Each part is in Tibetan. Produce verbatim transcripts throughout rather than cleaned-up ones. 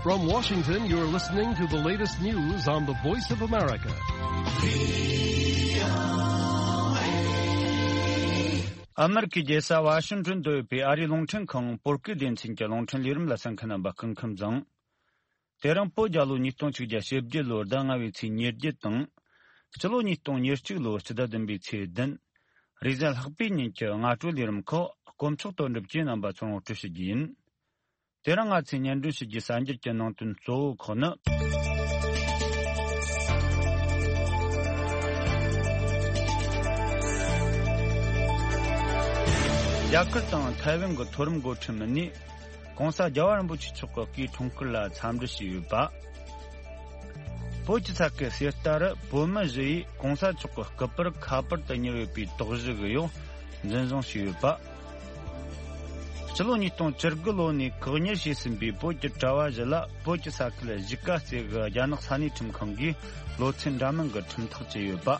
From Washington, you're listening to the latest news on the Voice of America. ཨ་མེ་རི་ཁའི་རྒྱལ་ས་ཝ་ཤིང་ཏོན་དུ་ཡོད་པའི་ཨ་རིའི་རླུང་འཕྲིན་ཁང་བོད་སྐད་སྡེ་ཚན་གྱི་རླུང་འཕྲིན་ལས་རིམ་ལ་གསན་མཁན་རྣམ་པ་སྐུ་ཁམས་བཟང་། དེ་རིང་བོད་རྒྱལ་ལོ་ཉིས་སྟོང་ཆིག་བརྒྱ་བཞི་བཅུ་ལོའི་ཟླ་ལྔ་པའི་ཚེས་ཉེར་བརྒྱད་དང་། སྤྱི་ལོ་ཉིས་སྟོང་ཉེར་གཅིག་ལོའི་སྤྱི་ཟླ་བདུན་པའི་ཚེས་བདུན། རེས་གཟའ་ལྷག་པའི་ཉིན་གྱི་སྔ་དྲོའི་ལས་རིམ་ཁག་དཀོན་མཆོག་དོན་གྲུབ་ཀྱིས་རྣམ་པ་ཚོར་ངོ་སྤྲོད་ཞུ་རྒྱུ་ཡིན། དེ་རིང་ང་ཚོས་སྙན་སྒྲོན་ཞུ་རྒྱུའི་གསར་འགྱུར་གྱི་ནང་དོན་གཙོ་བོ་ཁག་ནི། རྒྱ་གར་དང་ཐའེ་ཝན་གྱི་མཐོ་རིམ་འགོ་ཁྲིད་མི་སྣས་༧གོང་ས་༧རྒྱལ་བ་རིན་པོ་ཆེ་མཆོག་གི་སྐུའི་འཁྲུངས་སྐར་ལ་འཚམས་འདྲི་ཞུས་ཡོད་པ། བོད་ཀྱི་ས་ཁུལ་གསེར་རྟ་རུ་བོད་མི་བཞི་ཡིས་༧གོང་ས་མཆོག་གི་སྐུ་པར་ཁ་པར་དུ་ཉར་ཡོད་པའི་དོགས་གཞི་གི་ཡོ་འཛིན་བཟུང་བྱས་ཡོད་པ། སྤྱི་ལོ་ཉིས་སྟོང་བཅུ་དགུ་ལོ་ནས་བཀག་ཉར་བྱས་ཟིན་པའི་བོད་ཀྱི་གྲྭ་བ་བཞི་ལ་བོད་ཀྱི་ས་ཁུལ་གཞིས་ཀ་རྩེ་གི་རྒྱ་ནག་ས་གནས་ཁྲིམས་ཁང་གིས་ལོ་ཚད་འདྲ་མིན་གྱི་ཁྲིམས་ཐག་བཅད་ཡོད་པ།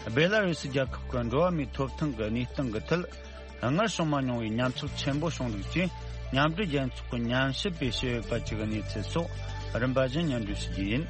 སྦེ་ལ་རུ་སི་རྒྱལ་ཁབ་ཀྱི་འགྲོ་བ་མིའི་ཐོབ་ཐང་གི་གནས་སྟངས་ཀྱི་ཐད། སྔར་བྱུང་མ་མྱོང་བའི་ཉམས་ཆག་ཆེན་པོ་བྱུང་འདུག་ཅེས་མཉམ་འབྲེལ་རྒྱལ་ཚོགས་ཀྱི་ཉམས་ཞིབ་པས་བཤད་ཡོད་པ་བཅས་ཀྱི་གནས་ཚུལ་སོགས་རིམ་པ་བཞིན་སྙན་སྒྲོན་ཞུ་རྒྱུ་ཡིན།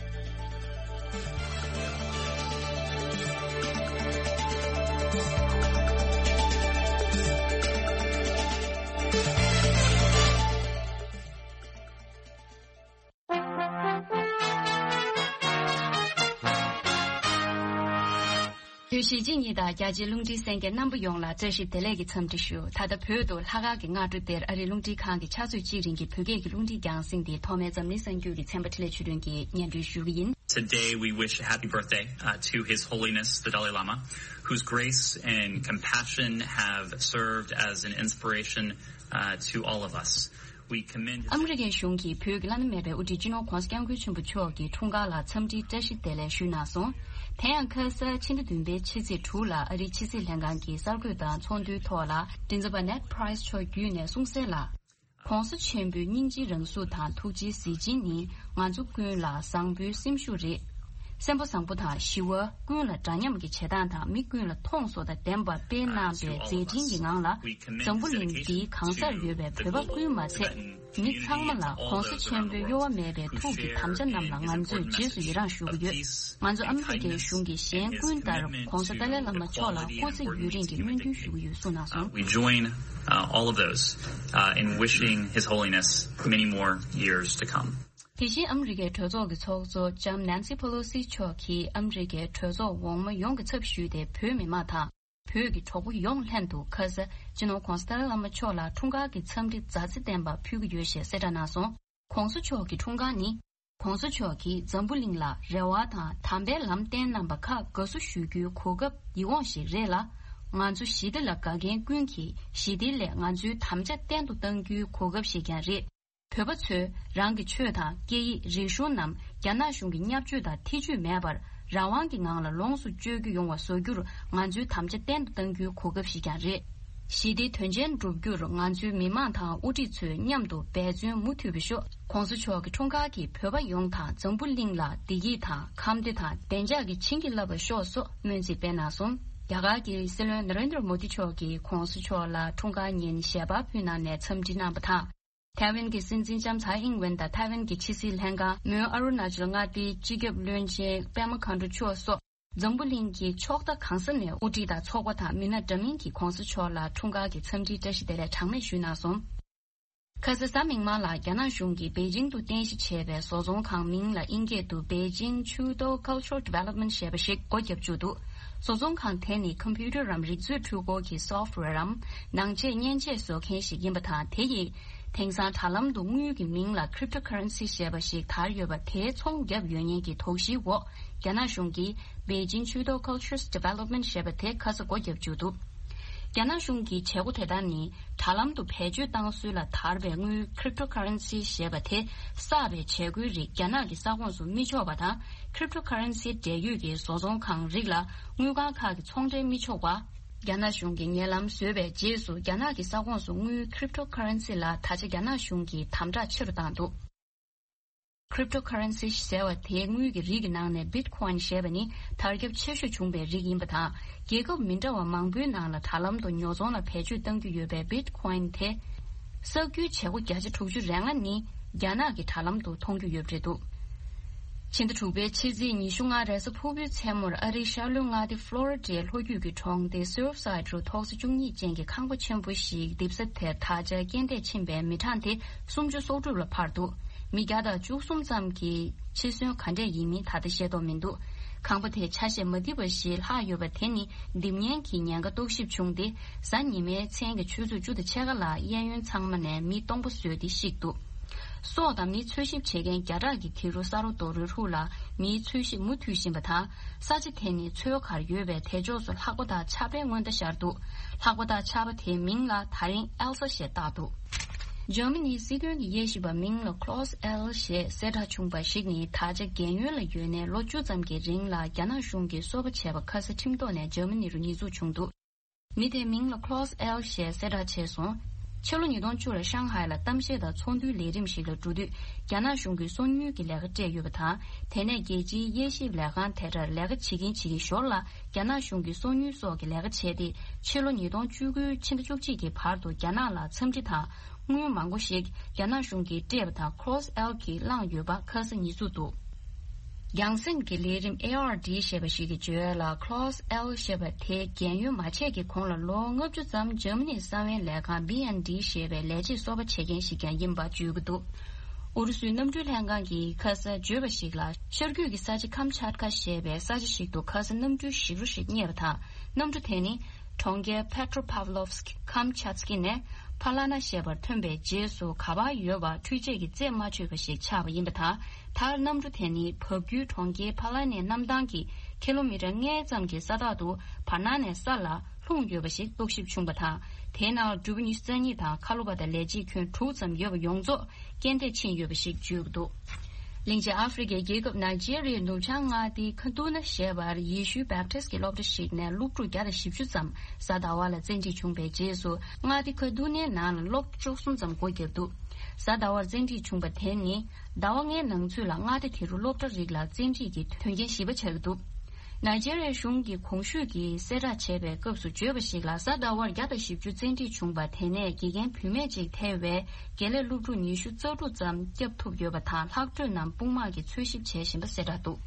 བོད་གཞིས་བྱེས་གཉིས་དང་རྒྱ་ཆེའི་རླུང་འཕྲིན་གསན་མཁན་རྣམ་པ་ཡོངས་ལ་བཀྲ་ཤིས་བདེ་ལེགས་ཀྱི་འཚམས་འདྲི་ཞུ། ད་ལྟ་བོད་དུ་ལྷག་དཀར་གྱི་སྔ་དྲོ་དེར་ཨ་རིའི་རླུང་འཕྲིན་ཁང་གི་ཕྱག་ཚོད་གཅིག་རིང་གི་བོད་སྐད་ཀྱི་རླུང་འཕྲིན་རྒྱང་སྲིང་དེ་ཐོག་མའི་འཛམ་གླིང་གསར་འགྱུར་གྱི་ཚན་པ་འཕྲིན་ལས་ཆོས་སྒྲོན་གྱིས་སྙན་སྒྲོན་ཞུ་གི་ཡིན། Today we wish a happy birthday, uh, to His Holiness the Dalai Lama, whose grace and compassion have served as an inspiration, uh, to all of us. We commend his ཨ་མི་རི་ཀའི་གཞུང་གིས་བོད་ཀྱི་བླ་ན་མེད་པའི་དབུ་ཁྲིད་སྤྱི་ནོར་༧གོང་ས་༧སྐྱབས་མགོན་ཆེན་པོ་མཆོག་གི་འཁྲུངས་སྐར་ལ་འཚམས་འདྲིའི་བཀྲ་ཤིས་བདེ་ལེགས་ཞུས་གནང་སོང་། དེ་ཡང་ཁ་ས་ཕྱི་ཟླ་བདུན་པའི་ཕྱི་ཚེས་དྲུག་ལ་ཨ་རིའི་ཕྱི་སྲིད་ལྷན་ཁང་གི་གསར་འགོད་དང་ཚོགས་འདུའི་ཐོག་ལ་མགྲིན་ཚབ་པ་ནེཌ་པ་རའི་སི་མཆོག་བརྒྱུད་ནས་གསུངས་གསལ་ལ། ༸གོང་ས་ཆེན་པོའི་སྙིང་རྗེའི་རང་གཟུགས་དང་ཐུགས་རྗེའི་གཟི་བྱིན་ནི་ང་ཚོ་ཀུན་ལ་བཟང་པོའི་སེམས་ཤུགས་རེད། སེམས་པ་བཟང་པོ་དང་ཞི་བ་ཀུན་ལ་འདྲ་མཉམ་གྱི་བྱེད་སྟངས་དང་མི་ཀུན་ལ་མཐོང་ཚོར་དང་ལྡན་པར་སྤེལ་གནང་བའི་མཛད་འཕྲིན་གྱི་ངང་ལ། འཛམ་བུ་གླིང་འདིའི་གང་སར་ཡོད་པའི་བོད་པ་ཀུན་མ་ཚད། མི་ཚང་མ་ལ་༸གོང་ས་ཆེན་པོའི་གཡོ་བ་མེད་པའི་ཐུགས་ཀྱི་དམ་བཅའ་རྣམས་ལ་ང་ཚོས་རྗེས་སུ་ཡི་རངས་ཞུ་གི་ཡོད། ང་ཚོ་ཨ་མི་རི་ཀའི་གཞུང་གི་གཞན་ཀུན་ལྟར་༸གོང་ས་ཏཱ་ལའི་བླ་མ་མཆོག་ལ་སྐུ་ཚེ་ཡུན་རིང་གི་སྨོན་འདུན་ཞུ་གི་ཡོད་གསུངས་གནང་སོང་། We join, uh, all of those, uh, in wishing His Holiness many more years to come. དེ་བཞིན་ཨ་མི་རི་ཀའི་གྲོས་ཚོགས་ཀྱི་ཚོགས་གཙོ་ལྕམ་ནན་སི་ཕེ་ལོ་སི་མཆོག་གིས་ཨ་མི་རི་ཀའི་གྲོས་ཚོགས་འོག་མ་ཡོངས་ཀྱི་ཚབ་ཞུས་ཏེ་བོད་མི་མང་དང་། བོད་ཀྱི་གྲོགས་པོ་ཡོངས་ལྷན་དུ་ཁ་ས་སྤྱི་ནོར་༸གོང་ས་ཏཱ་ལའི་བླ་མ་མཆོག་ལ་འཁྲུངས་སྐར་གྱི་འཚམས་འདྲི་མཛའ་བརྩེ་ལྡན་པ་ཕུལ་གྱི་ཡོད་ཞེས་གསལ་བསྒྲགས་གནང་སོང་། ༸གོང་ས་མཆོག་གི་འཁྲུངས་སྐར་ནི། ༸གོང་ས་མཆོག་གིས་འཛམ་བུ་གླིང་ལ་རེ་བ་དང་དམ་པའི་ལམ་བསྟན་གནང་བ་ཁག་དགའ་བསུ་ཞུ་རྒྱུའི་གོ་སྐབས་ཡིད་འོང་ཞིག་རེད་ལ། ང་ཚོ་ཞི་བདེ་ལ་དགའ་མཁན་ཀུན་གྱིས་ཞི་བདེའི་སླད་ང་ཚོའི་དམ་བཅའ་བརྟན་དུ་གཏང་རྒྱུའི་གོ་སྐབས་ཤིག་ཀྱང་རེད། བོད་པ་ཚོས་རང་གི་ཆོས་དང་སྐད་ཡིག་རིག་གཞུང་རྣམས་རྒྱ་ནག་གཞུང་གི་བརྙས་བཅོས་དང་ཐེ་ཇུས་མེད་པར་རང་དབང་གི་ངང་ལ་ལོངས་སུ་སྤྱོད་རྒྱུ་ཡོང་བ་བཟོ་རྒྱུར་ང་ཚོའི་དམ་བཅའ་བརྟན་དུ་གཏང་རྒྱུའི་གོ་སྐབས་ཤིག་ཀྱང་རེད། ཞི་བདེའི་དོན་ཆེན་བསྒྲུབ་རྒྱུར་ང་ཚོའི་མི་མང་དང་དབུ་ཁྲིད་ཚོས་མཉམ་དུ་འབད་བརྩོན་མུ་མཐུད་པ་ཤོག ༸གོང་ས་མཆོག་གི་འཁྲུངས་སྐར་གྱིས་བོད་པ་ཡོངས་དང་འཛམ་བུ་གླིང་ལ་བདེ་སྐྱིད་དང་ཁམས་བདེ་དང་བདེ་འཇགས་ཀྱི་བྱིན་གྱིས་བརླབས་པ་ཤོག་སོགས་སྨོན་ཚིག་སྤེལ་གནང་སོང་། རྒྱ་གར་གྱི་སྲིད་བློན་ན་རེན་དྲ་མོ་དི་མཆོག་གིས་༸གོང་ས་མཆོག་ལ་འཁྲུངས་སྐར་ཉིན་ཞལ་པར་ཕུལ་གནང་ནས་འཚམས་འདྲི་གནང་བ་དང་། ཐའེ་ཝན་གྱི་སྲིད་འཛིན་ལྕམ་ཚའེ་ཨིང་ཝེན་དང་ཐའེ་ཝན་གྱི་ཕྱི་སྲིད་ལྷན་ཁང་མོན་ཨ་རུ་ན་ཅལ་མངའ་སྡེའི་སྤྱི་ཁྱབ་བློན་ཆེན་པད་མ་མཁའ་འགྲོ་མཆོག་སོགས། འཛམ་བུ་གླིང་གི་ཕྱོགས་མཐའ་གང་ས་ནས་དབུ་ཁྲིད་དང་ཚོགས་པ་དང་མི་སྣ་འདྲ་མིན་གྱིས་༸གོང་ས་མཆོག་ལ་འཁྲུངས་སྐར་གྱི་འཚམས་འདྲིའི་བཀྲ་ཤིས་བདེ་ལེགས་གྲངས་མེད་ཞུས་གནང་སོང་། ཁ་ས་གཟའ་མིག་དམར་ལ་རྒྱ་ནག་གཞུང་གིས་པེ་ཅིང་དུ་རྟེན་གཞི་བྱས་པའི་བཟོ་ཚོང་ཁང་མིང་ལ་དབྱིན་སྐད་དུ་Beijing Chudo Cultural Development ཞེས་པ་ཞིག་སྒོ་བརྒྱབ་བཅུག་འདུག་བཟོ་ཚོང་ཁང་དེ་ནི་ཀམ་པུ་ཊར་རམ་རིག་མཛོད་འཕྲུལ་འཁོར་གྱི་སོཕ་ཝེར་རམ་ནང་ཆས་མཉེན་ཆས་བཟོ་མཁན་ཞིག་ཡིན་པ་དང་། དེ་ཡིས་དེང་སང་དྲ་ལམ་དུ་དངུལ་གྱི་མིང་ལ་Cryptocurrency ཞེས་པ་ཞིག་དར་ཡོད་པ་དེའི་ཚོང་བརྒྱབ་ཡོད་ཉེན་གྱི་དོགས་གཞིའི་འོག་རྒྱ་ནག་གཞུང་གིས་Beijing Chudo Cultures Development ཞེས་པ་དེ་ཁ་ས་སྒོ་བརྒྱབ་བཅུག་འདུག་རྒྱ་ནག་གཞུང་གི་བྱེད་སྒོ་དེ་དག་ནི་དྲ་ལམ་དུ་བེད་སྤྱོད་བཏང་སྲོལ་ལ་དར་བའི་དངུལ་Cryptocurrency ཞེས་པ་དེ་གསར་བའི་བྱེད་སྒོའི་རིགས་རྒྱ་ནག་གི་ས་ཁོངས་སུ་མི་ཆོག་པ་དང་། Cryptocurrency འབྲེལ་ཡོད་ཀྱི་བཟོ་ཚོང་ཁང་རིགས་ལ་དངུལ་ཁང་ཁག་གི་ཚོང་འབྲེལ་མི་ཆོག་པ། རྒྱ་ནག་གཞུང་གིས་ཉེ་ལམ་བཟོས་པའི་རྗེས་སུ་རྒྱ་ནག་གི་ས་ཁོངས་སུ་དངུལ་Cryptocurrency ལ་ད་ཆ་རྒྱ་ནག་གཞུང་གིས་དམ་དྲག་ཆེ་རུ་བཏང་འདུག Cryptocurrency ཟེར་བ་དེའི་དངུལ་གྱི་རིགས་ཀྱི་ནང་ནས་Bitcoin ཞེས་པ་ནི་དར་ཁྱབ་ཆེ་ཤོས་བྱུང་བའི་རིགས་ཡིན་པ་དང་། རྒྱལ་ཁབ་མི་འདྲ་བ་མང་པོའི་ནང་ལ་དྲ་ལམ་དུ་ཉོ་ཚོང་ལ་བེད་སྤྱོད་གཏང་རྒྱུ་ཡོད་པའི་Bitcoin དེ། གསར་འགྱུར་བྱེད་སྒོ་བརྒྱ་ཆ་དྲུག་ཅུ་རེ་ལྔ་ནི་ རྒྱ་ནག་གི་དྲ་ལམ་དུ་མཐོང་རྒྱུ་ཡོད་པ་རེད་འདུག་ཕྱི་ཟླ་དྲུག་པའི་ཕྱི་ཚེས་ཉི་ཤུ་ལྔ་རེས་གཟའ་ཕུར་བུའི་མཚན་མོར་ཨ་རིའི་ཤར་ལྷོའི་མངའ་སྡེ་ཕློ་རི་ཌའི་ལྷོ་རྒྱུད་ཀྱི་གྲོང་སྡེ་སིརཕ་སའིད་རུ་ཐོག་ས་བཅུ་གཉིས་ཅན་གྱི་ཁང་པ་ཆེན་པོ་ཞིག་རྡིབ་ས་དེར་ད་ཆ་རྐྱེན་འདས་ཕྱིན་པའི་མི་གྲངས་དེ་སུམ་ཅུ་སོ་དྲུག་ལ་འཕར་འདུག་མི་བརྒྱ་དང་བཅུ་གསུམ་ཙམ་གྱིས་འཆི་གསོན་ག་འདྲས་ཡིན་མིན་ད་ལྟ་ཤེས་རྟོགས་མི་འདུག་ཁང་པ་དེ་ཆ་ཤས་མ་རྡིབ་པ་ཞིག་ལྷག་ཡོད་པ་དེ་ནི་རྡིབ་ཉེན་གྱི་ཉེན་ཁ་རྟོག་ཞིབ་བྱུང་སྟེ། གཟའ་ཉི་མའི་མཚན་གྱི་ཆུ་ཚོད་བཅུ་དང་ཕྱེད་ཀ་ལ་གཡས་གཡོན་ཚང་མ་ནས་མི་སྟོང་པ་བཟོས་ཏེ་བཤིག་འདུག་སྲོག་དང་མི་འཚོལ་ཞིབ་བྱེད་མཁན་བརྒྱ་ཕྲག་གིས་དེ་རུ་ས་རོ་རྡོ་རོལ་ཧྲུག་ལ་མིའི་འཚོལ་ཞིབ་མུ་མཐུད་བཞིན་པ་དང་། ས་ཆ་དེ་ནི་མཚོའི་ཁར་ཡོད་པའི་དེ་ཕྱོགས་སུ་ལྷགས་པ་དང་ཆར་པའི་སྔོན་བརྡ་ཤར་འདུག་ལྷགས་པ་དང་ཆར་པ་དེའི་མིང་ལ་ད་རིང་ཨེལ་ས་ཞེས་བཏགས་འདུག་འཇར་མ་ནིའི་སྲིད་དོན་གྱི་དབྱེ་ཞིབ་པ་མིང་ལ་Klaus L ཞེས་གསལ་བསྒྲགས་བྱུང་བ་ཞིག་ནི་ད་ཆ་རྒན་ཡོལ་ལ་ཡོད་ནས་ལོ་བཅུ་ཙམ་གྱི་རིང་ལ་རྒྱ་ནག་གཞུང་གིས་སོ་པ་བྱས་པ་ཁ་ས་ཁྲིམས་ཐོག་ནས་འཇར་མ་ནི་རུ་ཉེས་འཛུགས་བྱུང་འདུག་མི་དེའི་མིང་ལ་Klaus L ཞེས་གསལ་བསྒྲགས་བྱས་སོང་། ཕྱི་ལོ་ཉིས་སྟོང་བཅུ་ལ་ཤང་ཧའེ་ལ་གཏམ་བཤད་དང་ཚོགས་འདུའི་ལས་རིམ་ཞིག་ལ་འགྲོ་དུས་རྒྱ་ནག་གཞུང་གིས་སོ་ཉུལ་གྱི་ལས་ཀ་སྤྲད་ཡོད་པ་དང་། དེ་ནས་རྒྱལ་སྤྱིའི་དབྱེ་ཞིབ་ལས་ཁང་དེ་གར་ལས་ཀ་བྱེད་ཀྱིན་བྱེད་ཀྱིན་ཞོར་ལ་རྒྱ་ནག་གཞུང་གིས་སོ་ཉུལ་སོགས་ཀྱི་ལས་ཀ་བྱས་ཏེ། ཕྱི་ལོ་ཉིས་སྟོང་བཅུ་དགུ་ཕྱི་ཟླ་བཅུ་གཅིག་གི་བར་དུ་རྒྱ་ནག་ལ་འཚམས་འདྲི་དང་དངུལ་མང་པོ་ཞིག་རྒྱ་ནག་གཞུང་གིས་སྤྲད་པ་དང་Klaus L གིས་བླངས་ཡོད་པ་ཁ་ས་ཉེས་འཛུགས་འདུག་རྒྱང་སྲིང་གི་ལས་རིམ་ཨེ་ཨར་ཌི་ཞེས་པ་ཞིག་གི་བརྗོད་ཡག་ལ་Klaus L ཞེས་པ་དེ་རྒན་ཡོལ་མ་ཆད་ཀྱི་གོང་ལ་ལོ་ལྔ་བཅུ་ཙམ་འཇར་མ་ནིའི་གསང་བའི་ལས་ཁང་བི་ཨེན་ཌི་ཞེས་པའི་ལས་བྱེད་གསོ་པ་བྱེད་མཁན་ཞིག་ཀྱང་ཡིན་པ་བརྗོད་ཀྱི་འདུག་ཨུ་རུ་སུའི་གནམ་གྲུའི་ལྷན་ཁང་གིས་ཁ་ས་བརྗོད་པ་ཞིག་ལ་ཤར་རྒྱུད་ཀྱི་ས་ཆ་ཁམ་ཆཱ་ཏ་ཀ་ཞེས་པའི་ས་ཆ་ཞིག་ཏུ་ཁ་ས་གནམ་གྲུའི་ཞིག་རོ་ཞིག་རྙེད་པ་དང་། གནམ་གྲུ་དེ་ནི་གྲོང་ཁྱེར་Petropavlovsk Kamchatski ནས་ཕ་ལ་ན་ཞེས་པར་ཐོན་པའི་རྗེས་སུ་ག་པར་ཡོད་པ་འཕྲུལ་ཆས་ཀྱིས་རྩད་མ་ཆོད་པ་ཞིག་ཆགས་པ་ཡིན་པ་དང་། མཐར་གནམ་གྲུ་དེ་ནི་བབས་རྒྱུད་གྲོང་ཁྱེར་ཕ་ལ་ནའི་གནམ་ཐང་གི་ཀི་ལོ་མི་ཊར་ལྔ་ཙམ་གྱི་ས་ཐག་ཏུ་བར་སྣང་ནས་ས་ལ་ལྷུང་ཡོད་པ་ཞིག་རྟོག་ཞིབ་བྱུང་བ་དང་། དེའི་ནང་འགྲུལ་པ་ཉི་ཤུ་རྩ་གཉིས་དང་ཁ་ལོ་པ་དང་ལས་བྱེད་ཁྱོན་དྲུག་ཙམ་ཡོད་པ་ཡོངས་རྫོགས་རྐྱེན་འདས་ཕྱིན་ཡོད་པ་ཞིག་བརྗོད་ཀྱི་འདུག་གླིང་ཆེན་ཨ་ཧྥེ་རི་ཁའི་རྒྱལ་ཁབ་ནཱི་ཇེ་རི་ཡའི་ནུབ་བྱང་མངའ་སྡེའི་ཁ་ཏུ་ན་ཞེས་པར་ཡེ་ཤུའི་བེབ་ཏིས་ཀྱི་སློབ་གྲྭ་ཞིག་ནས་སློབ་ཕྲུག་བརྒྱ་དང་བཞི་བཅུ་ཙམ་གཟའ་ཟླ་བ་ལ་བཙན་ཁྲིད་བྱུང་བའི་རྗེས་སུ་མངའ་སྡེ་ཁ་ཏུ་ནའི་ནང་ལ་སློབ་གྲྭ་བཅུ་གསུམ་ཙམ་སྒོ་བརྒྱབ་འདུག་གཟའ་ཟླ་བར་བཙན་ཁྲིད་བྱུང་བ་དེ་ནི་ཟླ་བ་ལྔའི་ནང་ཚུད་ལ་མངའ་སྡེ་དེ་རུ་སློབ་གྲྭ་རིགས་ལ་བཙན་ཁྲིད་ཀྱི་དོན་རྐྱེན་བཞི་པ་ཆགས་ཀྱི་འདུག་ནཱི་ཇེ་རི་ཡའི་གཞུང་གིས་གོང་ཞུས་ཀྱི་གསལ་བསྒྲགས་བྱས་པའི་སྐབས་སུ་བརྗོད་པ་ཞིག་ལ་གཟའ་ཟླ་བར་བརྒྱ་དང་བཞི་བཅུ་བཙན་ཁྲིད་བྱུང་བ་དེ་ནས་དགེ་རྒན་བུད་མེད་ཅིག་ཐེ་བའི་དགེ་ལས་སློབ་ཕྲུག་ཉི་ཤུ་རྩ་དྲུག་ཙམ་བསྐྱབས་ཐུབ་ཡོད་པ་དང་ལྷག་འཕྲོས་རྣམས་དཔུང་དམག་གིས་འཚོལ་ཞིབ་བྱེད་བཞིན་པ་གསལ་བསྒྲགས་འདུག་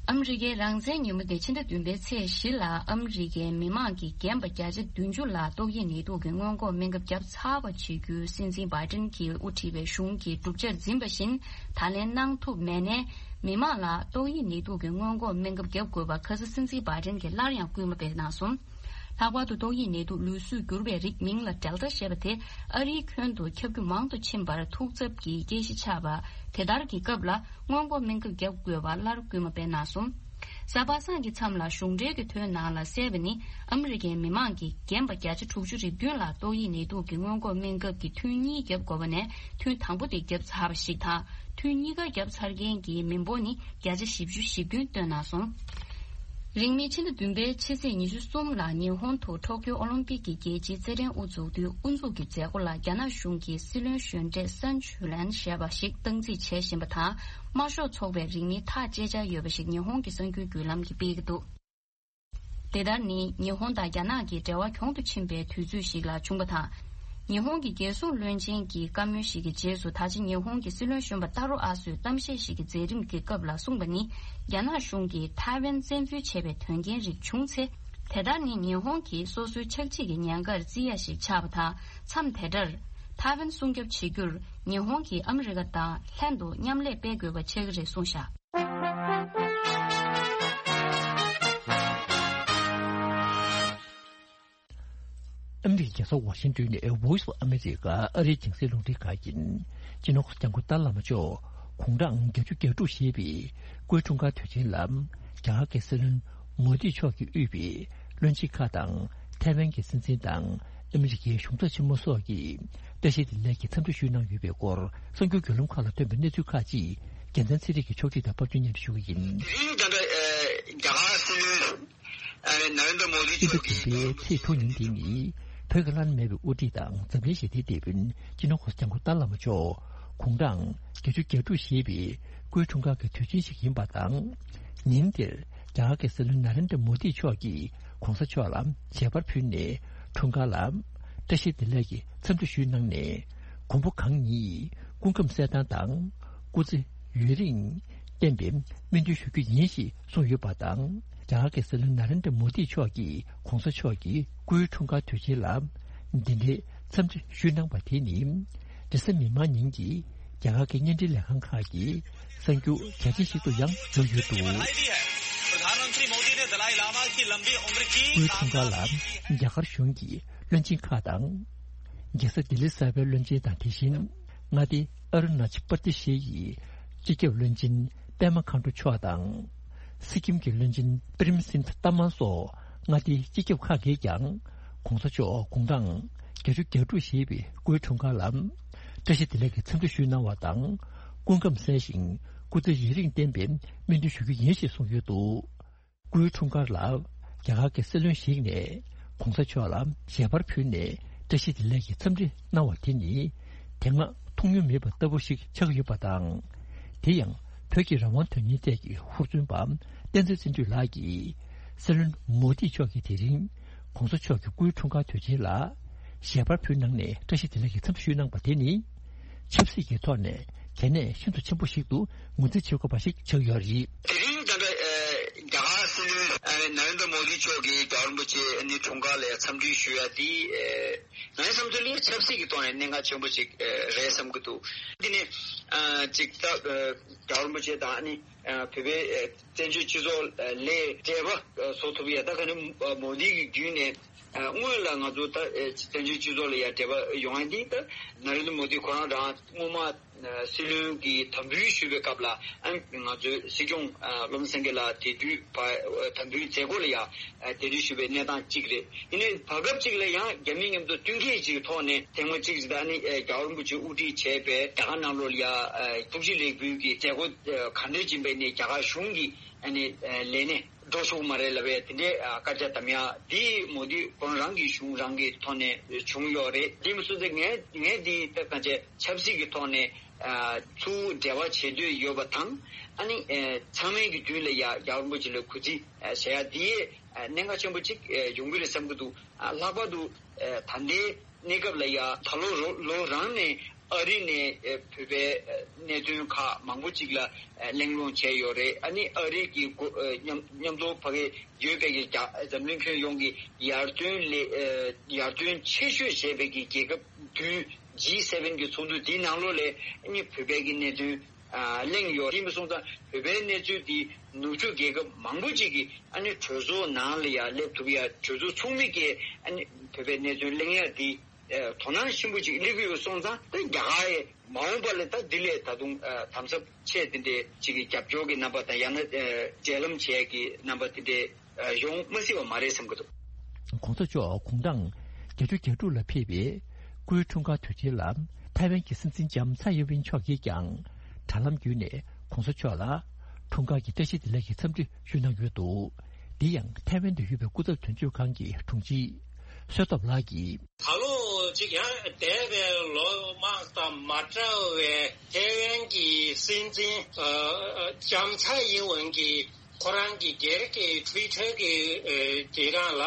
ཨ་མི་རི་ཀའི་རང་བཙན་ཉིན་མོ་སྟེ་ཕྱི་ཟླ་བདུན་པའི་ཚེས་བཞི་ལ་ཨ་མི་རི་ཀའི་མི་མང་གིས་རྒན་པ་བརྒྱ་ཆ་བདུན་ཅུ་ལ་ཏོག་དབྱིབས་ནད་དུག་གི་སྔོན་འགོག་སྨན་ཁབ་བརྒྱབ་ཚར་བ་བྱེད་རྒྱུའི་སྲིད་འཛིན་བྷའི་ཏིན་གྱིས་དབུ་ཁྲིད་པའི་གཞུང་གིས་གྲུབ་ཆར་འཛིན་པ་བཞིན་ད་ལན་གནང་ཐུབ་མེད་ནས། མི་མང་ལ་ཏོག་དབྱིབས་ནད་དུག་གི་སྔོན་འགོག་སྨན་ཁབ་བརྒྱབ་དགོས་པ་ཁ་ས་སྲིད་འཛིན་བྷའི་ཏིན་གྱིས་སླར་ཡང་སྐུལ་མ་སྤེལ་གནང་སོང་། ལྷག་པར་དུ་ཏོག་དབྱིབས་ནད་དུག་ལུས་གསོས་གྱུར་པའི་རིགས་མིང་ལ་Delta ཞེས་པ་དེ་ཨ་རིའི་ཁྱོན་དུ་ཁྱབ་རྒྱུ་མང་དུ་ཕྱིན་པར་ཐུགས་འཚབ་ཀྱི་སྐད་ཆ་ཆགས་པ་དེ་ལྟར་གྱི་སྐབས་ལ་སྔོན་འགོག་སྨན་ཁབ་བརྒྱབ་དགོས་པ་སླར་སྐུལ་མ་སྤེལ་གནང་སོང་། གཟའ་པ་སངས་ཀྱི་མཚམས་ལ་གཞུང་འབྲེལ་གྱི་ཐོའི་ནང་ལ་གསལ་བ་ནི་ཨ་མི་རི་ཀའི་མི་མང་གིས་རྒན་པ་བརྒྱ་ཆ་དྲུག་ཅུ་རེ་བདུན་ལ་ཏོག་དབྱིབས་ནད་དུག་གི་སྔོན་འགོག་སྨན་ཁབ་ཀྱི་ཐུན་གཉིས་བརྒྱབ་དགོས་པ་ནས་ཐུན་དང་པོ་དེ་བརྒྱབ་ཚར་བ་ཞིག་དང་། ཐུན་གཉིས་ཀ་བརྒྱབ་ཚར་མཁན་གྱི་མི་འབོར་ནི་བརྒྱ་ཆ་བཞི་བཅུ་ཞེ་བདུན་བཏོན་གནང་སོང་། རིང་མིན་ཕྱི་ཟླ་བདུན་པའི་ཕྱི་ཚེས་ཉི་ཤུ་གསུམ་ལ་ཉི་ཧོང་དུ་ཊོ་ཀྱོ་ཨོ་ལིམ་པིག་གི་རྒྱལ་སྤྱིའི་རྩེད་འགྲན་དབུ་འཛུགས་དུས་དབུ་འཛུགས་ཀྱི་མཛད་སྒོ་ལ་རྒྱ་ནག་གཞུང་གི་སྲིད་བློན་གཞོན་གྲས་སན་ཆུ་ལན་ཞེས་པ་ཞིག་སྟངས་འཛིན་བྱེད་བཞིན་པ་དང་། དམར་ཤོག་ཚོགས་པས་རིང་མིན་ཐག་བཅད་འཆར་ཡོད་པ་ཞིག་ཉི་ཧོང་གི་གསར་འགྱུར་བརྒྱུད་ལམ་གྱིས་སྤེལ་གྱི་འདུག་དེ་ལྟར་ནི་ཉི་ཧོང་དང་རྒྱ་ནག་གི་འབྲེལ་བ་གྱོང་དུ་ཕྱིན་པའི་དུས་ཚོད་ཞིག་ལ་བྱུང་བ་དང་། ཉི་ཧོང་གི་རྒྱལ་སྲུང་བློན་ཆེན་གྱི་བཀའ་མོལ་ཞིག་གི་རྗེས་སུ་ད་ཆ་ཉི་ཧོང་གི་སྲིད་བློན་གཞོན་པ་ཏཱ་རོ་ཨ་སོས་གཏམ་བཤད་ཞིག་གི་མཛད་རིམ་གྱི་སྐབས་ལ་གསུངས་པ་ནི། རྒྱ་ནག་གཞུང་གིས་ཐའེ་ཝན་བཙན་འཛུལ་བྱས་པའི་དོན་རྐྱེན་རིགས་བྱུང་ཚེ། དེ་ལྟར་ནི་ཉི་ཧོང་གིས་སོ་སོའི་ཆག་འཇིག་གི་ཉེན་ཁར་བརྩི་ཡ་ཞིག་ཆགས་པ་དང་། མཚམས་དེ་འདྲར་ཐའེ་ཝན་སྲུང་སྐྱོབ་བྱེད་རྒྱུར་ཉི་ཧོང་གིས་ཨ་མི་རི་ཀ་དང་ལྷན་དུ་མཉམ་ལས་སྤེལ་དགོས་པ་ཆགས་ཀྱི་རེད་གསུངས་བཞག་ཨ་མི་རི་ཀའི་རྒྱལ་ས་ཝ་ཤིང་ཏོན་ནས་Voice of America ཨ་རིའི་རྒྱང་སྲིང་རླུང་འཕྲིན་ཁང་ཡིན། སྤྱི་ནོར་གོང་ས་སྐྱབས་མགོན་ཏཱ་བླ་མ་མཆོག་དགུང་གྲངས་བརྒྱད་ཅུ་གྱ་དྲུག་བཞེས་པའི་སྐུའི་འཁྲུངས་སྐར་དུས་ཆེན་ལ་རྒྱ་གར་གྱི་སྲིད་བློན་མོ་དི་མཆོག་གིས་དབུས་པའི་བློན་ཆེན་ཁག་དང་། ཐའེ་ཝན་གྱི་སྲིད་འཛིན་དང་ཨ་མི་རི་ཀའི་གཞུང་ཚབ་ཆེན་མོ་སོགས་ཀྱིས་བཀྲ་ཤིས་བདེ་ལེགས་ཀྱི་འཚམས་འདྲི་ཞུས་གནང་ཡོད་པའི་སྐོར་གསར་འགྱུར་བརྒྱུད་ལམ་ཁག་ལ་ཐོན་པའི་གནས་ཚུལ་ཁག་ཅིག་རྒྱལ་མཚན་ཚེ་རིང་གིས་ཕྱོགས་སྒྲིག་དང་པར་སྐྲུན་སྙན་སྒྲོན་ཞུ་གི་ཡིན། དེ་རིང་ད་ལྟ་རྒྱ་གར་སྲིད་བློན་ནཱ་རེན་དྲ་མོ་དི་མཆོག་གིས་ཕྱི་ཟླ་བདུན་པའི་ཚེས་དྲུག་ཉིན་འདི་ནི་བོད་ཀྱི་བླ་ན་མེད་པའི་དབུ་ཁྲིད་དང་འཛམ་གླིང་ཞི་བདེའི་དེད་དཔོན་སྤྱི་ནོར་གོང་ས་སྐྱབས་མགོན་ཏཱ་བླ་མ་མཆོག་དགུང་གྲངས་བརྒྱད་ཅུ་གྱ་དྲུག་བཞེས་པའི་སྐུའི་འཁྲུངས་སྐར་གྱི་དུས་ཆེན་ཞིག་ཡིན་པ་དང་། ཉིན་དེར་རྒྱ་གར་གྱི་སྲིད་བློན་ནཱ་རེན་དྲ་མོ་དི་མཆོག་གིས་གོང་ས་མཆོག་ལ་མཇལ་པར་ཕུལ་ནས་འཁྲུངས་སྐར་ལ་བཀྲ་ཤིས་བདེ་ལེགས་ཀྱི་འཚམས་འདྲི་ཞུས་གནང་ནས། མགོན་པོ་གང་ཉིད་ སྐུ་ཁམས་གསལ་ཐང་དང་སྐུ་ཚེ་ཡུན་རིང་བརྟན་པའི་སྨོན་འདུན་ཞུ་རྒྱུ་ཡིན་ཞེས་གསུངས་ཡོད་པ་དང་། རྒྱ་གར་གྱི་སྲིད་བློན་ན་རེན་དྲ་མོ་དི་མཆོག་གིས་གོང་ས་མཆོག་གི་སྐུའི་འཁྲུངས་སྐར་དུས་ཆེན་ལ་འདི་འདྲའི་འཚམས་འདྲི་ཞུས་གནང་བ་དེ་ནི། འབྲེལ་ཟམ་མི་མང་ཉིན་གྱི་རྒྱ་གར་གྱི་བརྙན་འཕྲིན་ལས་ཁང་ཁག་གི་གསར་འགྱུར་གལ་ཆེན་ཞིག་ཏུ་ཡང་གྱུར་ཡོད་འདུག་སྐུའི་འཁྲུངས་སྐར་ལ་རྒྱ་གར་གཞུང་གི་བློན་ཆེན་ཁག་དང་། རྒྱལ་ས་ལྡི་ལི་གསར་པའི་བློན་ཆེན་དང་། དེ་བཞིན་མངའ་སྡེ་ཨ་རུ་ན་ཅལ་པར་དི་ཤེ་ཡི་སྤྱི་ཁྱབ་བློན་ཆེན་པད་མ་མཁའ་འགྲོ་མཆོག་དང་། སི་ཀིམ་གྱི་བློན་ཆེན་པྲེམ་སིང་ཐ་མན་སོགས་མངའ་སྡེའི་སྤྱི་ཁྱབ་ཁག་གིས་ཀྱང་གོང་ས་མཆོག་དགུང་གྲངས་བརྒྱད་ཅུ་གྱ་དྲུག་བཞེས་པའི་སྐུའི་འཁྲུངས་སྐར་ལ་བཀྲ་ཤིས་བདེ་ལེགས་ཀྱི་འཚམས་འདྲི་ཞུས་གནང་བ་དང་། སྐུ་ཁམས་གསལ་ཞིང་སྐུ་ཚེ་ཡུན་རིང་བརྟན་པའི་སྨོན་འདུན་ཞུ་རྒྱུ་ཡིན་ཞེས་གསུངས་ཡོད་འདུག་སྐུའི་འཁྲུངས་སྐར་ལ་རྒྱ་གར་གྱི་སྲིད་བློན་ཞིག་ནས་གོང་ས་མཆོག་ལ་ཞལ་པར་ཕུལ་ནས་བཀྲ་ཤིས་བདེ་ལེགས་ཀྱི་འཚམས་འདྲི་གནང་བ་དེ་ནི་དེ་སྔ་མཐོང་མྱོང་མེད་པ་ལྟ་བུ་ཞིག་ཆགས་ཡོད་པ་དང་། དེ་ཡང་བོད་ཀྱི་རང་དབང་དོན་གཉེར་ཐད་ཀྱི་ཧུར་བརྩོན་པ་བསྟན་འཛིན་བརྩོན་འགྲུས་ལགས་ཀྱིས་སྲིད་བློན་མོ་དི་མཆོག་གིས་དེ་རིང་གོང་ས་མཆོག་གི་སྐུའི་འཁྲུངས་སྐར་དུས་ཆེན་ལ་ཞལ་པར་ཕུལ་གནང་ནས་བཀྲ་ཤིས་བདེ་ལེགས་ཀྱི་འཚམས་འདྲི་ཞུས་གནང་བ་དེ་ནི། ཆབ་སྲིད་ཀྱི་ཐོག་ནས་གལ་གནད་ཤིན་ཏུ་ཆེན་པོ་ཞིག་ཏུ་ངོས་འཛིན་བྱེད་དགོས་པ་ཞིག་ཆགས་ཡོད་རེད། དེ་རིང་ད་ལྟ་རྒྱ་གར་སྲིད་བློན་ན་རེན་དྲ་མོ་དི་མཆོག་གིས་རྒྱལ་བ་རིན་པོ་ཆེ་ནི་འཁྲུངས་སྐར་ལ་འཚམས་འདྲི་ཞུ་ཡ་དེ་ང་ཚོའི་བསམ་ཚུལ་ལ་ཆབ་སྲིད་ཀྱི་ཐོག་ནས་གནད་འགག་ཆེན་པོ་ཞིག་རེད་བསམ་གྱི་འདུག་དེ་ནས་ཅིག་ད་རྒྱལ་བ་རིན་པོ་ཆེ་དང་ནི་བོད་པའི་བཙན་བྱོལ་སྤྱི་ཚོགས་ལ་འབྲེལ་བ་བཟོ་ཐུབ་ཡ་ད་ག་ནི་མོ་དི་གི་བརྒྱུད་ནས། སྔོན་ལ་ང་ཚོ་ད་བཙན་བྱོལ་སྤྱི་ཚོགས་ལ་ཡང་འབྲེལ་བ་ཡོང་ཡ་འདི་ད་ན་རེན་དྲ་མོ་དི་ཁོ་རང་རང་སྔོན་མ་སྲིད་བློན་གྱི་དམ་འབུལ་ཞུས་པའི་སྐབས་ལ་ཨ་ང་ཚོའི་སྲིད་སྐྱོང་བློ་བཟང་སེང་གེ་ལགས་དེ་དུས་དམ་འབུལ་མཛད་སྒོ་ལ་ཡང་གདན་འདྲེན་ཞུས་པའི་གནས་སྟངས་གཅིག་རེད། ཡིན་ནའི་བར་སྐབས་གཅིག་ལ་ཡང་རྒྱ་མི་མཉམ་དུ་བསྟུན་མཁས་ཀྱི་ཐོག་ནས་ཐེངས་མ་གཅིག་ད་ནི་རྒྱལ་བ་རིན་པོ་ཆེ་དབུ་ཁྲིད་བྱས་པའི་རྒྱ་གར་ནང་ལོགས་ལ་ཡང་ཐུགས་རྗེ་ལེགས་འབུལ་གྱི་མཛད་སྒོ་ག་འདྲ་ཡིན་པའི་ནས་རྒྱ་གར་གཞུང་གི་ཨ་ནི་ལས་གནས། འགྲོ་ཆོག་མ་རེད་ལབ་པའི་དེ་འདྲའི་སྐད་ཆ་དམ་ཡག་འདི་མོ་དི་ཁོང་རང་གི་གཞུང་རང་གི་ཐོག་ནས་བྱུང་ཡོད་རེད། དེ་མི་སོང་ཙང་ངས་ངས་འདི་ལྟ་གང་བྱས་ཆབ་སྲིད་ཀྱི་ཐོག་ནས་ཚུར་འབྲེལ་བ་བྱེད་འདོད་ཡོད་པ་དང་ཨ་ནི་ཚང་མའི་གི་མདུན་ལ་ཡ་རྒྱལ་བ་རིན་པོ་ཆེ་ལ་གུས་བརྩི་བྱེད་ཡ་འདི་གནད་འགག་ཆེན་པོ་གཅིག་ཡོང་གི་རེད་བསམ་གི་འདུག་ལྷག་པར་དུ་ད་ལྟའི་གནས་སྐབས་ལ་ཡ་ད་ལོ་ལོ་རང་ནས་ཨ་རི་ནས་བོད་པའི་གནད་དོན་ཁག་མང་པོ་ཅིག་ལ་གླེང་སློང་བྱས་ཡོད་རེད། ཨ་ནི་ཨ་རི་གི་མཉམ་མཉམ་དུ་ཕ་གི་ཡོད་པའི་གི་འཛམ་གླིང་ཁྱོན་ཡོངས་ཀྱི་ཡར་ཐོན་ལས་ཡར་ཐོན་ཆེ་ཤོས་བྱས་པའི་གི་རྒྱལ་ཁབ་བདུན་ཇི་སེ་ཝེན་གི་ཚོགས་འདུ་འདིའི་ནང་ལོགས་ལ་ཨ་ནི་བོད་པའི་གི་གནད་དོན་གླེང་ཡོད། དེ་མི་སོང་ཙང་བོད་པའི་གནས་ཚུལ་འདི་ནུབ་ཕྱོགས་རྒྱལ་ཁབ་མང་པོ་ཅིག་གིས་ཨ་ནི་གྲོས་ཚོགས་ནང་ལ་ཡང་སླེབས་ཐུབ་ཡ་གྲོས་ཚོགས་ཚོགས་མི་གིས་ཨ་ནི་བོད་པའི་གནད་དོན་གླེང་ཡ་འདི་དོ་སྣང་ཆེན་པོ་ཅིག་སླེབས་ཀྱི་ཡོད་སོང་ཙང་ད་རྒྱ་གར་ཡི་མ་འོངས་པ་ལ་ད་འདི་ལས་ད་དུང་དམ་ཟབ་ཆེ་དེ་འདྲའི་ཅིག་གི་རྒྱབ་སྐྱོར་གྱི་རྣམ་པ་དང་ཡང་ན་འབྲེལ་ལམ་བྱེད་ཡ་གི་རྣམ་པ་དེ་འདྲའི་ཡོང་མ་སྲིད་པ་མ་རེད་བསམ་གྱི་འདུག་གོང་ས་མཆོག་དགུང་གྲངས་བརྒྱད་ཅུ་གྱ་དྲུག་ལ་ཕེབས་པའི་སྐུའི་འཁྲུངས་སྐར་དུས་ཆེན་ལ་ཐའེ་ཝན་གྱི་སྲིད་འཛིན་ལྕམ་ཚའེ་ཡིན་ཝིན་མཆོག་གིས་ཀྱང་དྲ་ལམ་བརྒྱུད་ནས་གོང་ས་མཆོག་ལ་འཁྲུངས་སྐར་གྱི་བཀྲ་ཤིས་བདེ་ལེགས་ཀྱི་འཚམས་འདྲི་ཞུས་གནང་ཡོད་འདུག་འདི་ཡང་ཐའེ་ཝན་དུ་ཡོད་པའི་སྐུ་ཚབ་དོན་གཅོད་ཁང་གི་དྲུང་ཆེ་བསོད་སྟོབས་ལགས་ཀྱིས། ད་ལོ་གཅིག་ཡང་འདས་པའི་ལོ་མང་དང་མ་འདྲ་བའི་ཐའེ་ཝན་གྱི་སྲིད་འཛིན་ལྕམ་ཚའེ་ཡིན་ཝིན་གྱིས་ཁོ་རང་གི་སྒེར་གྱི་ཊུའི་ཊར་གྱི་དེ་རང་ལ་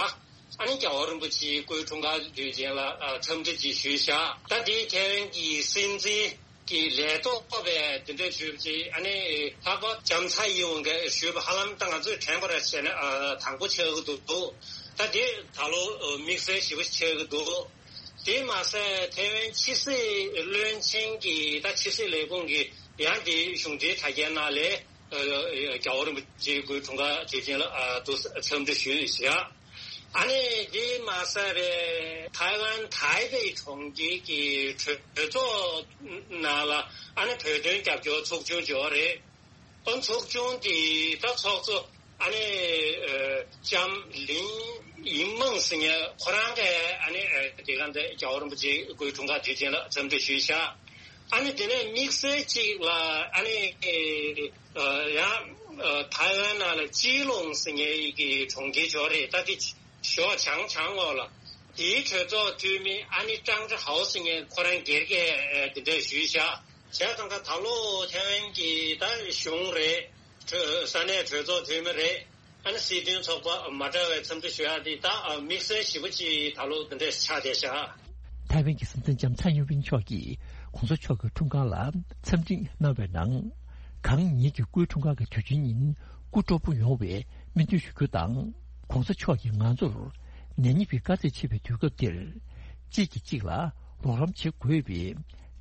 ཨ་ནི་རྒྱལ་བ་རིན་པོ་ཆེའི་སྐུའི་འཁྲུངས་སྐར་དུས་ཆེན་ལ་འཚམས་འདྲི་ཅིག་ཞུས་བཞག་ད་དེ་ཐའེ་ཝན་གྱི་སྲིད་འཛིན་གྱི་ལས་ཐོག་པའི་དེ་འདྲ་ཞུས་པ་ཅིག་ཨ་ནི་ལྷག་པར་ལྕམ་ཚའེ་ཡིན་ཝིན་གྱིས་ཞུས་པ་ཧ་ལམ་ད་ང་ཚོས་དྲན་པར་བྱས་ན་དང་པོ་ཆགས་ཀྱི་འདུག་ད་དེ་ད་ལོ་དམིགས་བསལ་ཞེ་པོ་ཆགས་ཀྱི་འདུག་དེ་མ་ཟད་ཐའེ་ཝན་ཕྱི་སྲིད་བློན་ཆེན་གྱི་ད་ཕྱི་སྲིད་ལས་ཁུངས་ཀྱི་ཡང་དེ་གཞུང་འབྲེལ་དྲ་རྒྱའི་ནང་ལས་རྒྱལ་བ་རིན་པོ་ཆེའི་སྐུའི་འཁྲུངས་སྐར་དུས་ཆེན་ལ་འདུག་འཚམས་འདྲི་ཞུས་བཞག་ཨ་ནི་དེ་མ་ཟད་པའི་ཐའེ་ཝན་ཐའེ་པེ་གྲོང་ཁྱེར་གྱི་གྲོས་ཚོགས་ནང་ལ་ཨ་ནི་བོད་དོན་རྒྱབ་སྐྱོར་ཚོགས་ཆུང་ཅིག་ཡོད་རེད། ཨོ་ཚོགས་ཆུང་དེ་ད་ཚོགས་གཙོ་ཨ་ནི་ལྕམ་ལིན་ཡིན་མང་ཟེར་མཁན་ཁོ་རང་གིས་ཨ་ནི་དེ་ག་འདི་རྒྱལ་བ་རིན་པོ་ཆེའི་སྐུའི་འཁྲུངས་སྐར་དུས་ཆེན་ལ་འཚམས་འདྲི་ཞུས་བཞག་ཨ་ནི་དེ་ནས་དམིགས་བསལ་གཅིག་ལ་ཨ་ནི་ཡང་ཐའེ་ཝན་ནང་ལ་ཅི་ལུང་ཟེར་མཁན་གྱི་གྲོང་ཁྱེར་ཅིག་ཡོད་རེད། ད་དེ་ཞོགས་བྱང་བྱང་ངོགས་ལ་དེའི་གྲོས་ཚོགས་འཐུས་མི་ཨ་ནི་ཀྲང་ཀྲི་ཧའོ་ཟེར་མཁན་ཁོ་རང་སྒེར་གྱིས་དེ་འདྲ་ཞུས་བཞག་བྱས་ཙང་ད་ད་ལོ་ཐའེ་ཝན་གྱི་ད་གཞུང་རེད། གྲོས་ས་གནས་གྲོས་ཚོགས་འཐུས་མི་རེད། ཨ་ནི་སྲིད་དོན་ཚོགས་པ་མ་འདྲ་བའི་འཚམས་འདྲི་ཞུ་ཡག་དེ་ད་དམིགས་བསལ་ཞེ་པོ་ཅིག་ད་ལོ་འདི་འདྲ་ཆགས་བསྡད་བཞག་ཐའེ་ཝན་གྱི་སྲིད་འཛིན་ལྕམ་ཚའེ་ཡིན་ཝིན་མཆོག་གིས་གོང་ས་མཆོག་གི་འཁྲུངས་སྐར་ལ་འཚམས་འདྲི་གནང་བའི་ནང་། གང་ཉིད་ཀྱི་སྐུའི་འཁྲུངས་སྐར་གྱི་དུས་ཆེན་ཉིན་སྐུ་སྤྲོ་པོ་ཡོང་བའི་སྨོན་འདུན་ཞུ་རྒྱུ་དང་། གོང་ས་མཆོག་གིས་ང་ཚོར་ནད་ཉེན་པའི་དཀའ་ཚེགས་ཆེ་བའི་དུས་སྐབས་འདིར་གཅིག་གིས་གཅིག་ལ་རོགས་རམ་བྱེད་དགོས་པའི་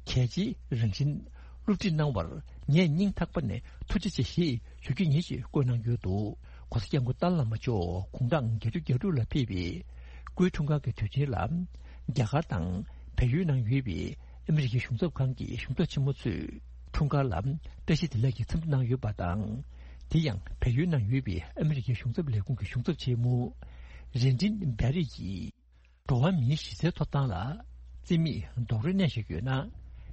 གལ་ཆེའི་རང་བཞིན་སློབ་ཁྲིད་གནང་བར་ངས་སྙིང་ཐག་པ་ནས་ཐུགས་རྗེ་ཆེ་ཞེས་ཞུ་རྒྱུ་ཡིན་ཞེས་བཀོད་གནང་ཡོད་འདུག ༸གོང་ས་༸སྐྱབས་མགོན་ཏཱ་ལའི་བླ་མ་མཆོག་དགུང་གྲངས་བརྒྱད་ཅུ་གྱ་དྲུག་ལ་ཕེབས་པའི་སྐུའི་འཁྲུངས་སྐར་གྱི་དུས་ཆེན་ལ། རྒྱ་གར་དང་བལ་ཡུལ་ནང་ཡོད་པའི་ཨ་མི་རི་ཀའི་གཞུང་ཚབ་ཁང་གི་གཞུང་ཚབ་ཆེན་མོ་ཚོས་འཁྲུངས་སྐར་ལ་བཀྲ་ཤིས་བདེ་ལེགས་ཀྱི་འཚམས་འདྲི་གནང་ཡོད་པ་དང་། དེ་ཡང་བལ་ཡུལ་ནང་ཡོད་པའི་ཨ་མི་རི་ཀའི་གཞུང་ཚབ་ལས་ཁུངས་ཀྱི་གཞུང་ཚབ་ཆེན་མོ་རེ་འདྲིན་བེ་རི་ཡིས། འགྲོ་བ་མིའི་གཞི་རྩའི་ཐོབ་ཐང་ལ་རྩིས་མེད་རྡོག་རོལ་གནས་བཞིན་ཡོད་ན།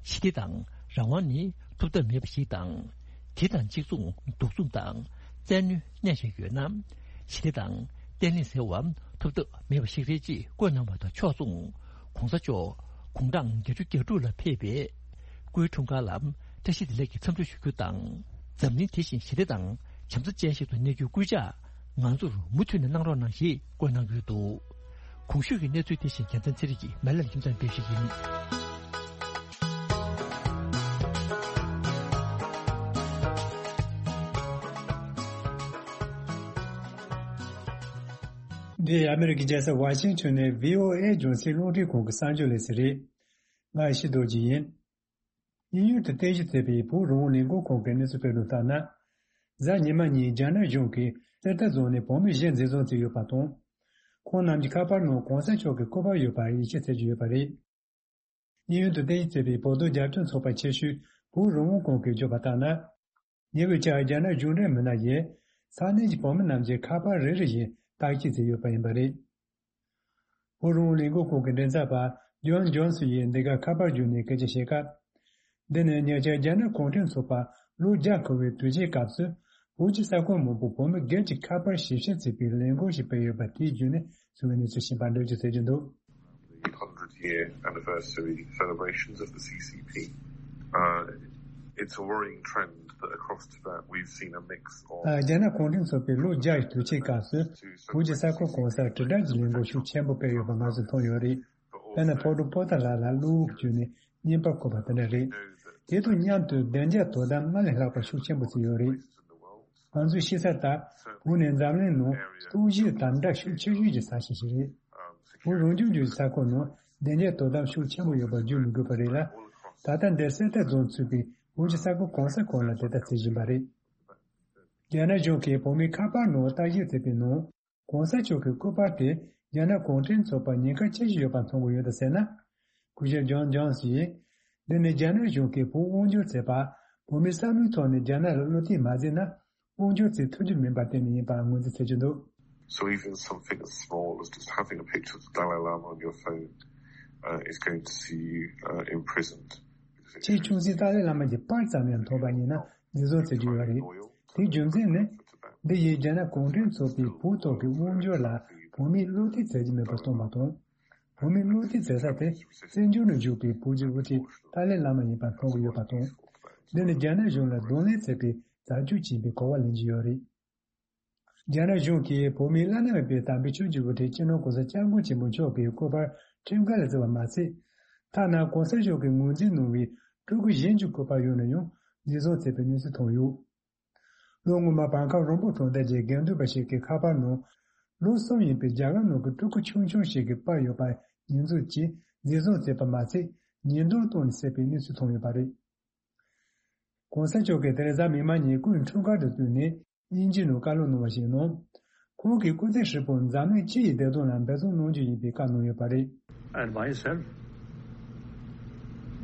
ཞི་བདེ་དང་རང་དབང་ནི་ཐོབ་ཐབས་མེད་པ་ཞིག་དང་། དེ་དང་གཅིག་མཚུངས་གདུག་རྩུབ་དང་བཙན་གནོན་གནས་བཞིན་ཡོད་ན། ཞི་བདེ་དང་བརྟན་ལྷིང་ཟེར་བ་ཐོབ་ཐབས་མེད་པ་ཞིག་རེད་ཅེས་བཀོད་གནང་བ་དང་ཕྱོགས་མཚུངས། གོང་ས་མཆོག་དགུང་གྲངས་བརྒྱད་ཅུ་གྱ་དྲུག་ལ་ཕེབས་པའི་སྐུའི་འཁྲུངས་སྐར་ལ་བཀྲ་ཤིས་བདེ་ལེགས་ཀྱི་འཚམས་འདྲི་ཞུ་རྒྱུ་དང་། འཛམ་གླིང་དེ་བཞིན་ཞི་བདེ་དང་བྱམས་བརྩེ་ཅན་ཞིག་ཏུ་གནས་རྒྱུའི་སྐུལ་ལྕག་ང་ཚོར་མུ་མཐུད་ནས་གནང་རོགས་གནང་ཞེས་བཀོད་གནང་ཡོད་འདུག་གོང་ཞུས་ཀྱི་གནས་ཚུལ་དེ་བཞིན་རྒྱལ་མཚན་ཚེ་རིང་གིས་མེ་ལན་ཁྱིམ་ཚང་སྤེལ་ཞིག་ཡིན། འདི་ཨ་མེ་རི་ཀའི་རྒྱལ་ས་ཝ་ཤིང་ཊོན་ནས་བྷི་ཨོ་ཨེ་རྒྱང་སྲིང་རླུང་འཕྲིན་ཁང་གི་གསར་འགྱུར་ལས་ཚན་རེད། ང་ཡེ་ཤེས་རྡོ་རྗེ་ཡིན། དབྱིན་ཡུལ་དུ་རྟེན་གཞི་བྱས་པའི་བོད་རང་དབང་ལས་འགུལ་ཁང་གི་གནས་ཚུལ་སྤེལ་དོན་ལྟར་ན། གཟའ་ཉི་མ་ཉིན་རྒྱ་ནག་གཞུང་གིས་གསེར་རྟ་རྫོང་ནས་བོད་མི་བཞི་འཛིན་བཟུང་བྱས་ཡོད་པ་དང་། ཁོང་རྣམས་ཀྱི་ཁ་པར་ནང་གོང་ས་མཆོག་གི་སྐུ་པར་ཡོད་པར་ཡིད་ཆེས་བྱེད་ཀྱི་ཡོད་པ་རེད། དབྱིན་ཡུལ་དུ་རྟེན་གཞི་བྱས་པའི་བོད་དོན་རྒྱབ་སྐྱོར་ཚོགས་པ་ཆེ་ཤོས་བོད་རང་དབང་ཁང་གིས་བརྗོད་པ་ལྟར་ན། ཉེ་བའི་ཆར་རྒྱ་ནག་གཞུང་འབྲེལ་མི་སྣ་ཡིས་ས་གནས་ཀྱི་བོད་མི་རྣམས་ཀྱི་ཁ་པར་རེ་རེ་བཞིན་བརྟག་དཔྱད་བྱས་ཡོད་པ་ཡིན་པ་རེད། བོད་རང་དབང་ལས་འགུལ་ཁང་གི་མགྲིན་ཚབ་པ་ཇོན་ཇོན་སི་ཡིས་འདི་གར་ཁ་པར་བརྒྱུད་ནས་སྐད་ཆ་བཤད་སྐབས། འདི་ནི་ཉེ་ཆར་རྒྱ་ནག་གུང་ཁྲན་ཚོགས་པ་ལོ་བརྒྱ་འཁོར་བའི་དུས་ཆེན་སྐབས་སུ་བོད་ཀྱི་ས་ཁུལ་མང་པོ་བོད་མི་སྒེར་གྱི་ཁ་པར་ཞིབ་བཤེར་བྱེད་པའི་ལས་འགུལ་ཞིག་སྤེལ་ཡོད་པ་དེའི་བརྒྱུད་ནས་གསུངས་པའི་གནས་ཚུལ་ཞིག་ཡིན་པ་འགྲེལ་བརྗོད་བྱེད་ཀྱི་འདུག། The hundred year anniversary celebrations of the C C P. Uh, it's a worrying trend that across Tibet we've seen a mix of རྒྱ་ནག་གུང་ཁྲན་ཚོགས་པའི་ལོ་བརྒྱ་ཡི་དུས་ཆེན་སྐབས་སུ་བོད་ཀྱི་ས་ཁུལ་གང་སར་དྲིལ་བསྒྲགས་ཀྱི་ལས་འགུལ་ཤུགས་ཆེན་པོ་སྤེལ་ཡོད་པ་ང་ཚོས་མཐོང་ཡོད་རེད། དཔེར་ན་ཕོ་བྲང་པོ་ཏཱ་ལ་ལ་གློག་བརྒྱུད་ནས་བརྙན་པར་བཀོད་པ་དེ་འདྲ་རེད། དེ་དང་མཉམ་དུ་བདེ་འཇགས་དོ་དམ་སྔར་ལས་ལྷག་པ་ཤུགས་ཆེན་པོ་བྱས་ཡོད་རེད། ང་ཚོས་ཤེས་གསལ་ལྟར་བོད་ནི་འཛམ་གླིང་ནང་སྟོབས་ཤུགས་དམ་དྲག་ཤུགས་ཆེ་ཤོས་ཀྱི་ས་ཆ་ཞིག་རེད། བོད་རང་སྐྱོང་ལྗོངས་ཀྱི་ས་ཁུལ་ནང་བདེ་འཇགས་དོ་དམ་ཤུགས་ཆེན་པོ་ཡོད་པར་བརྗོད་མི་དགོས་པ་རེད་ལ། ད་ལྟ་འདིར་གསེར་རྟ་རྫོང་ཚུད་པའི་བོད་ཀྱི་ས་ཁུལ་གང་ས་གང་ལ་དེ་ལྟར་བྱེད་བཞིན་པ་རེད། རྒྱ་ནག་གཞུང་གིས་བོད་མིའི་ཁ་པར་ནང་བརྟག་ཞིབ་བྱས་པའི་ནང་། གོང་ས་མཆོག་གི་སྐུ་པར་དེ་རྒྱ་ནག་གུང་ཁྲན་ཚོགས་པར་ཉེན་ཁ་ཆེ་ཞིག་ཡོད་པ་མཐོང་གི་ཡོད་དམ་ཟེར་ན། སྐུ་ཞབས་ཇོན་ཇོན་སི་ཡིས། འདི་ནི་རྒྱ་ནག་གཞུང་གིས་བོད་དབང་སྒྱུར་བྱས་པ། བོད་མིའི་བསམ་བློའི་ཐོག་ནས་རྒྱ་ནག་ལ་བློ་གཏད་མ་བྱས་ན། དབང་སྒྱུར་བྱེད་ཐུབ་རྒྱུ་མིན་པར་བརྟེན་ནས་ཡིན་པ་ངོས་འཛིན་བྱེད་ཀྱི་འདུག། So even something as small as just having a picture of the Dalai Lama on your phone, uh, is going to see you, uh, imprisoned. ཆེས་ཆུང་ཤོས་ཏཱ་ལའི་བླ་མ་གྱི་པར་ཙམ་ཡང་མཐོང་པ་ཡིན་ན་འཛིན་བཟུང་བྱེད་ཀྱི་ཡོད་རེད། དེའི་རྒྱུ་མཚན་ནི། འདི་ཡིས་རྒྱ་ནག་གུང་ཁྲན་ཚོགས་པའི་བོད་ཐོག་གི་དབང་སྒྱུར་ལ་བོད་མིས་བློ་གཏད་བྱེད་ཀྱི་མེད་པར་སྟོན་པ་དང་། བོད་མིས་བློ་གཏད་བྱེད་ས་དེ་བཙན་བྱོལ་ནང་བཞུགས་པའི་བོད་ཀྱི་དབུ་ཁྲིད་ཏཱ་ལའི་བླ་མ་ཡིན་པར་མཐོང་གི་ཡོད་པ་དང་། འདི་ནི་རྒྱ་ནག་གཞུང་ལ་གདོང་ལེན་བྱེད་པའི་བྱ་སྤྱོད་ཅིག་ཡིན་པའི་གོ་བ་ལེན་གྱི་ཡོད་རེད། རྒྱ་ནག་གཞུང་གིས་བོད་མིའི་བླ་ན་མེད་པའི་དམ་པའི་ཆོས་ཀྱི་དབུ་ཁྲིད་སྤྱི་ནོར་༸གོང་ས་༸སྐྱབས་མགོན་ཆེན་པོ་མཆོག་གི་སྐུ་པར་ཁྲིམས་འགལ་ལ་བརྩི་བ་མ་ཟད། ཐ་ན་༸གོང་ས་མཆོག་གིས་ངོས་འཛིན་གནང་བའི་སྤྲུལ་སྐུ་གཞན་གྱི་སྐུ་པར་ཡོད་ན་ཡང་འཛིན་བཟུང་བྱས་པའི་གནས་ཚུལ་ཐོན་ཡོད། ལོ་སྔོན་མ་བར་ཁམས་རོང་པོ་གྲོང་རྡལ་གྱི་དགེ་འདུན་པ་ཞིག་གི་ཁ་པར་ནང་ལོ་གསུམ་ཡིན་པའི་རྒྱ་གར་ནང་གི་སྤྲུལ་སྐུ་ཆུང་ཆུང་ཞིག་གི་པར་ཡོད་པ་ཉེས་འཛུགས་ཀྱིས་འཛིན་བཟུང་བྱས་པ་མ་ཟད་ཉེས་རྡུང་བཏང་ནས་བསད་པའི་གནས་ཚུལ་ཐོན་ཡོད་པ་རེད། གོང་ས་མཆོག་གིས་དེ་རིང་གཟའ་མིག་དམར་ཉིན་སྐུའི་འཁྲུངས་སྐར་དང་བསྟུན་ནས་དབྱིན་ཇིའི་ནང་བཀའ་སློབ་གནང་བ་ཞིག་ནང་། ཁོང་གིས་སྐུ་ཚེ་ཧྲིལ་པོར་འཛམ་གླིང་སྤྱི་ཡི་བདེ་དོན་ལ་འབད་བརྩོན་གནང་རྒྱུ་ཡིན་པའི་བཀའ་གནང་ཡོད་པ་རེད། And myself,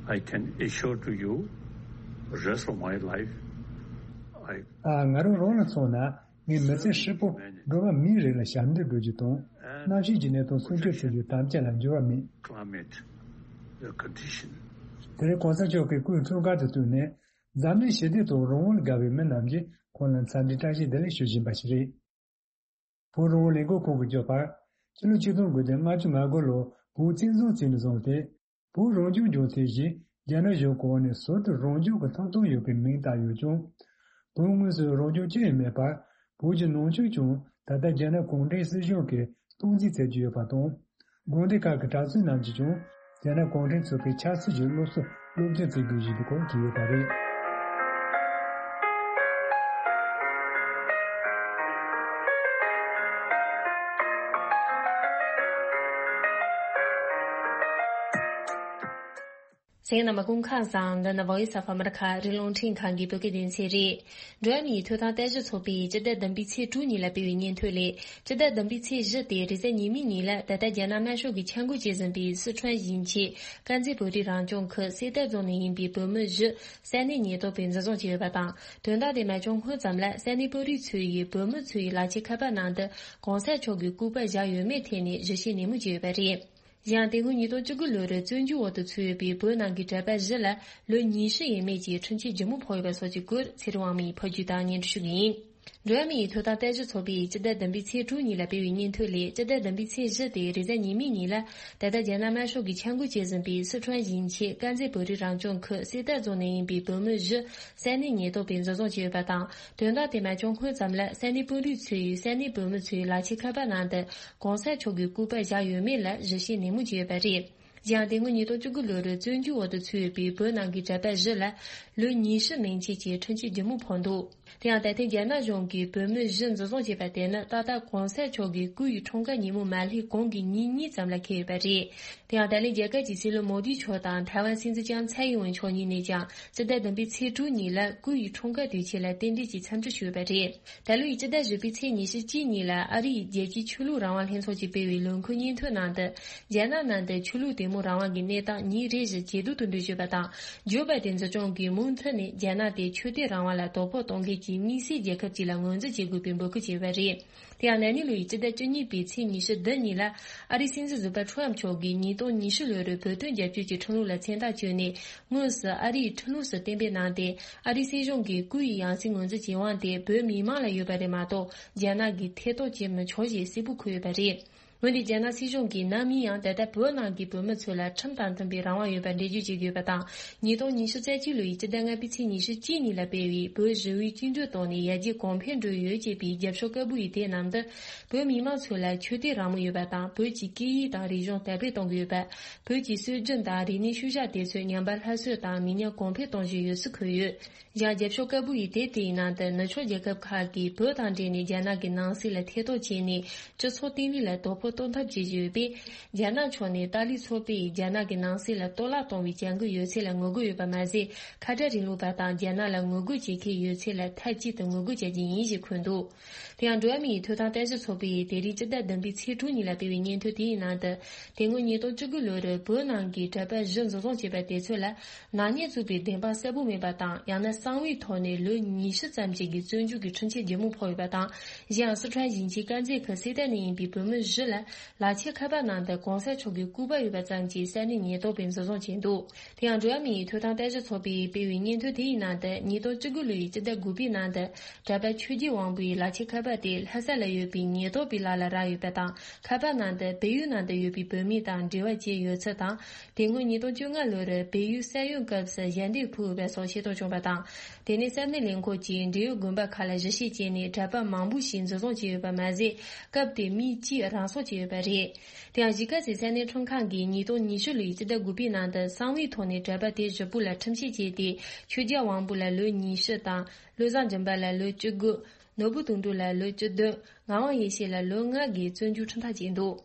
I can assure to you, rest of my life, I ཨ། ང་རང་རང་ལ་མཚོན་ན། ངས་མི་ཚེ་ཧྲིལ་པོ་འགྲོ་བ་མིའི་རིགས་ལ་ཞབས་འདེགས་སྒྲུབ་རྒྱུ་དང་། གནམ་གཤིས་ཀྱི་གནས་སྟངས་སྲུང་སྐྱོབ་བྱེད་རྒྱུ་དམ་བཅའ་ལ་འགྱུར་བ་མེད། Climate, the condition. དེ་རིང་གོང་ས་མཆོག་གི་སྐུའི་འཁྲུངས་སྐར་དང་བསྟུན་ནས། འཛམ་གླིང་ཞི་བདེ་དང་རང་དབང་ལ་དགའ་བའི་མི་རྣམས་ཀྱིས་ཁོང་ལ་འཚམས་འདྲི་བཀྲ་ཤིས་བདེ་ལེགས་ཞུ་བཞིན་པ་ཞིག་རེད། བོད་རང་དབང་ལས་འགུལ་ཁང་གིས་བརྗོད་པར། ཕྱི་ལོ་ཆིག་སྟོང་དགུ་བརྒྱ་ལྔ་བཅུ་ང་དགུ་ལོར་བོད་བཙན་བཟུང་བྱས་ནས་བཟུང་སྟེ། བོད་རང་སྐྱོང་ལྗོངས་དེ་བཞིན་རྒྱ་ནག་གཞུང་གི་འོག་ནས་ཟུར་དུ་རང་སྐྱོང་གི་ཐོབ་ཐང་ཡོད་པའི་མིང་བཏགས་ཡོད་ཀྱང་། བོད་དངོས་སུ་རང་སྐྱོང་ཅི་ཡང་མེད་པར། བོད་ཀྱི་ནང་ཆོས་ཀྱང་ད་ལྟ་རྒྱ་ནག་གུང་ཁྲན་སྲིད་གཞུང་གིས་སྟངས་འཛིན་བྱེད་ཀྱི་ཡོད་པ་དང་། དགོན་སྡེ་ཁག་གི་གྲྭ་བཙུན་རྣམས་ཀྱིས་ཀྱང་ རྒྱ་ནག་གུང་ཁྲན་ཚོགས་པའི་ཆབ་སྲིད་ཀྱི་སློབ་གསོ་སློབ་སྦྱོང་བྱེད་དགོས་ཞེས་པའི་སྐོར་བྲིས་ཡོད་པ་རེད། གསན་མཁན་རྣམ་པ་སྐུ་ཁམས་བཟང་། འདི་ནི་Voice of America ཨ་རིའི་རླུང་འཕྲིན་ཁང་གི་བོད་སྐད་སྡེ་ཚན་རེད། འགྲོ་བ་མིའི་ཐོབ་ཐང་ལྟ་ཞིབ་ཚོགས་པས་སྤྱི་ཟླ་བདུན་པའི་ཚེས་དྲུག་ཉིན་ལ་སྤེལ་བའི་སྙན་ཐོ་ལས། སྤྱི་ཟླ་བདུན་པའི་ཚེས་བཞི་སྟེ་རེས་གཟའ་ཉི་མའི་ཉིན་ལ་ད་ལྟ་རྒྱ་ནག་དམར་ཤོག་གིས་འཆར་འགོད་བྱེད་བཞིན་པའི་སི་ཁྲོན་ཞིང་ཆེན་དཀར་མཛེས་བོད་རིགས་རང་སྐྱོང་ཁུལ་གསེར་རྟ་རྫོང་ནས་ཡིན་པའི་བོད་མི་བཞི་ས་གནས་ཉེན་རྟོག་པས་འཛིན་བཟུང་བྱས་ཡོད་པ་དང་། དོན་དག་དེ་མ་བྱུང་སྔོན་ཙམ་ལ་ས་གནས་དཔོན་རིགས་ཚོ་ཡིས་བོད་མི་ཚོའི་ལག་ཁྱེར་ཁ་པར་ནང་དུ་གོང་ས་མཆོག་གི་སྐུ་པར་བཞག་ཡོད་མེད་ཐད་ནས་ཞིབ་བཤེར་ནན་མོ་བྱས་ཡོད་པ་རེད། གཞན་དེ་སྔོན་ཉིས་སྟོང་བཅུ་དགུ་ལོར་བཙོན་འཇུག་འོག་ཏུ་ཚུད་ཡོད་པའི་བོད་ནང་གི་གྲྭ་པ་བཞི་ལ་ལོ་ཉི་ཤུ་ཡས་མས་ཀྱི་ཁྲིམས་ཆད་ལྗིད་མོ་ཕོག་ཡོད་པ་སོགས་ཀྱི་སྐོར་ཚེ་རིང་དབང་མོས་ཕབ་སྒྱུར་དང་སྙན་སྒྲོན་ཞུ་གི་ཡིན། འགྲོ་བ་མིའི་ཐོབ་ཐང་ལྟ་ཞིབ་ཚོགས་པས་སྤྱི་ཟླ་བདུན་པའི་ཚེས་དྲུག་ཉིན་ལ་སྤེལ་བའི་སྙན་ཐོ་ལས། སྤྱི་ཟླ་བདུན་པའི་ཚེས་བཞི་སྟེ་རེས་གཟའ་ཉི་མའི་ཉིན་ལ་ད་ལྟ་རྒྱ་ནག་དམར་ཤོག་གིས་འཆར་འགོད་བྱེད་བཞིན་པའི་སི་ཁྲོན་ཞིང་ཆེན་དཀར་མཛེས་བོད་རིགས་རང་སྐྱོང་ཁུལ་གསེར་རྟ་རྫོང་ནས་ཡིན་པའི་བོད་མི་བཞི་ས་གནས་ཉེན་རྟོག་པས་འཛིན་བཟུང་བྱས་ཡོད་པ་དང་། དོན་དག་དེ་མ་བྱུང་སྔོན་ཙམ་ལ་ས་གནས་དཔོན་རིགས་ཚོས་ས་གནས་བོད་མི་ཚོའི་ལག་ཁྱེར་ཁ་པར་ནང་དུ་གོང་ས་མཆོག་གི་སྐུ་པར་བཞག་ཡོད་མེད་ལ་ཞིབ་བཤེར་ནན་མོ་བྱས་ཡོད་པ་རེད། གཞན་དེ་སྔོན་ཉིས་སྟོང་བཅུ་དགུ་ལོར་བཙོན་འཇུག་འོག་ཏུ་ཚུད་ཡོད་པའི་བོད་ནང་གི་གྲྭ་པ་བཞི་ལ་ལོ་ཉི་ཤུ་མན་ཆད་ཀྱི་ཁྲིམས་ཆད་ལྗིད་མོ་ཕོག་འདུག་དེ་ཡང་ད་ཐེངས་རྒྱ་ནག་གཞུང་གིས་བོད་མི་བཞི་འཛིན་བཟུང་བྱས་པ་དེ་ནི་ཏག་ཏག་གོང་ས་མཆོག་གི་སྐུ་ཡི་འཁྲུངས་སྐར་ཉིན་མོ་མ་སླེབས་གོང་གི་ཉིན་གཉིས་ཙམ་ལ་འཁེལ་ཡོད་པ་རེད། དེ་ཡང་ད་ལན་རྒྱ་གར་གྱི་སྲིད་བློན་མོ་དི་མཆོག་དང་ཐའེ་ཝན་སྲིད་འཛིན་ལྕམ་ཚའེ་ཡིན་ཝེན་མཆོག་གཉིས་ནས་ཀྱང་སྤྱི་ཟླ་བདུན་པའི་ཚེས་དྲུག་ཉིན་ལ་སྐུ་ཡི་འཁྲུངས་སྐར་དུས་ཆེན་ལ་རྟེན་འབྲེལ་གྱི་འཚམས་འདྲི་ཞུས་པ་རེད། ད་ལོའི་སྤྱི་ཟླ་བཞི་པའི་ཚེས་ཉི་ཤུ་གཅིག་ཉིན་ལ་ཨ་རི་ཡི་རྒྱལ་སྤྱིའི་ཆོས་ལུགས་རང་དབང་ལྷན་ཚོགས་ཀྱིས་སྤེལ་བའི་ལས་འགུལ་སྙན་ཐོའི་ནང་དུ། རྒྱ་ནག་ནང་དུ་ཆོས་ལུགས་དད་མོས་རང་དབང་གི་གནས་སྟངས་ཉིན་རེ་བཞིན་ཇེ་སྡུག་ཏུ་འགྲོ་བཞིན་པ་དང་། ཇོ་བྷའི་ཏིན་གཞུང་གིས་མུ་མཐུད་ནས་རྒྱ་ནག་དེ་ཆོས་དད་རང་དབང་ལ་དོ་ཕོག་གཏོང་མཁན་གྱི་དམིགས་བསལ་རྒྱལ་ཁབ་ཅིག་ལ་ངོས་འཛིན་བྱེད་དགོས་པའི་འབོད་སྐུལ་བྱས་པ་རེད། དེ་ཡང་ན་ནིང་ལོའི་སྤྱི་ཟླ་བཅུ་གཉིས་པའི་ཚེས་ཉི་ཤུ་བདུན་ཉིན་ལ་ཨ་རིའི་སྲིད་འཛིན་ཟུར་པ་ཁྲོམ་མཆོག་གིས་ཉིས་སྟོང་ཉི་ཤུ་ལོའི་བོད་དོན་རྒྱབ་སྐྱོར་གྱི་ཁྲིམས་ལུགས་ལ་མཚན་རྟགས་བཅོས་ནས། དངོས་སུ་ཨ་རིའི་ཁྲིམས་ལུགས་སུ་གཏན་འབེབས་གནང་སྟེ། ཨ་རིའི་སྲིད་གཞུང་གིས་སྐུ་ཡི་ཡང་སྲིད་ངོས་འཛིན་བྱེད་དབང་དེ་བོད་མི་མང་ལ་ཡོད་པ་རེད་མ་གཏོགས། རྒྱ་ནག་གིས་ཐེ་གཏོགས་བྱེད་མི་ཆོག་ཅེས་གསལ་པོ་འཁོད་ཡོད་པ་རེད། འོན་ཏེ་རྒྱ་ནག་སྲིད་གཞུང་གིས་ནམ་ཡིན་ཡང་ད་ལྟ་བོད་ནང་གི་བོད་མི་ཚོ་ལ་ཁྲིམས་དང་མཐུན་པའི་རང་དབང་ཡོད་པར་འགྲེལ་བརྗོད་བྱེད་ཀྱི་ཡོད་པ་དང་། ཉིས་སྟོང་ཉི་ཤུ་རྩ་གཅིག་ལོའི་སྤྱི་ཟླ་ལྔ་པའི་ཚེས་ཉི་ཤུ་གཅིག་ཉིན་ལ་སྤེལ་བའི་བོད་ཞི་བའི་བཅིངས་འགྲོལ་བཏང་ནས་ཡར་རྒྱས་གོང་འཕེལ་འགྲོ་ཡོད་ཅེས་པའི་རྒྱབ་ཕྱོགས་སྐད་འབོད་ཡིག་དེའི་ནང་དུ། བོད་མི་མང་ཚོ་ལ་ཆོས་དད་རང་མོས་ཡོད་པ་དང་། བོད་ཀྱི་སྐད་ཡིག་དང་རིག་གཞུང་དར་སྤེལ་གཏོང་གི་ཡོད་པ། བོད་ཀྱི་སྲོལ་རྒྱུན་དང་རིག་གནས་ཤུལ་བཞག་དེ་ཚོ་ཉམས་པ་སླར་གསོ་དང་མི་ཉམས་གོང་འཕེལ་གཏོང་བཞིན་ཡོད་ཚུལ་འཁོད་ཡོད། ཡང་རྒྱབ་ཕྱོགས་སྐད་འབོད་ཡིག་དེབ་དེའི་ནང་དུ་ནུབ་ཕྱོགས་རྒྱལ་ཁབ་ཁག་གིས་བོད་དང་འབྲེལ་ནས་རྒྱ་ནག་གི་ནང་སྲིད་ལ་ཐེ་གཏོགས་བྱས་ནས་སྤྱི་ཚོགས་བརྟན་ལྷིང་ལ་དོ་ཕོག་གཏོང་ཐབས་བྱེད་བཞིན་ཡོད་པས། རྒྱ་ནག་ཕྱོགས་ནས་ཏཱ་ལའི་ཚོགས་པས་རྒྱ་ནག་གི་ནང་སྲིད་ལ་གཏོར་བརླག་གཏོང་བའི་བྱ་འགུལ་ཡོད་ཚད་ལ་ངོ་རྒོལ་ཡོད་པ་མ་ཟད། ཁ་བྲལ་རིང་ལུགས་པ་དང་རྒྱ་ནག་ལ་ངོ་རྒོལ་བྱེད་མཁན་ཡོད་ཚད་ལ་མཐའ་གཅིག་ཏུ་ངོ་རྒོལ་བྱ་རྒྱུ་ཡིན་ཞེས་འཁོད་འདུག་དེ་ཡང་འགྲོ་བ་མིའི་ཐོབ་ཐང་ལྟ་ཞིབ་ཚོགས་པས་དེ་རིང་སྤྱི་ཟླ་བདུན་པའི་ཚེས་དྲུག་ཉིན་ལ་སྤེལ་བའི་སྙན་ཐོ་དེའི་ནང་དུ། དེ་སྔོན་ཉིས་སྟོང་བཅུ་དགུ་ལོར་བོད་ནང་གི་གྲྭ་པ་བཞི་འཛིན་བཟུང་བྱས་པ་དེ་ཚོ་ལ་ནག་ཉེས་བཙུགས་པའི་བདེན་དཔང་གསལ་པོ་མེད་པ་དང་། ཡང་ན་གསང་བའི་ཐོག་ནས་ལོ་ཉི་ཤུ་ཙམ་ཞིག་གི་བཙོན་འཇུག་གི་ཁྲིམས་ཆད་ལྗིད་མོ་ཕོག་ཡོད་པ་དང་། གཞན་ཡང་སི་ཁྲོན་ཞིང་ཆེན་དཀར་མཛེས་ཁུལ་གསེར་རྟ་ནས་ཡིན་པའི་བོད་མི་བཞི་ལ་ལག་ཁྱེར་ཁ་པར་ནང་དུ་གོང་ས་མཆོག་གི་སྐུ་པར་ཡོད་པ་ཙམ་གྱིས་ས་གནས་ཉེན་རྟོག་པས་འཛིན་བཟུང་བྱས་འདུག་དེ་ཡང་འགྲོ་བ་མིའི་ཐོབ་ཐང་ལྟ་ཞིབ་ཚོགས་པས་སྤེལ་བའི་སྙན་ཐོ་དེའི་ནང་དུ། ཉིས་སྟོང་བཅུ་དགུ་ལོའི་སྤྱི་ཟླ་དགུ་པའི་ནང་དུ། གྲྭ་པ་ཆོས་རྒྱལ་དབང་པོའི་ལག་ཁྱེར་ཁ་པར་དེ་ལྷ་ས་ལ་ཡོད་པའི་ཉེན་རྟོག་པའི་ལག་ལ་རག་ཡོད་པ་དང་། ཁ་པར་ནང་དུ་བལ་ཡུལ་ནང་དུ་ཡོད་པའི་བོད་མི་དང་འབྲེལ་བ་བྱས་ཡོད་ཚུལ་དང་། དེ་སྔོན་ཉིས་སྟོང་བཅོ་ལྔ་ལོར་བལ་ཡུལ་ས་ཡོམ་སྐབས་སུ་ཞལ་འདེབས་ཕུལ་ཡོད་པ་སོགས་ཤེས་རྟོགས་བྱུང་བ་དང་། དེ་ནས་ས་གནས་ལས་ཁུངས་ཀྱིས་འབྲེལ་ཡོད་དགོན་པ་ཁག་ལ་ཞིབ་བཤེར་བྱས་ནས་གྲྭ་པ་མང་པོ་ཞིག་འཛིན་བཟུང་བྱས་ཡོད་པ་མ་ཟད། སྐབས་དེར་མི་གཅིག་རང་སྲོག་བཅད་ཡོད་པ་རེད། དེ་ཡང་གཞིས་ཀ་རྩེའི་ས་གནས་ཁྲིམས་ཁང་གིས་ཉིས་སྟོང་ཉི་ཤུ་ལོའི་སྤྱི་ཟླ་དགུ་པའི་ནང་དུ་གསང་བའི་ཐོག་ནས་གྲྭ་པ་དེ་བཞི་པོ་ལ་ཁྲིམས་ཆད་བཅད་དེ། ཆོས་རྒྱལ་དབང་པོ་ལ་ལོ་ཉི་ཤུ་དང་། བློ་བཟང་སྒྲོན་པ་ལ་ལོ་བཅུ་དགུ། ནོར་བུ་དོན་གྲུབ་ལ་ལོ་བཅུ་བདུན། ངག་དབང་ཡེ་ཤེས་ལ་ལོ་ལྔ་གི་བཙོན་འཇུག་ཁྲིམས་ཐག་བཅད་འདུག་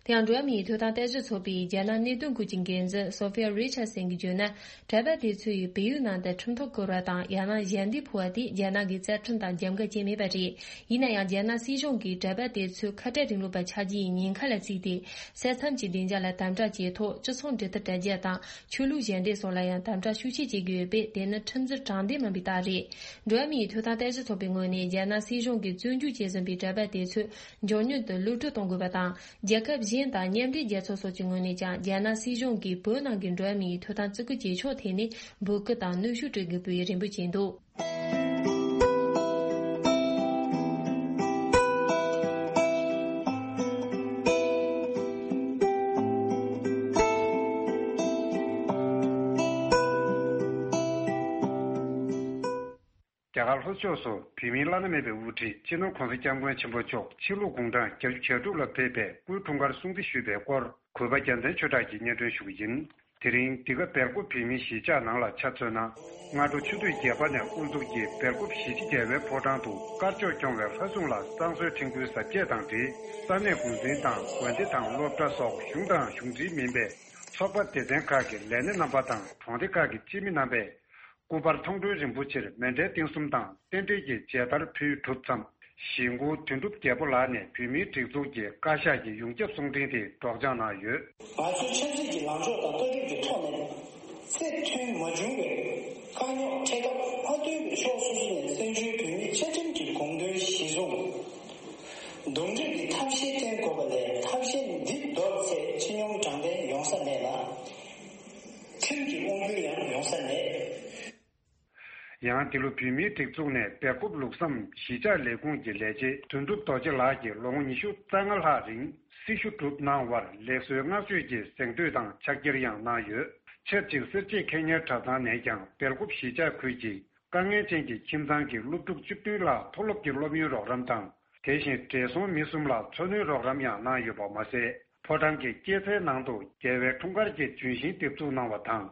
དེ་ཡང་འགྲོ་བ་མིའི་ཐོབ་ཐང་ལྟ་ཞིབ་ཚོགས་པའི་རྒྱ་ནག་གནད་དོན་སྐོར་གྱི་འགན་འཛིན་སོ་ཕི་ཡ་རི་ཆར་སན་གྱིས་བརྗོད་ན། གྲྭ་པ་དེ་ཚོ་ཡིས་བལ་ཡུལ་ནང་དུ་ཁྲིམས་ཐག་བཀོད་པ་དང་། ཡང་ན་ཞལ་འདེབས་ཕུལ་བ་དེ་རྒྱ་ནག་གི་རྩ་ཁྲིམས་དང་འགལ་འགལ་བྱས་མེད་པ་རེད། ཡིན་ན་ཡང་རྒྱ་ནག་སྲིད་གཞུང་གིས་གྲྭ་པ་དེ་ཚོ་ཁ་བྲལ་རིང་ལུགས་པ་ཆགས་རྒྱུ་ཡི་ཉེན་ཁ་ལ་བརྩིས་ཏེ། ས་མཚམས་ཀྱི་བདེ་འཇགས་ལ་དམ་དྲག་བྱས་ཐོག་སྤྱི་ཚོགས་འགྲོ་སྟངས་དྲ་རྒྱ་དང་། ཆོས་ལུགས་ཞལ་འདེབས་སོགས་ལ་ཡང་དམ་དྲག་ཤུགས་ཆེ་བྱེད་ཀྱི་ཡོད་པས། དེ་ནི་ཁྲིམས་འཛིན་དྲང་བདེན་མིན་པའི་རྟགས་རེད། འགྲོ་བ་མིའི་ཐོབ་ཐང་ལྟ་ཞིབ་ཚོགས་པའི་ངོས་ནས་རྒྱ་ནག་སྲིད་གཞུང་གིས་བཙོན་འཇུག་བྱས་ཟིན་པའི་གྲྭ་པ་དེ་ཚོ་མགྱོགས་མྱུར་དུ་གློད་བཀྲོལ་གཏོང་དགོས་པ་དང་། རྒྱལ་ཁབ་གཞན་དང་མཉམ་འབྲེལ་རྒྱལ་ཚོགས་སོགས་ཀྱི་ངོས་ནས་ཀྱང་རྒྱ་ནག་སྲིད་གཞུང་གིས་བོད་ནང་གི་འགྲོ་བ་མིའི་ཐོབ་ཐང་བརྩི་བཀུར་བྱེད་ཕྱོགས་ཐད་ནས་འབོད་སྐུལ་དང་གནོན་ཤུགས་སྤྲོད་དགོས་པའི་རེ་འབོད་བྱས་འདུག་རྒྱ་གར་ལྷོ་ཕྱོགས་སུ་བོད་མིའི་བླ་ན་མེད་པའི་དབུ་ཁྲིད་སྤྱི་ནོར་༸གོང་ས་༸སྐྱབས་མགོན་ཆེན་པོ་མཆོག་ཕྱི་ལོ་དགུང་གྲངས་བརྒྱད་ཅུ་གྱ་དྲུག་ལ་ཕེབས་པའི་སྐུའི་འཁྲུངས་སྐར་སྲུང་བརྩི་ཞུས་པའི་སྐོར། གུས་པ་རྒྱལ་མཚན་ཆོས་གྲགས་ཀྱིས་སྙན་སྒྲོན་ཞུ་གི་ཡིན། དེ་རིང་འདི་ག་སྦེལ་ཀོབ་བོད་མིའི་གཞིས་ཆགས་ནང་ལ་ཆ་མཚོན་ན། སྔ་དྲོ་ཆུ་ཚོད་བརྒྱད་པ་ནས་དབུ་འཛུགས་ཀྱིས་སྦེལ་ཀོབ་གཞིས་བྱེས་རྒྱལ་བའི་ཕོ་བྲང་དུ་དཀར་ཕྱོགས་སྐྱོང་བའི་ལྷ་སྲུང་ལ་བསང་གསོལ་ཕྲེང་རྒྱུན་གཟབ་རྒྱས་དང་འབྲེལ། ས་གནས་འགོ་འཛིན་དང་དགོན་སྡེ་དང་སློབ་གྲྭ་སོགས་གཞུང་དང་གཞུང་འབྲེལ་མིན་པའི་ཚོགས་པ་སྡེ་ཚན་ཁག་གི་ལས་སྣེ་རྣམ་པ་དང་གྲོང་སྡེ་ཁག་གི་སྤྱི་མི་རྣམ་པས་སྐུ་པར་མཐོང་གྲོལ་རིན་པོ་ཆེར་མཎྜལ་རྟེན་གསུམ་དང་རྟེན་འབྲེལ་གྱི་མཇལ་དར་ཕུལ་གྲུབ་མཚམས། གཞིས་འགོ་དོན་གྲུབ་རྒྱལ་པོ་ལགས་ནས་བོད་མིའི་སྒྲིག་འཛུགས་ཀྱི་བཀའ་ཤག་གི་ཡོངས་ཁྱབ་གསུང་འཕྲིན་དེ་སྒྲོག་སྦྱང་གནང་ཡོད། ང་ཚོའི་ཆབ་སྲིད་ཀྱི་ལངས་ཕྱོགས་དང་ལྟ་གྲུབ་ཀྱི་ཐོག་ནས་ཚད་མཐུན་མ་བྱུང་བའི་དཀའ་རྙོག་འཕྲད་སྐབས། མཐའ་དོན་དུ་ཕྱོགས་སོ་སོ་ནས་བཙན་བྱོལ་བོད་མིའི་བཅའ་ཁྲིམས་ཀྱི་དགོངས་དོན་གཞིར་བཟུང་། འདུམ་འགྲིག་གི་ཐབས་ཤེས་བསྟེན་དགོས་པ་ལས། ཐབས་ཤེས་འདི་འདོར་ཚེ་སྤྱི་སྙོམས་དྲང་བདེན་ཡོང་ས་མེད་ལ། ཁྲིམས་ཀྱི་དབང་སྒྱུར་ཡང་ཡོང་ས་མེད། ཡང་འདི་ལོ་བོད་མིའི་སྒྲིག་འཛུགས་ནས་སྦེལ་ཀོབ་ལུགས་བསམ་གཞིས་ཆགས་ལས་ཁུངས་ཀྱི་ལས་བྱེད་དོན་གྲུབ་རྡོ་རྗེ་ལགས་ཀྱིས་ལོ་ངོ་ཉི་ཤུ་རྩ་ལྔ་ལྷག་རིང་སྲི་ཞུ་བསྒྲུབས་གནང་བར་ལེགས་གསོའི་བསྔགས་བརྗོད་ཀྱི་གཟེངས་བསྟོད་དང་ཕྱག་འཁྱེར་ཡང་གནང་ཡོད། ཆབས་ཅིག་སེར་བྱེས་ཁེ་གཉེར་གྲྭ་ཚང་ནས་ཀྱང་སྦེལ་ཀོབ་གཞིས་ཆགས་ཁུལ་གྱི་དཀའ་ངལ་ཅན་གྱི་ཁྱིམ་ཚང་གི་སློབ་ཕྲུག་བཅུ་བདུན་ལ་མཐོ་སློབ་ཀྱི་སློབ་ཡོན་རོགས་རམ་དང་། དེ་བཞིན་བགྲེས་སོང་མི་གསུམ་ལ་འཚོ་སྣོན་རོགས་རམ་ཡང་གནང་ཡོད་པ་མ་ཟད། ཕོ་བྲང་གི་སྐྱེད་ཚལ་ནང་དུ་རྒྱལ་བའི་འཁྲུངས་སྐར་གྱི་ལྗོན་ཤིང་འདེབས་འཛུགས་གནང་བ་དང་།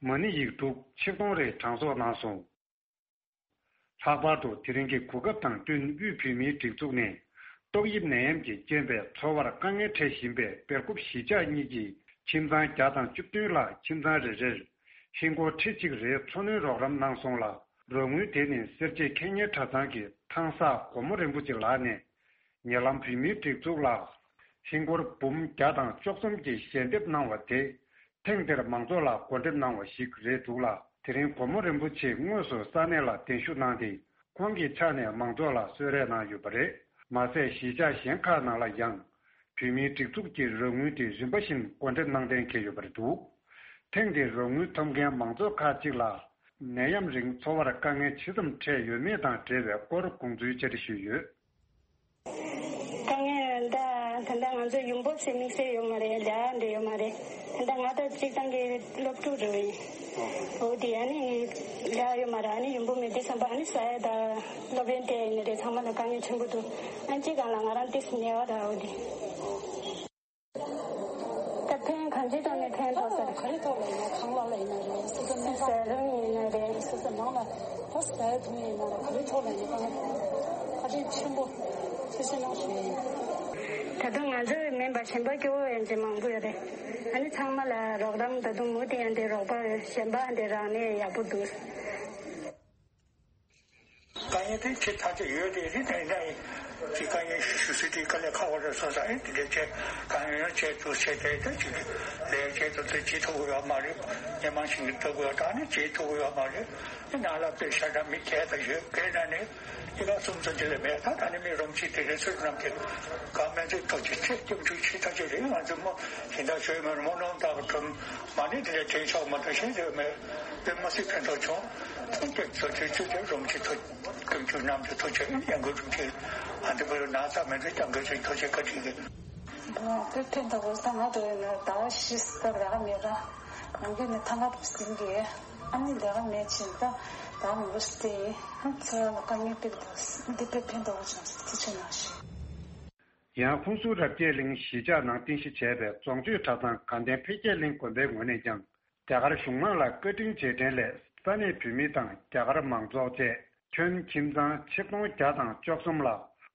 མ་ཎི་ཡིག་དྲུག་ཆིག་སྟོང་རེ་གྲངས་གསོག་གནང་སོང་། ལྷག་པར་དུ་དེ་རིང་གི་གོ་སྐབས་དང་བསྟུན་དབུས་བོད་མིའི་སྒྲིག་འཛུགས་ནས་ཏོག་དབྱིབས་ནད་ཡམས་ཀྱི་རྐྱེན་པས་འཚོ་བར་དཀའ་ངལ་འཕྲད་བཞིན་པའི་སྦེལ་ཀོབ་གཞིས་ཆགས་གཉིས་ཀྱི་ཁྱིམ་ཚང་བརྒྱ་དང་བཅུ་བདུན་ལ་ཁྱིམ་ཚང་རེ་རེར་ཧིན་སྒོར་ཁྲི་གཅིག་རེའི་འཚོ་སྣོན་རོགས་རམ་གནང་སོང་ལ། རོགས་དངུལ་དེ་ནི་སེར་བྱེས་ཁེ་གཉེར་གྲྭ་ཚང་གི་ཐང་སག་སྒོ་མོ་རིན་པོ་ཆེ་ལགས་ནས། ཉེ་ལམ་བོད་མིའི་སྒྲིག་འཛུགས་ལ་ཧིན་སྒོར་འབུམ་བརྒྱ་དང་བཅུ་གསུམ་གྱི་ཞལ་འདེབས་གནང་བ་དེ། ཐེངས་འདིར་མང་ཚོགས་ལ་སྒོ་འགྲེམས་གནང་བ་ཞིག་རེད་འདུག་ལ། དེ་རིང་སྒོ་མོ་རིན་པོ་ཆེས་དངོས་སུ་ས་གནས་ལ་གདན་ཞུ་གནང་སྟེ། ཁོང་གི་ཕྱག་ནས་མང་ཚོགས་ལ་གསོལ་རས་གནང་ཡོད་པ་རེད། མ་ཟད་གཞིས་ཆགས་གཞན་ཁག་ནང་ལ་ཡང་། བོད་མིའི་སྒྲིག་འཛུགས་ཀྱི་རོགས་དངུལ་དེ་རིམ་པ་བཞིན་སྒོ་འགྲེམས་གནང་གཏན་འཁེལ་ཡོད་པ་རེད་འདུག་ཐེངས་འདིར་རོགས་དངུལ་ཐོབ་མཁན་མང་ཚོགས་ཁག་ཅིག་ལ། ནད་ཡམས་རིང་འཚོ་བར་དཀའ་ངལ་ཇི་ཙམ་འཕྲད་ཡོད་མེད་དང་འབྲེལ་བའི་སྐོར་དགོངས་ཚུལ་བཅར་འདྲི་ཞུས་ཡོད། དཀའ་ངལ་ད་ད་ལྟ་ང་ཚོ་ཡོང་འབབ་ཟེར་དམིགས་བསལ་ཡོད་མ་རེད། ལས་ཀ་འདྲ་ཡོད་མ་རེད། ད་ལྟ་ང་ད་སྤྱིར་བཏང་གི་སློབ་ཕྲུག་རེད། འོ་དེ་ཨ་ནི་ལས་ཀ་ཡོད་མ་རེད། ཨ་ནི་ཡོང་འབབ་མེད་དུས་ཙམ་པ་ཨ་ནི་ཟ་ཡ་ད་སློབ་ཡོན་སྤྲད་ཡིན་ན་རེད། ཚང་མ་ལ་དཀའ་ངལ་ཆེན་པོ་འདུག་ཨ་ནི་སྤྱིར་བཏང་ལ་ང་རང་ཏོག་ཙམ་ཉེ་བ་ར། འོ་དེ། ད་ཕན་གང་ཅིའི་ཐོག་ནས་ཕན་ཐོགས་ས་རེད། ག་རེ་ཐོག་ལ་ཡིན་ན། ཁང་གླ་ལ་ཡིན་ན་རེད། སོ་སོ་ནས་ཟ་རུང་ཡིན་ན་རེད། སོ་སོ་ནང་ལ་ད་ཟ་ཡ་འཐུང་ཡ་ཡིན་ན་རེད། ག་རེ་ཐོག་ལ་ཡིན་ན་ཁ་ཕྲལ་ཆེན་པོ་ཆེ་ཆེ་གནང་ཞིག་ཡིན། ད་དུང་ང་ཚོ་མིན་པ་གཞན་པ་སྐྱོ་བོ་ཡང་ཅིག་མང་པོ་ཡོད་རེད། ཨ་ནི་ཚང་མ་ལ་རོགས་རམ། ད་དུང་མུ་མཐུད་ཡང་དེ་རོགས་པ་གཞན་པ་དེ་རག་ནས་ཡག་པོ་འདུག་དཀའ་ངལ་དེ་ཆེ་ཐག་ཆོད་ཡོད་དེ་རེད། དེ་འདྲ་ཡིན་གྱི་དཀའ་ངལ་ཞུ་སྲིད་དེ་དཀའ་ལས་ཁག་པོ་རེད་སོང་ཙང་། ཨེ་དེ་འདྲ་བྱས་དཀའ་ངལ་ཡང་བྱས་འདུག་བྱས་ཏེ་ད་ཅིག་ལས་བྱས་ཏེ་ད་བྱེད་ཐུབ་ཀྱི་ཡོད་མ་རེད། སྣེ་མང་ཞིག་གིས་ལྟ་དགོས་ཡོད། ད་ནི་བྱེད་ཐུབ་ཀྱི་ཡོད་མ་རེད། ཨེ་ནང་ལ་དཔེ་ཤ་ཁྲག་མི་སྐྱེལ་ད་ཡོད་དགེ་ན་ནི་གཉིས་ཀ་གསུམ་ཙམ་ཅིག་ལས་མེད། ད་ད་ནི་མི་རོམ་གཅིག་དེ་རེད། ཚོད་རྣམས་ཀྱི་དཀའ་སྨན་ཚོད་ཐོག་ཅིག་ཚེ་སྐྱོབ་འཇུག་ཆེ་ཐག་ཆོད་རེད། ང་ཚོ་མོ་ཞིང་ཐག་ཆོད་མེད་རུང་མོ་ནོར་འདག་གི་གྲོམ་མ་ནི་དེ་ལས་བྲེལ་ཆོག་མ་གཏོགས་གཞན་དེ་མེད། དཔེ་མ་སྲིད་ཕན་ཐོགས་བྱུང་། ཐུགས་རྗེ་ཆེ། ཚོད་ཆོད་ཚོད་ཆོད་རོམ་གྱི་ཐུགས་སྐྱོན་བཅུ་རྣམས་ཀྱི་ཐུགས་རྗེ་ཡང་དགོས་རོམ་གྱི་ཨ་འདི་བོད་ན་ཚ་མེད་དུ་ཀྱང་དགོས་ཚུལ་ཐུགས་རྗེ་བཀའ་དྲིན་གྱིས། དཔེ་ཕན་ཐོགས་ས་ང་དོ་ཡིན་ན་ཟླ་བ་བཞི་ཙམ་ལས་ཀ་མེད་ར། ནང་ཁུལ་ནས་ཐང་ག་ཟིན་གི་ཨ་ནི་ལས་ཀ་མེད་ཕྱིན་ད་ཟླ་བ་མང་པོ་ཞིག་སྟེ་ཚེ་རང་ལ་དཀའ་ངལ་དཔེ་འདུག་འདི་དཔེ་ཕན་ཐོགས་བྱུང་ཟེར་ཐུགས་རྗེ་གནང་ཞུ། ཡང་ཧུན་སུར་རབ་རྒྱས་གླིང་གཞིས་ཆགས་ནང་རྟེན་གཞི་བྱས་པའི་རྫོང་ཆོས་གྲྭ་ཚང་དགའ་ལྡན་འཕེལ་རྒྱས་གླིང་དགོན་པའི་ངོས་ནས་ཀྱང་། རྒྱ་གར་གཞུང་མང་ལ་བཀའ་དྲིན་རྗེས་དྲན་སླད་ས་གནས་བོད་མི་དང་རྒྱ་གར་མང་ཚོགས་བཅས་ཁྱོན་ཁྱིམ་ཚང་ཆིག་སྟོང་བརྒྱ་དང་བཅུ་གསུམ་ལ་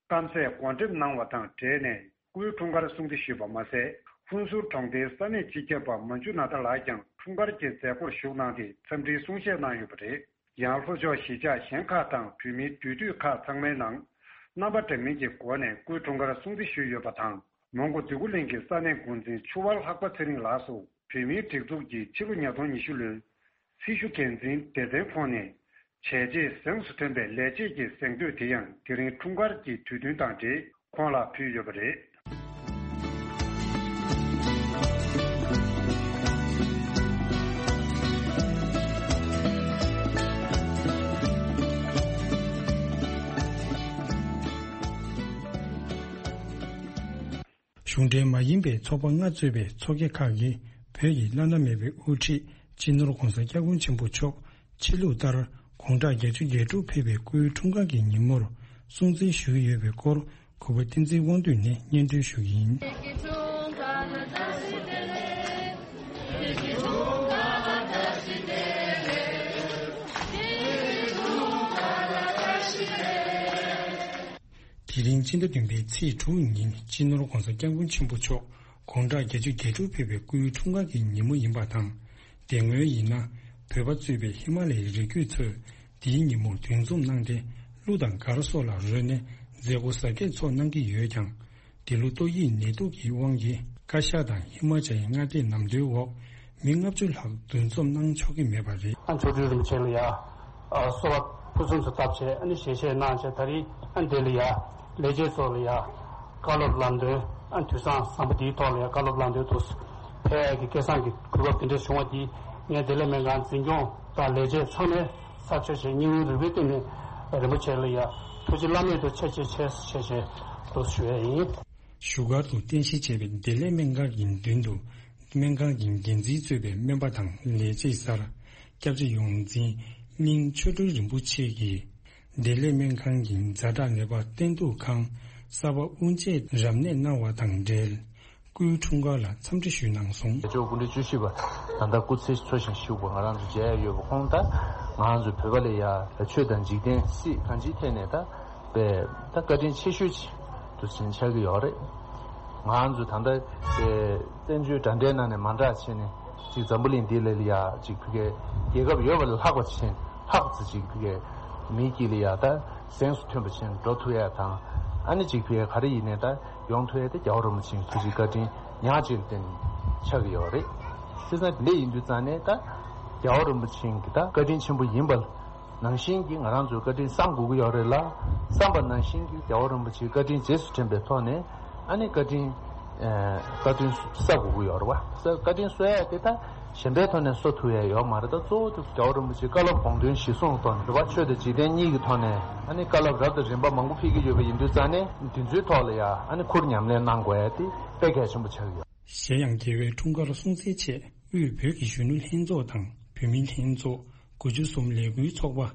སྐམ་སས་སྒོ་འགྲེམས་གནང་བ་དང་འབྲེལ་ནས་སྐུའི་འཁྲུངས་སྐར་སྲུང་བརྩི་ཞུས་པ་མ་ཟད། ཧུན་སུར་གྲོང་སྡེའི་ས་གནས་སྤྱི་ཁྱབ་པ་མན་ཇུ་ནཱ་ཐ་ལགས་ཀྱང་འཁྲུངས་སྐར་གྱི་མཛད་སྒོར་ཞུགས་གནང་སྟེ་འཚམས་འདྲིའི་གསུང་བཤད་གནང་ཡོད་པ་རེད། ཡང་ལྷོ་ཕྱོགས་གཞིས་ཆགས་གཞན་ཁག་དང་བོད་མིའི་འདུས་སྡོད་ཁག་ཚང་མའི་ནང་རྣམ་པ་འདྲ་མིན་གྱི་སྒོ་ནས་སྐུའི་འཁྲུངས་སྐར་སྲུང་བརྩི་ཞུས་ཡོད་པ་དང་། མོན་གྷོ་འདོད་རྒུ་གླིང་གི་ས་གནས་འགོ་འཛིན་ཆུ་དབར་ལྷག་པ་ཚེ་རིང་ལགས་སུ་བོད་མིའི་སྒྲིག་འཛུགས་ཀྱི་ཕྱི་ལོ་ཉིས་སྟོང་ཉི་ཤུ་ལོའི་སྲི་ཞུ་འགན་འཛིན་སྡེ་ཚན་ཁོངས་ནས་བྱས་རྗེས་གཟེངས་སུ་ཐོན་པའི་ལས་བྱེད་ཀྱི་གཟེངས་བསྟོད་དེ་ཡང་དེ་རིང་འཁྲུངས་སྐར་གྱི་དུས་སྟོན་དང་འབྲེལ་ཁོང་ལ་ཕུལ་ཡོད་པ་རེད། གཞུང་འབྲེལ་མ་ཡིན་པའི་ཚོགས་པ་ལྔ་གཙོས་པའི་ཚོགས་སྡེ་ཁག་གིས་བོད་ཀྱི་བླ་ན་མེད་པའི་དབུ་ཁྲིད་སྤྱི་ནོར་༧གོང་ས་༧སྐྱབས་མགོན་ཆེན་པོ་མཆོག་ཕྱི་ལུགས་ལྟར་དགུང་གྲངས་བརྒྱད་ཅུ་གྱ་དྲུག་ཕེབས་པའི་སྐུའི་འཁྲུངས་སྐར་གྱི་ཉིན་མོར་སྲུང་བརྩི་ཞུ་གི་ཡོད་པའི་སྐོར་གུས་པ་བསྟན་འཛིན་དབང་འདུས་ནས་སྙན་སྒྲོན་ཞུ་གི་ཡིན། དེ་རིང་སྤྱི་ཟླ་བདུན་པའི་ཚེས་དྲུག་ཉིན་སྤྱི་ནོར་༧གོང་ས་༧སྐྱབས་མགོན་ཆེན་པོ་མཆོག་དགུང་གྲངས་བརྒྱད་ཅུ་གྱ་དྲུག་ཕེབས་པའི་སྐུའི་འཁྲུངས་སྐར་གྱི་ཉིན་མོ་ཡིན་པ་དང་། དེ་སྔོན་ཡིན་ན་བོད་པ་གཙོས་པའི་ཧི་མ་ལ་ཡའི་རི་རྒྱུད་ཚོས་དེའི་ཉིན་མོར་འདུ་འཛོམས་གནང་སྟེ། གླུ་དང་གར་སོགས་ལ་རོལ་ནས་མཛད་སྒོ་གཟབ་རྒྱས་ཚོགས་གནང་གི་ཡོད་ཀྱང་། དེ་ལོ་ཏོག་དབྱིབས་ནད་དུག་གི་དབང་གིས་བཀའ་ཤག་དང་ཧི་མ་ཅལ་མངའ་སྡེའི་ནམ་དུས་འོག་མི་ལྔ་བཅུ་ལྷག་འདུ་འཛོམས་གནང་ཆོག་གི་མེད་པ་རེད། ཨ་མཆོག་སྤྲུལ་རིན་པོ་ཆེ་ལ་ཡ། ཨ་གསོལ་བ་ཕུན་སུམ་ཚོགས་བཏབ་བྱས། ཨ་ནི་ཞལ་བཞེས་གནང་བྱས། ད་རེས་ཨ་འདི་ལ་ཡ་ལས་བྱེད་ཚོ་ལ་ཡ་བཀའ་སློབ་ལམ་སྟོན། ཨ་དུས་བཟང་བཟང་པོ་འདིའི་ཐོག་ལ་ཡ་བཀའ་སློབ་ལམ་སྟོན་དུ་ཕེབས་ཡ་གི་སྐལ་བཟང་གི་གོ་སྐབས་དེ་འདྲ་བྱུང་བ་འདིས། ངས་བདེ་ལེགས་སྨན་ཁང་འཛིན་སྐྱོང་དང་ལས་བྱེད་ཚང་མས་ཚར་གཅོད་བྱས། སྙིང་རུས་རུས་པའི་གཏིང་ནས་རིན་པོ་ཆེ་ལ་ཡ་ཐུགས་རྗེ་བླ་མེད་དུ་ཆེ་ཆེ་ཆེ་ཆེ་ཆེ་དུ་ཞུ་ཡ་ཡིན། བཞུགས་སྒར་དུ་རྟེན་གཞི་བྱས་པའི་བདེ་ལེགས་སྨན་ཁང་གི་མདུན་དུ། སྨན་ཁང་གི་འགན་འཛིན་གཙོས་པའི་སྨན་པ་དང་ལས་བྱེད་གསར། སྐྱབས་རྗེ་ཡོངས་འཛིན་གླིང་ཆོས་སྒྲོན་རིན་པོ་ཆེ་གིས། བདེ་ལེགས་སྨན་ཁང་གི་ཛ་དྲག་ནད་པ་བསྟེན་གཏུག་ཁང་གསར་པ་དབུ་འབྱེད་རབ་གནས་གནང་བ་དང་འབྲེལ། སྐུའི་འཁྲུངས་སྐར་ལ་འཚམས་འདྲི་ཞུས་གནང་སོང་། ལས་ལྕོག་སྐུ་ཕྲེང་བཅུ་བཞི་པ་ད་ལྟ་སྐུ་ཚེ་འཚོ་ཞིང་བཞུགས་པ་ང་རང་ཚོ་མཇལ་ཡ་ཡོད་པ། ཁོང་ད་ང་རང་ཚོ་བོད་པ་ལ་ཡ་ཆོས་དང་འཇིག་རྟེན་སྲིད་གང་ཅིའི་ཐད་ནས་ད་པའི་ད་བཀའ་དྲིན་ཆེ་ཤོས་ཅིག་ཏུ་ཕྱིན་ཆགས་ཀྱི་ཡོད་རེད། ང་རང་ཚོ་ད་ལྟ་བཙན་བྱོལ་འདྲ་འདྲའི་ནང་ནས་མ་འདྲ་བྱས་ནས་ཅིག་འཛམ་བུ་གླིང་འདི་ལ་ལ་ཡ་ཅིག་ཕ་གིའི་རྒྱལ་ཁབ་ཡོད་པ་ལས་ལྷག་པ་ཕྱིན་ལྷག་ཙམ་ཅིག་ཕ་གིའི་མི་སྐྱིད་ལ་ཡ་ད་གཟེངས་སུ་ཐོན་པ་ཕྱིན་འགྲོ་ཐུབ་ཡ་དང་། ཨ་ནི་ཅིག་ཕ་གིའི་ག་རེ་ཡིན་ནའི་ད་ཡོང་ཐུབ་ཡ་དེ་རྒྱལ་བ་རིན་པོ་ཆེའི་ཐུགས་རྗེ་བཀའ་དྲིན་ཉག་གཅིག་ལ་བརྟེན་ཆགས་ཀྱི་ཡོད་རེད། བྱས་ཙང་འདི་ཡིན་དུས་ཙང་ནས་ད་རྒྱལ་བ་རིན་པོ་ཆེའི་གི་ད་བཀའ་དྲིན་ཆེན་པོ་ཡིན་པ་ནང་བཞིན་གྱི་ང་རང་ཚོའི་བཀའ་དྲིན་བསམ་དགོས་ཀྱི་ཡོད་རེད་ལ། བསམ་པ་ནང་བཞིན་གྱི་རྒྱལ་བ་རིན་པོ་ཆེའི་བཀའ་དྲིན་རྗེས་སུ་དྲན་པའི་ཐོག་ནས་ཨ་ནི་བཀའ་དྲིན་ཨ་བཀའ་དྲིན་བསགས་དགོས་ཀྱི་ཡོད་རེད་བ། ས་བཀའ་དྲིན་གསོ་ཡ་དེ་ད་གཞན་པའི་ཐོག་ནས་གསོ་ཐུབ་ཡ་ཡོད་མ་རེད། ད་གཙོ་བོ་དེ་རྒྱལ་བ་རིན་པོ་ཆེའི་བཀའ་སློབ་དགོངས་དོན་གཞིར་བཟུང་ཐོག་ནས་རེད་བ། ཆོས་དང་འཇིག་རྟེན་གཉིས་ཀྱི་ཐོག་ནས་ཨ་ནི་བཀའ་སློབ་རབ་དང་རིམ་པ་མང་པོ་ཕེབས་ཀྱི་ཡོད་པ་ཡིན་དུས་ཙང་ནས་འདི་ཚོའི་ཐོག་ལ་ཡ་ཨ་ནི་ཁུར་ཉམས་ལེན་གནང་དགོས་ཡ་དེ་དཔེ་གལ་ཆེན་པོ་ཆགས་ཀྱི་ཡོད། གཞན་ཡང་རྒྱལ་བའི་འཁྲུངས་སྐར་སྲུང་བརྩིའི་ཆེད་དབུས་བོད་ཀྱི་གཞོན་ནུ་ལྷན་ཚོགས་དང་བུད་མེད་ལྷན་ཚོགས། དགུ་བཅུ་གསུམ་ལས་འགུལ་ཚོགས་པ།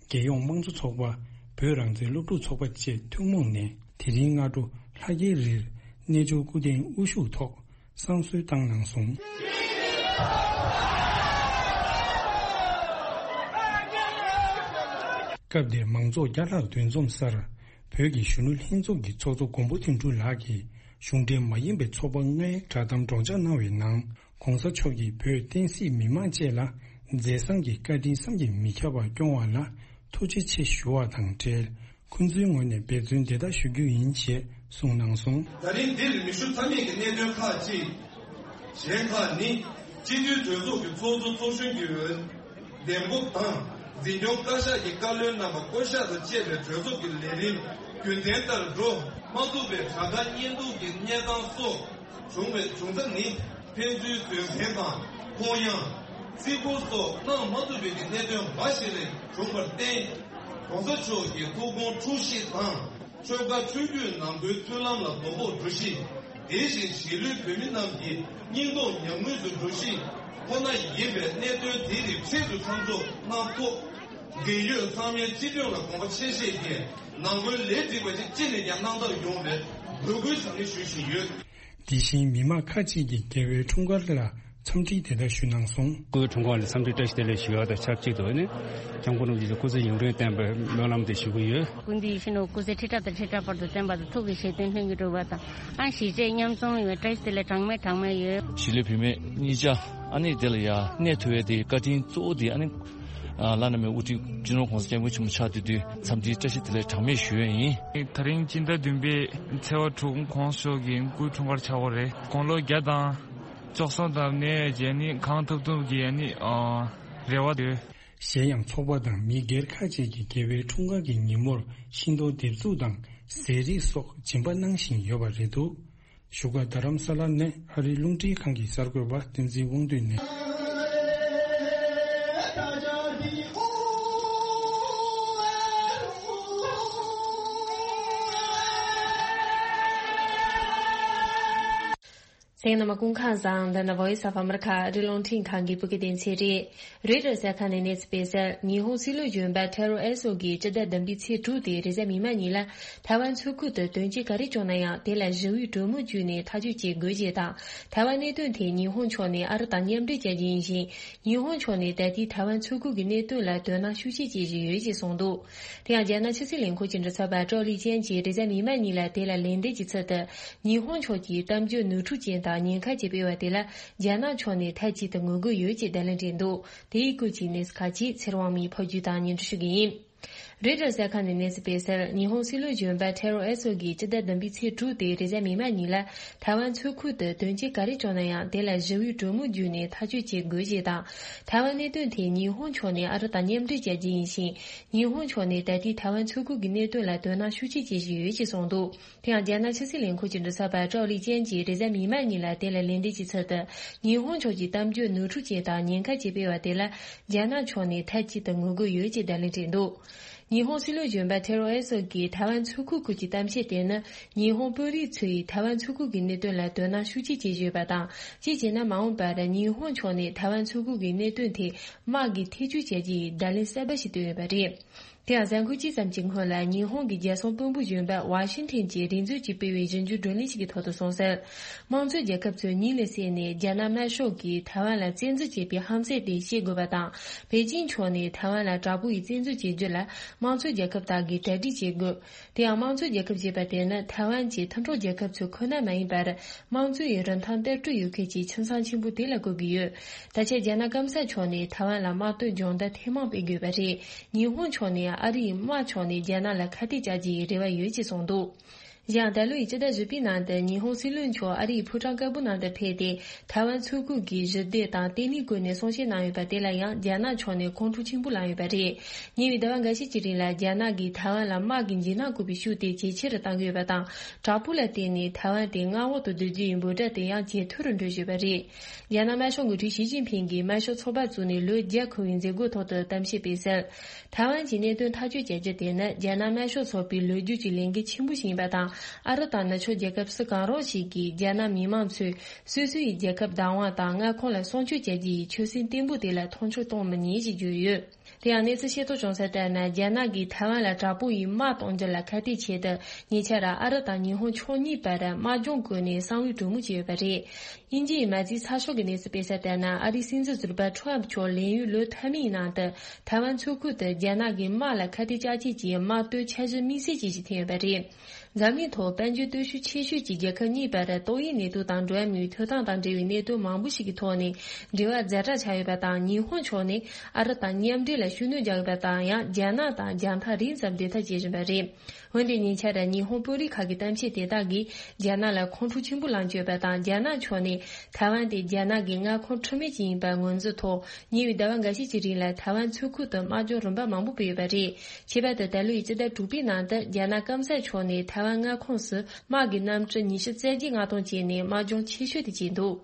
རྒྱལ་ཡོངས་དམངས་གཙོ་ཚོགས་པ། བོད་རང་བཙན་སློབ་ཕྲུག་ཚོགས་པ་བཅས་ཐུན་མོང་ནས་དེ་རིང་སྔ་དྲོ་ལྷ་རྒྱལ་རིར་རྣལ་འབྱོར་སྐུ་རྟེན་དབུ་བཞུགས་ཐོག་བསང་གསོལ་བཏང་གནང་སོང་། སྐབས་དེར་མང་ཚོགས་བརྒྱ་ལྷག་འདུ་འཛོམས་སར་བོད་ཀྱི་གཞོན་ནུ་ལྷན་ཚོགས་ཀྱི་ཚོགས་གཙོ་མགོན་པོ་དོན་གྲུབ་ལགས་ཀྱིས་གཞུང་འབྲེལ་མ་ཡིན་པའི་ཚོགས་པ་ལྔའི་བསྒྲགས་གཏམ་སྒྲོག་སྦྱང་གནང་བའི་ནང་། ྋགོང་ས་མཆོག་གིས་བོད་བསྟན་སྲིད་མི་དམངས་བཅས་ལ་མཛད་བཟང་གི་བཀའ་དྲིན་བསམ་གྱིས་མི་ཁྱབ་པ་སྐྱོང་བ་ལ་ཐུགས་རྗེ་ཆེ་ཞུ་བ་དང་འབྲེལ། ཁོང་ཚོའི་ངོས་ནས་འབད་བརྩོན་དེ་ལྟར་ཞུ་རྒྱུ་ཡིན་ཞེས་གསུངས་གནང་སོང་། ད་རིང་འདིར་མི་ཞུ་ཐབས་མེད་ཀྱི་གནད་དོན་ཁག་ཅིག་གཞན་ཁག་ནི། སྤྱི་འཐུས་གྲོས་ཚོགས་ཀྱི་ཚོགས་གཙོ་ཚོགས་གཞོན་གྱི་འོས་འདེམས་སྒོ་དང་། འཛིན་སྐྱོང་བཀའ་ཤག་གི་བཀའ་བློན་རྣམ་པ་བསྐོ་གཞག་དང་བཅས་པའི་གྲོས་ཚོགས་ཀྱི་ལས་རིམ་རྒྱུན་ལྡན་ལྟར་འགྲོ་མ་ཐུབ་པའི་དྲག་དཀའ་གཉེན་སྡུག་གི་གནས་སྟངས་སོགས་བྱུང་བའི་བྱུང་ཚད་ནི། ཕན་ཚུན་བཟོད་བསྲན་དང་ཁོང་ཡངས། བརྩི་བཀུར་སོགས་གནང་མ་ཐུབ་པའི་གནད་དོན་འབའ་ཞིག་ལས་བྱུང་བར་བརྟེན། ྋགོང་ས་མཆོག་གི་ཐུགས་དགོངས་འཁྲུལ་གཞི་དང་། ཆོལ་ཁ་ཆོས་བརྒྱུད་ནང་ཁུལ་མཐུན་ལམ་ལ་ལྡོག་ཕོག་འགྲོ་གཞི། དེ་བཞིན་གཞིས་ལུས་བོད་མི་རྣམས་ཀྱི་སྙིང་སྟོབས་ཉམས་ངུས་སུ་འགྲོ་གཞི་ཁོ་ན་ཡིན་པས། གནད་དོན་དེ་ནི་འཕྲལ་དུ་མཚམས་འཇོག་གནང་ཐོག་འབྲེལ་ཡོད་ཚང་མའི་སྤྱི་དོན་ལ་དགོངས་པ་ཆེ་བཞེས་ཀྱིས་ནང་ཁུལ་ལས་སྒྲིག་པ་ཞིག་ཅི་ནས་ཀྱང་གནང་ཐབས་ཡོང་བའི་འབོད་སྐུལ་ཟབ་ནན་ཞུ་བཞིན་ཡོད། དེ་བཞིན་མི་མང་ཁག་ཅིག་གིས་རྒྱལ་བའི་འཁྲུངས་སྐར་ལ་འཚམས་འདྲི་དེ་ལྟར་ཞུས་གནང་སོང་། སྐུའི་འཁྲུངས་སྐར་ལ་འཚམས་འདྲི་བཀྲ་ཤིས་བདེ་ལེགས་ཞུ་ཡ་དང་ཆབས་ཅིག་ཏུ་ནི་སྐྱབས་མགོན་རིན་པོ་ཆེ་སྐུ་ཚེ་ཡུན་རིང་བརྟན་པའི་སྨོན་ལམ་དེ་ཞུ་གི་ཡོད། སྐུ་མདུན་ཡིད་བཞིན་ནོར་བུ་སྐུ་ཚེ་ཁྲི་ཕྲག་དང་ཁྲི་ཕྲག་བར་དུ་བརྟན་པ་དང་། ཐུགས་ཀྱི་བཞེད་དོན་ལྷུན་གྱིས་གྲུབ་པ་དང་། ཨང་། གཞིས་བྱེས་མཉམ་འཛོམས་ཡོང་བའི་བཀྲ་ཤིས་བདེ་ལེགས་གྲངས་མེད་གྲངས་མེད་ཡོད། གཞིས་ལུས་བུད་མེད་གཉིས་ཆ་ཨ་ནི་དེ་ལ་ཡ་གནས་ཐུབ་ཡ་དེ་བཀའ་དྲིན་གཙོ་བོ་དེ་ཨ་ནི། ཨ། བླ་ན་མེད་པའི་དབུ་ཁྲིད་སྤྱི་ནོར་༧གོང་ས་༧སྐྱབས་མགོན་ཆེན་པོ་མཆོག་དེ་དུས་འཚམས་འདྲིའི་བཀྲ་ཤིས་བདེ་ལེགས་གྲངས་མེད་ཞུ་ཡ་ཡིན། ད་རིང་སྤྱི་ཟླ་བདུན་པའི་ཚེས་པ་དྲུག་༧གོང་ས་མཆོག་གི་སྐུའི་འཁྲུངས་སྐར་ཆགས་ཡོད་རེད། དགུང་ལོ་བརྒྱ་དང་བཅུ་གསུམ་ཙམ་ནས་བྱས་ནས་གང་ཐུབ་ཐུབ་ཀྱིས་ཨ་ནི། ཨ། རེ་བ་ཡོད། གཞན་ཡང་ཚོགས་པ་དང་མི་སྒེར་ཁག་ཅིག་གིས་རྒྱལ་བའི་འཁྲུངས་སྐར་གྱི་ཉིན་མོར་ཤིང་ཏོག་འདེབས་འཛུགས་དང་ཟས་རིགས་སོགས་སྦྱིན་པ་གནང་བཞིན་ཡོད་པ་རེད་འདུག་བཞུགས་སྒར་རྡ་རམ་ས་ལ་ནས་ཨ་རིའི་རླུང་འཕྲིན་ཁང་གི་གསར་འགོད་པ་བསྟན་འཛིན་དབང་འདུས་ནས། ཨེ་ནམ་སྐུ་ཁམས་བཟང་། འདི་ནི་Voice of America ཨ་རི་རླུང་འཕྲིན་ཁང་གི་བོད་སྐད་སྡེ་ཚན་རེད། རོའི་ཊར་གསར་ཁང་ནས་གནས་ཚུལ་སྤེལ་གསལ། ཉི་ཧོང་སྲིད་བློན་གཞོན་པ་ཐེ་རོ་ཨེ་སོ་གིས་སྤྱི་ཟླ་བདུན་པའི་ཚེས་དྲུག་སྟེ་རེས་གཟའ་མིག་དམར་ཉིན་ལ་ཐའེ་ཝན་མཚོ་ཁུལ་དུ་དོན་རྐྱེན་ག་རེ་བྱུང་ན་ཡང་དེ་ལ་ཞི་བའི་གྲོས་མོལ་བརྒྱུད་ནས་ཐག་གཅོད་བྱེད་དགོས་ཞེས་དང་། ཐའེ་ཝན་གནད་དོན་ཐད་ཉི་ཧོང་ཕྱོགས་ནས་ཨ་རི་དང་མཉམ་འབྲེལ་བྱ་རྒྱུ་ཡིན་ཞིང་། ཉི་ཧོང་ཕྱོགས་ནས་ད་ལྟའི་ཐའེ་ཝན་མཚོ་ཁུལ་གྱི་གནད་དོན་ལ་དོ་སྣང་ཤུགས་ཆེ་བྱེད་བཞིན་ཡོད་ཅེས་གསུངས་འདུག་དེ་ཡང་རྒྱ་ནག་ཕྱི་སྲིད་ལས་ཁུངས་ཀྱི་མགྲིན་ཚབ་པ་ཀྲའོ་ལི་ཅན་གྱིས་རེས་གཟའ་མིག་དམར་ཉིན་ལ་དེ་ལ་ལན་འདེབས་ཀྱི་ཚུལ་དུ། ཉི་ཧོང་ཕྱོགས་ཀྱིས་གཏམ་བརྗོད་ནོར་འཁྲུལ་ཅན་དང་ཉེན་ཁ་ཅན་སྤེལ་བ་དེ་ལ་རྒྱ་ནག་ཕྱོགས་ནས་མཐའ་གཅིག་ཏུ་ངོ་རྒོལ་ཡོད་ཅེས་བརྡ་ལན་སྤྲད་འདུག་དེའི་སྐོར་གྱི་གནས་ཚུལ་ཁག་ཅིག་ཚེ་རིང་དབང་མོས་ཕབ་སྒྱུར་དང་སྙན་སྒྲོན་ཞུ་གི་ཡིན། རོའི་ཊར་གསར་ཁང་ནས་གནས་ཚུལ་སྤེལ་གསལ། ཉི་ཧོང་སྲིད་བློན་གཞོན་པ་ཐེ་རོ་ཨེ་སོ་གིས་སྤྱི་ཟླ་བདུན་པའི་ཚེས་དྲུག་སྟེ་རེས་གཟའ་མིག་དམར་ཉིན་ལ་ཐའེ་ཝན་མཚོ་ཁུལ་དུ་དོན་རྐྱེན་ག་རེ་བྱུང་ན་ཡང་དེ་ལ་ཞི་བའི་གྲོས་མོལ་བརྒྱུད་ནས་ཐག་གཅོད་བྱེད་དགོས་ཞེས་དང་། ཐའེ་ཝན་གནད་དོན་ཐད་ཉི་ཧོང་ཕྱོགས་ནས་ཨ་རི་དང་མཉམ་འབྲེལ་བྱ་རྒྱུ་ཡིན་ཞིང་། ཉི་ཧོང་ཕྱོགས་ནས་ད་ལྟའི་ཐའེ་ཝན་མཚོ་ཁུལ་གྱི་གནད་དོན་ལ་དོ་སྣང་ཤུགས་ཆེ་བྱེད་བཞིན་ཡོད་ཅེས་གསུངས་འདུག་དེ་ཡང་རྒྱ་ནག་ཕྱི་སྲིད་ལས་ཁུངས་ཀྱི་མགྲིན་ཚབ་པ་ཀྲའོ་ལི་ཅན་གྱིས་རེས་གཟའ་མིག་དམར་ཉིན་ལ་དེ་ལ་ལན་འདེབས་ཀྱི་ཚུལ་དུ། ཉི་ཧོང་ཕྱོགས་ཀྱིས་གཏམ་བརྗོད་ནོར་འཁྲུལ་ཅན་དང་ཉེན་ཁ་ཅན་སྤེལ་བ་དེ་ལ་རྒྱ་ནག་ཕྱོགས་ནས་མཐའ་གཅིག་ཏུ་ངོ་རྒོལ་ཡོད་ཅེས་བརྡ་ལན་སྤྲད་འདུག་ཉི་ཧོང་སྲིད་བློན་གཞོན་པ་ཐེ་རོ་ཨེ་སོ་གིས་ཐའེ་ཝན་མཚོ་ཁུལ་སྐོར་གྱི་གཏམ་བཤད་དེ་ནི་ཉི་ཧོང་དཔོན་རིགས་ཚོས་ཐའེ་ཝན་མཚོ་ཁུལ་གྱི་གནད་དོན་ལ་དོ་སྣང་ཤུགས་ཆེ་བྱེད་བཞིན་ཡོད་པ་དང་། གཅིག་བྱས་ན་མ་འོངས་པར་ཉི་ཧོང་ཕྱོགས་ནས་ཐའེ་ཝན་མཚོ་ཁུལ་གྱི་གནད་དོན་ཐད་དམག་གིས་ཐེ་བྱུས་བྱ་རྒྱུ་ཡི་བརྡ་ལན་གསར་པ་ཞིག་བཏོན་ཡོད་པ་རེད། དེ་ཡང་གཟའ་འཁོར་གཅིག་ཙམ་གྱི་སྔོན་ལ་ཉི་ཧོང་གི་རྒྱལ་སྲུང་དཔོན་པོ་གཞོན་པ་ཝ་ཤིང་ཐན་གྱིས་རེས་འཛུགས་ཀྱིས་སྤེལ་བའི་ཞིབ་འཇུག་བགྲོ་གླེང་ཞིག་གི་ཐོག་ཏུ་གསུངས་གསལ། དམངས་གཙོའི་རྒྱལ་ཁབ་ཚོས་གཉིད་ལས་སད་ནས་རྒྱ་ནག་དམར་ཤོག་གིས་ཐའེ་ཝན་ལ་བཙན་འཛུལ་བྱས་པའི་ཧམ་སེམས་དེ་ཤེས་དགོས་པ་དང་། པེ་ཅིང་ཕྱོགས་ནས་ཐའེ་ཝན་ལ་དྲག་པོ་ཡིས་བཙན་འཛུལ་བྱེད་རྒྱུ་ལ་དམངས་གཙོའི་རྒྱལ་ཁབ་དག་གིས་གྲ་སྒྲིག་བྱེད་དགོས། དེ་ཡང་དམངས་གཙོའི་རྒྱལ་ཁབ་ཅེས་པ་དེ་ནི་ཐའེ་ཝན་གྱི་མཐུན་གྲོགས་རྒྱལ་ཁབ་ཚོ་ཁོ་ན་མ་ཡིན་པར། དམངས་གཙོའི་རིན་ཐང་བསྟར་སྤྲོད་ཡོད་མཁན་གྱི་ཁྱིམ་ཚང་ཆེན་པོ་དེ་ལ་གོ་གི་ཡོད། ད་ཆ་རྒྱ་ནག་སྐམ་ས་ཕྱོགས་ནས་ཐའེ་ཝན་ལ་དམག་དོན་སྦྱོང་བརྡར་ཐེངས་མང་སྤེལ་དགོས་པ་རེད། ཉི་ཧོང་ཕྱོགས་ནས་ཨ་རིའི་དམག་ཕྱོགས་ནས་རྒྱ་ནག་ལ་ཁ་གཏད་བཅག་རྒྱུའི་རེ་བ་ཡོད་ཅེས་གསུངས་འདུག་གཞན་ད་ལོའི་སྤྱི་ཟླ་བཞི་པའི་ནང་དུ་ཉི་ཧོང་སྲིད་བློན་མཆོག་ཨ་རིའི་ཕོ་བྲང་དཀར་པོ་ནང་དུ་ཕེབས་ཏེ། ཐའེ་ཝན་མཚོ་ཁུལ་གྱི་ཞི་བདེ་དང་བརྟན་ལྷིང་སྐོར་ནས་གསུང་བཤད་གནང་ཡོད་པ་དེ་ལ་ཡང་རྒྱ་ནག་ཕྱོགས་ནས་ཁོང་ཁྲོ་ཆེན་པོ་ལངས་ཡོད་པ་རེད། ཉེ་བའི་ཟླ་བ་འགའ་ཤས་ཀྱི་རིང་ལ་རྒྱ་ནག་གིས་ཐའེ་ཝན་ལ་དམག་གི་འཇིགས་སྣང་བཀོད་པའི་ཤུགས་དེ་ཇེ་ཆེ་རུ་གཏང་གི་ཡོད་པ་དང་། དྲག་པོ་ལ་བརྟེན་ནས་ཐའེ་ཝན་དེ་མངའ་འོག་ཏུ་བསྡུ་རྒྱུ་ཡི་འབོད་སྒྲ་དེ་ཡང་ཇེ་མཐོ་རུ་འགྲོ་བཞིན་པ་རེད། རྒྱ་ནག་དམར་ཤོག་འགོ་ཁྲིད་ཞི་ཅིན་ཕིང་གིས་དམར་ཤོག་ཚོགས་པ་བཙུགས་ནས་ལོ་བརྒྱ་འཁོར་བའི་མཛད་སྒོའི་ཐོག་ཏུ་གཏམ་བཤད་སྤེལ་གསལ། ཐའེ་ཝན་གྱི་གནད་དོན་ཐག་གཅོད་བྱ་རྒྱུ་དེ་ནི་རྒྱ་ནག་དམར་ཤོག་ཚོགས་པའི་ལོ་རྒྱུས་ཀྱི་ལས་འགན་ཆེན་པོ་ཞིག་ཡིན་པ་དང་། ཨ་རི་དང་ནུབ་ཕྱོགས་རྒྱལ་ཁབ་སུ་གང་རུང་ཞིག་གིས་རྒྱ་ནག་མི་མང་ཚོས་སོ་སོའི་རྒྱལ་ཁབ་བདག་དབང་དང་མངའ་ཁོངས་ལ་སྲུང་སྐྱོབ་བྱ་རྒྱུ་ཡི་ཆོད་སེམས་བརྟན་པོ་དེ་ལ་མཐོང་ཆུང་གཏོང་མི་ཉན་ཞེས་བརྗོད་ཡོད། དེ་ཡང་གནས་ཚུལ་ཤེས་རྟོགས་བྱུང་ས་ལྟར་ན། རྒྱ་ནག་གིས་ཐའེ་ཝན་ལ་དྲག་པོ་ཡིས་དམག་གཏོང་རྒྱུ་ལ་ཁ་གཏད་བྱས་ཏེ། ཉེ་ཆར་ཨ་རི་དང་ཉི་ཧོང་ཕྱོགས་གཉིས་བར་དམག་སྦྱོང་བཀོད་ནས་གསང་བའི་གྲོས་མོལ་བྱས་ཡོད་པ་རེད། དབྱིན་ཇིའི་མ་རྩིས་ཚགས་ཤོག་གི་གནས་ཚུལ་སྤེལ་ས་ལྟར་ན། ཨ་རིའི་སྲིད་འཛིན་ཟུར་པ་ཁྲོམ་མཆོག་ལས་ཡུན་ལོ་ཐ་མའི་ནང་དུ་ཐའེ་ཝན་མཚོ་ཁུལ་དུ་རྒྱ་ནག་གི་དམག་ལ་ཁ་གཏད་གཅོག་ཆེད་ཀྱི་དམག་དོན་འཆར་གཞི་དམིགས་བསལ་ཅན་ཞིག་འཐེན་ཡོད་པ་རེད། འཛམ་གླིང་ཐོག་དཔལ་འབྱོར་སྟོབས་ཤུགས་ཆེ་ཤོས་ཀྱི་རྒྱལ་ཁབ་གཉིས་བར་ཏོག་དབྱིབས་ནད་དུག་དང་འགྲོ་བ་མིའི་ཐོབ་ཐང་དང་འབྲེལ་བའི་གནད་དོན་མང་པོ་ཞིག་གི་ཐོག་ནས་འབྲེལ་བ་ཛ་དྲག་ཆགས་ཡོད་པ་དང་། ཉི་ཧོང་ཕྱོགས་ནས་ཨ་རི་དང་མཉམ་འབྲེལ་ལ་ཤུགས་སྣོན་རྒྱག་ཡོད་པ་དང་། ཡང་རྒྱ་ནག་དང་རྒྱང་ཐག་རིང་ཙམ་བདེ་ཐག་བཅད་བཞིན་པ་རེད། འོན་ཏེ་ཉེ་ཆར་ཉི་ཧོང་དཔོན་རིགས་ཁག་གི་གཏམ་བཤད་དེ་དག་གིས་རྒྱ་ནག་ལ་ཁོང་ཁྲོ་ཆེན་པོ་ལངས་བཅུག་ཡོད་པ་དང་། རྒྱ་ནག་ཕྱོགས་ནས་ཐའེ་ཝན་དེ་རྒྱ་ནག་གི་མངའ་ཁོངས་འཁྲུལ་མེད་ཅིག་ཡིན་པར་ངོས་འཛིན་ཐོག་ཉེ་བའི་ཟླ་བ་འགའ་ཤས་ཀྱི་རིང་ལ་ཐའེ་ཝན་མཚོ་ཁུལ་དུ་དམག་སྦྱོང་རིམ་པ་མང་པོ་སྤེལ་ཡོད་པ་རེད། ཁྱད་པར་དུ་ད་ལོའི་སྤྱི་ཟླ་དྲུག་པའི་ནང་དུ་རྒྱ་ནག་སྐམ་ས་ཕྱོགས་ནས་ཐའེ་ཝན་མངའ་ཁོངས་སུ་དམག་གི་གནམ་གྲུ་ཉི་ཤུ་རྩ་བརྒྱད་མངགས་གཏོང་བྱས་ནས་དམག་སྦྱོང་ཆེ་ཤོས་དེ་བྱས་འདུག་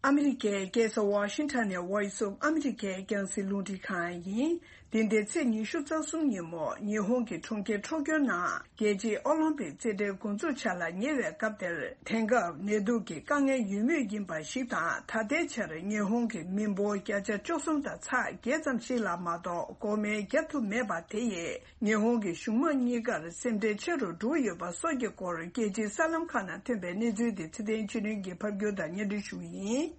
ཨ་མི་རི་ཀའི་རྒྱལ་ས་ཝ་ཤིང་ཊོན་ནས་Voice of America རྒྱང་སྲིང་རླུང་འཕྲིན་ཁང་ཡིན། འདི་ཟླའི་ཚེས་ཉི་ཤུ་རྩ་གསུམ་ཉིན་མོ་ཉི་ཧོང་གི་གྲོང་ཁྱེར་ཊོ་ཀྱོ་ནང་རྒྱལ་སྤྱིའི་ཨོ་ལིམ་པིག་རྩེད་འགྲན་འགོ་འཛུགས་བྱ་ལ་ཉེ་བའི་སྐབས་དེར། དེང་སྐབས་ནད་དུག་གི་དཀའ་ངལ་ཡོད་མུས་ཡིན་པ་ཞིག་དང་། ད་ལྟའི་ཆར་ཉི་ཧོང་གི་མི་འབོར་བརྒྱ་ཆ་བཅུ་གསུམ་དང་ཚེག་བརྒྱད་ཙམ་ཞིག་ལ་མ་གཏོགས་འགོག་སྨན་བརྒྱབ་ཐུབ་མེད་པ་དེ་ཡིས་ཉི་ཧོང་གི་གཞུང་དམངས་གཉིས་ཀར་སེམས་ཁྲལ་ཆེ་རུ་འགྲོ་གི་ཡོད་པ་སོགས་ཀྱི་སྐོར། རྒྱལ་སྤྱིའི་གསར་ལམ་ཁག་ནང་ཐོན་པའི་གནས་ཚུལ་དེ་ཚེ་བརྟན་ཆོས་སྒྲོན་གྱིས་ཕབ་སྒྱུར་དང་སྙན་སྒྲོན་ཞུ་གི་ཡིན།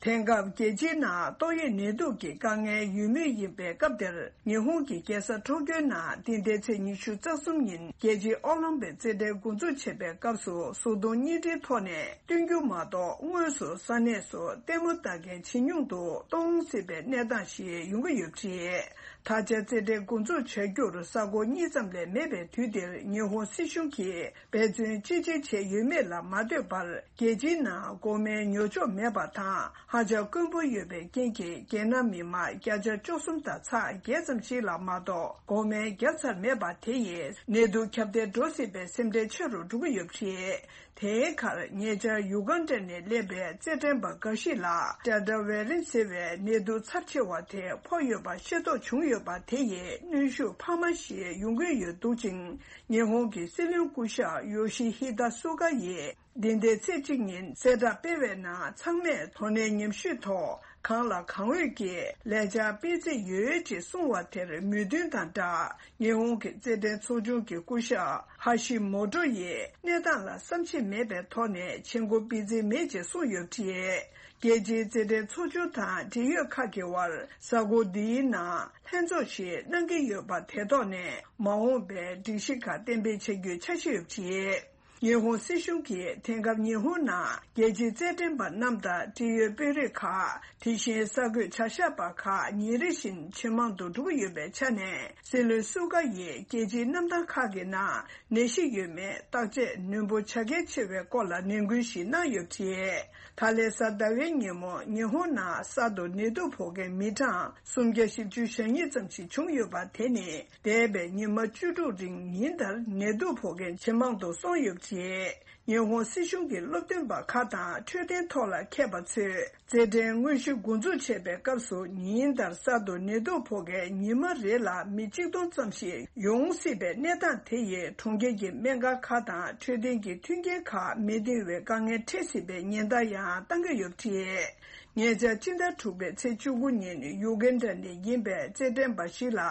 དེང་སྐབས་རྒྱལ་སྤྱིའི་ནང་ཏོག་དབྱིབས་ནད་དུག་གི་དཀའ་ངལ་ཡོད་མུས་ཡིན་པའི་སྐབས་དེར། ཉི་ཧོང་གི་རྒྱལ་ས་ཊོ་ཀྱོའི་ནང་འདི་ཟླའི་ཚེས་ཉི་ཤུ་རྩ་གསུམ་ཉིན་རྒྱལ་སྤྱིའི་ཨོ་ལིམ་པིག་རྩེད་འགྲན་འགོ་འཛུགས་བྱེད་པའི་སྐབས་སུ། གཟུགས་མཐོང་བརྙན་འཕྲིན་ཐོག་ནས་སྟོན་རྒྱུ་མ་གཏོགས། དངོས་སུ་ས་གནས་སུ་ལྟད་མོ་ལྟ་མཁན་ཇེ་ཉུང་དུ་གཏོང་སྲིད་པའི་གནས་སྟངས་ཤིག་ཡོང་གི་ཡོད་པ་རེད། ད་ཆ་རྩེད་འགྲན་འགོ་འཛུགས་བྱ་རྒྱུར་ས་ཁོངས་གཉིས་ཙམ་ལས་མེད་པའི་དུས་འདིར། ཉི་ཧོང་སྲིད་གཞུང་གིས་འབད་བརྩོན་ཅི་ཆེ་བྱས་ཡོད་མེད་ལ་མ་ལྟོས་པར། རྒྱལ་སྤྱིའི་ནང་འགོག་སྨན་ཉོ་ཆོག་མེད་པ་དང་། ཧ་ཅང་དཀོན་པོ་ཡོད་པའི་རྐྱེན་གྱིས། རྒྱལ་ནང་མི་མང་བརྒྱ་ཆ་བཅུ་གསུམ་དང་ཚེག་བརྒྱད་ཙམ་ཞིག་ལ་མ་གཏོགས་འགོག་སྨན་བརྒྱབ་ཚར་མེད་པ་དེ་ཡིས། ནད་དུག་ཁྱབ་གདལ་འགྲོ་སྲིད་པའི་སེམས་ཁྲལ་ཆེ་རུ་འགྲོ་གི་ཡོད་པ་རེད། དེའི་ཁར་ཉེ་ཆར་ཡུ་གན་ཌ་ནས་སླེབས་པའི་རྩེད་འགྲན་པ་འགའ་ཞིག་ལ་ཌེལ་ཊ་ཝེ་རིན་ཊི་ཟེར་བའི་ནད་དུག་ཚབས་ཆེ་བ་དེ་ཕོག་ཡོད་པ་ཤེས་རྟོགས་བྱུང་ཡོད་པ་དེ་ཡིས་གནོན་ཤུགས་འཕར་མ་ཞིག་ཡོང་གི་ཡོད་འདུག་ཅིང་། ཉི་ཧོང་གི་སྲིད་བློན་སྐུ་ཞབས་ཡོ་ཤི་ཧི་ད་སུ་ག་ཡིས། འདི་ཟླའི་ཚེས་གཅིག་ཉིན་གསལ་བསྒྲགས་སྤེལ་བའི་ནང་ཚང་མས་དོ་ནན་ཉམས་ཞིབ་ཐོག་གང་ལ་གང་འོས་ཀྱིས་ལས་འཆར་སྤེལ་རྩིས་ཡོད་ཅེས་གསུངས་བ་དེར་མོས་མཐུན་དང་སྦྲགས། ཉི་ཧོང་གི་རྩེད་འགྲན་ཚོགས་ཆུང་གི་སྐུ་ཞབས་ཧ་ཤི་མོ་ཏོ་ཡིས་གནས་སྟངས་ལ་བསམ་ཤེས་མེད་པའི་ཐོག་ནས་བྱེད་སྒོ་སྤེལ་རྩིས་མེད་ཅེས་གསུངས་ཡོད་པ་རེད། རྒྱལ་སྤྱིའི་རྩེད་འགྲན་ཚོགས་ཆུང་དང་འབྲེལ་ཡོད་ཁག་གི་དབར་གཟའ་འཁོར་འདིའི་ནང་ལྷན་ཚོགས་ཤིག་གནང་གི་ཡོད་པ་དེ་ཐོག་ནས་མ་འོངས་པའི་སྒྲིག་གཞི་ཁག་གཏན་འབེབས་བྱ་རྒྱུའི་འཆར་གཞི་ཡོད་པ་རེད། ཉི་ཧོང་སྲིད་གཞུང་གིས་དེང་སྐབས་ཉི་ཧོང་ནང་རྒྱལ་སྤྱིའི་རྩེད་འགྲན་པ་རྣམས་དང་འབྲེལ་ཡོད་དཔོན་རིགས་ཁག་དེ་བཞིན་གསར་འགོད་བྱ་གཞག་པ་ཁག་ཉིན་རེ་བཞིན་ཇེ་མང་དུ་འགྲོ་གི་ཡོད་པའི་ཆ་ནས། སྲིད་བློན་སུ་ག་ཡིས་རྒྱལ་སྤྱིའི་གནམ་ཐང་ཁག་གི་ནང་ནད་གཞི་ཡོད་མེད་བརྟག་དཔྱད་ནན་པོ་བྱ་གལ་ཆེ་བའི་སྐོར་ལ་ནན་སྐུལ་ཞིག་གནང་ཡོད་པ་རེད། ད་ལན་གཟའ་ཟླ་བའི་ཉིན་མོ་ཉི་ཧོང་ནང་གསར་དུ་ནད་དུག་ཕོག་མཁན་མི་གྲངས་སུམ་བརྒྱ་བཞི་བཅུ་ཞེ་གཉིས་ཙམ་ཞིག་བྱུང་ཡོད་པ་དེ་ནི། འདས་པའི་ཉི་མ་བཅུ་དྲུག་རིང་ཉིན་ལྟར་ནད་དུག་ཕོག་མཁན་ཇེ་མང་དུ་སོང་ཡོད་པ་རེད། ཉི་ཧོང་སྲིད་གཞུང་གི་སློབ་སྟོན་པ་ཁག་དང་འཕྲོད་བསྟེན་ཐོག་ལ་མཁས་པ་ཚོས་རྩེད་འགྲན་དངོས་གཞི་འགོ་འཛུགས་བྱེད་པའི་སྐབས་སུ་ཉིན་ལྟར་གསར་དུ་ནད་དུག་ཕོག་མཁན་ཉི་མ་རེ་ལ་མི་གཅིག་སྟོང་ཙམ་ཞིག་ཡོང་སྲིད་པའི་གནས་སྟངས་དེ་ཡིས་གྲོང་ཁྱེར་གྱི་སྨན་ཁང་ཁག་དང་འཕྲོད་བསྟེན་གྱི་མཐུན་རྐྱེན་ཁག་མི་འདང་བའི་དཀའ་ངལ་འཕྲད་སྲིད་པའི་ཉེན་བརྡ་ཡང་བཏང་གི་ཡོད་པ་རེད། ཉེ་ཆར་ཕྱི་ཟླ་དྲུག་པའི་ཚེས་བཅུ་དགུ་ཉིན་ཡུ་གན་ཌ་ནས་ཡིན་པའི་རྩེད་འགྲན་པ་ཞིག་ལ་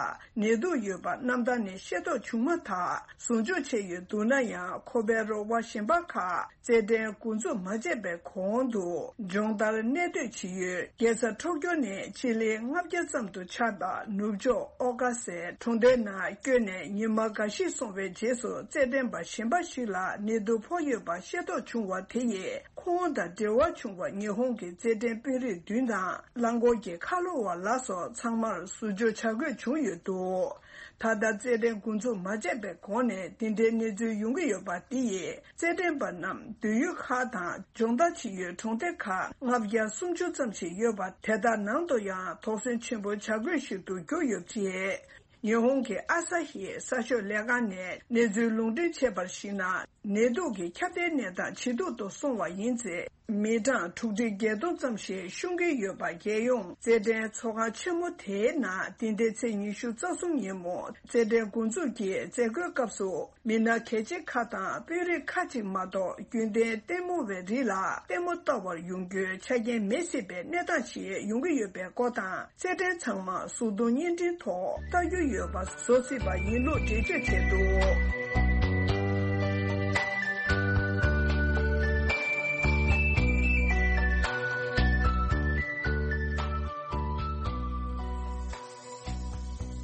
ནད་དུག་ཡོད་པ་གནམ་ཐང་ནས་ཤེས་རྟོགས་བྱུང་མ་ཐག་ཟུར་འཇོག་བྱས་ཡོད་འདུག་ན་ཡང་། ཁོ་པའི་རོགས་པ་གཞན་པ་ཁག་རྩེད་འགྲན་འགོ་འཛུགས་མ་བྱས་པའི་གོང་དུ་སྦྱོང་བརྡར་གནས་སྡོད་བྱེད་ཡུལ་རྒྱལ་ས་ཊོ་ཀྱོ་ནས་ཆི་ལི་ལྔ་བརྒྱ་ཙམ་དུ་ཆགས་པ་ནུབ་ཕྱོགས་ཨོ་ཀ་སའི་གྲོང་སྡེའི་ནང་བསྐྱོད་ནས་ཉི་མ་འགའ་ཞིག་སོང་བའི་རྗེས་སུ་རྩེད་འགྲན་པ་གཞན་པ་ཞིག་ལ་ནད་དུག་ཕོག་ཡོད་པ་ཤེས་རྟོགས་བྱུང་བ་དེ་ཡིས། ཁོང་དང་འབྲེལ་བ་བྱུང་བ་ཉི་ཧོང་གི་རྩེད་འགྲན་དཔོན་རིགས་བདུན་དང་རླངས་འཁོར་གྱི་ཁ་ལོ་བ་ལ་སོགས་ཚང་མར་ཟུར་འཇོག་བྱ་དགོས་བྱུང་ཡོད་འདུག་ད་ལྟ་རྩེད་འགྲན་འགོ་འཛུགས་མ་བྱས་པའི་གོང་ནས་འདི་འདྲའི་གནས་ཚུལ་ཡོང་གི་ཡོད་པ་འདི་ཡིས་རྩེད་འགྲན་པ་རྣམས་སྡོད་ཡུལ་ཁག་དང་སྦྱོང་བརྡར་བྱེད་ཡུལ་གྲོང་སྡེ་ཁག་ལྔ་བརྒྱ་སུམ་ཅུ་ཙམ་ཞིག་ཡོད་པ་དེ་དག་ནང་དུ་ཡང་དོགས་ཟོན་ཆེན་པོ་བྱ་དགོས་ཤིག་ཏུ་གྱུར་ཡོད་པ་རེད། ཉི་ཧོང་གི་ཨ་ས་ཧི་གསར་ཤོག་ལས་ཁང་ནས་གནས་ཚུལ་ལུང་འདྲེན་བྱས་པར་གཞིགས་ན། ནད་དུག་གི་ཁྱབ་གདལ་གནས་སྟངས་ཇེ་སྡུག་ཏུ་སོང་བ་ཡིན་ཚེ། མི་གྲངས་དྲུག་ཁྲི་བརྒྱད་སྟོང་ཙམ་ཞིག་ཤོང་གི་ཡོད་པ། རྒྱལ་ཡོངས་རྩེད་འགྲན་ཚོགས་ཁང་ཆེན་མོ་དེའི་ནང་འདི་ཟླའི་ཚེས་ཉི་ཤུ་རྩ་གསུམ་ཉིན་མོ་རྩེད་འགྲན་འགོ་འཛུགས་ཀྱི་མཛད་སྒོའི་སྐབས་སུ། མི་སྣ་གལ་ཆེ་ཁག་དང་དཔོན་རིགས་ཁག་ཅིག་མ་གཏོགས་རྒྱུན་ལྡན་ལྟད་མོ་བའི་རིགས་ལ་ལྟད་མོ་ལྟ་བར་ཡོང་རྒྱུའི་ཆ་རྐྱེན་མེད་སྲིད་པའི་གནས་སྟངས་ཤིག་ཡོང་གི་ཡོད་པའི་སྐོར་དང་། རྩེད་འགྲན་ཚང་མ་གཟུགས་མཐོང་བརྙན་འཕྲིན་ཐོག་ལྟ་རྒྱུ་ཡོད་པ་བཟོ་སྲིད་པ་ཡིན་ལུགས་འགྲེལ་བརྗོད་བྱས་འདུག་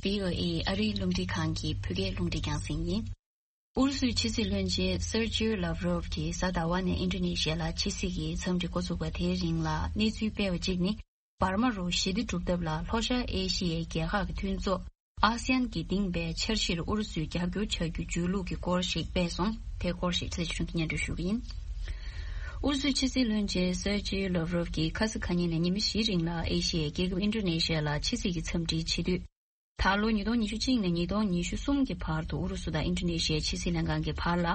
བྷི་ཨོ་ཨེ་ཨ་རིའི་རླུང་འཕྲིན་ཁང་གི་བོད་སྐད་རླུང་འཕྲིན་རྒྱང་སྲིང་ཡིན། ཨུ་རུ་སུའི་ཕྱི་སྲིད་བློན་ཆེན་སེར་ཇིའུ་ལབ་རོབ་ཀྱིས་གཟའ་ཟླ་བ་ནས་ཨིན་ཌོ་ནེ་ཤི་ཡ་ལ་ཕྱི་སྲིད་ཀྱི་འཚམས་འདྲི་འགོ་ཚུགས་པ་དེའི་རིང་ལ་གནས་ཚུལ་སྤེལ་བ་གཅིག་ནི། འབར་མ་རུ་ཞི་བདེ་སྒྲུབ་ཐབས་ལ་ལྷོ་ཤར་ཨེ་ཤི་ཡའི་རྒྱལ་ཁག་གི་མཐུན་ཚོགས་ཨ་སི་ཡན་གྱིས་འདིང་བའི་འཆར་གཞིར་ཨུ་རུ་སུས་རྒྱབ་སྐྱོར་བྱ་རྒྱུའི་འཇུས་ལུགས་ཀྱི་སྐོར་ཞིག་སྤེལ་སོང་། དེའི་སྐོར་ཞིག་ཚེ་ཆུང་གིས་སྙན་སྒྲོན་ཞུ་གི་ཡིན། ཨུ་རུ་སུའི་ཕྱི་སྲིད་བློན་ཆེན་སེར་ཇི་ལོབ་རོབ་ཀྱིས་ཁ་སང་ཁ་ཉིན་ནས་ཉི་མ་བཞིའི་རིང་ལ་ཨེ་ཤི་ཡའི་རྒྱལ་ཁབ་ཨིན་ཌོ་ནེ་ཤི་ཡ་ལ་ཕྱི་སྲིད་ཀྱི་འཚམས་འདྲིའི་བྱེད་དུས། ད་ལོ་ཉིས་སྟོང་ཉི་ཤུ་གཅིག་ནས་ཉིས་སྟོང་ཉི་ཤུ་གསུམ་གྱི་བར་དུ་ཨུ་རུ་སུ་དང་ཨིན་ཌོ་ནེ་ཤི་ཡའི་ཕྱི་སྲིད་ལྷན་ཁང་གི་བར་ལ།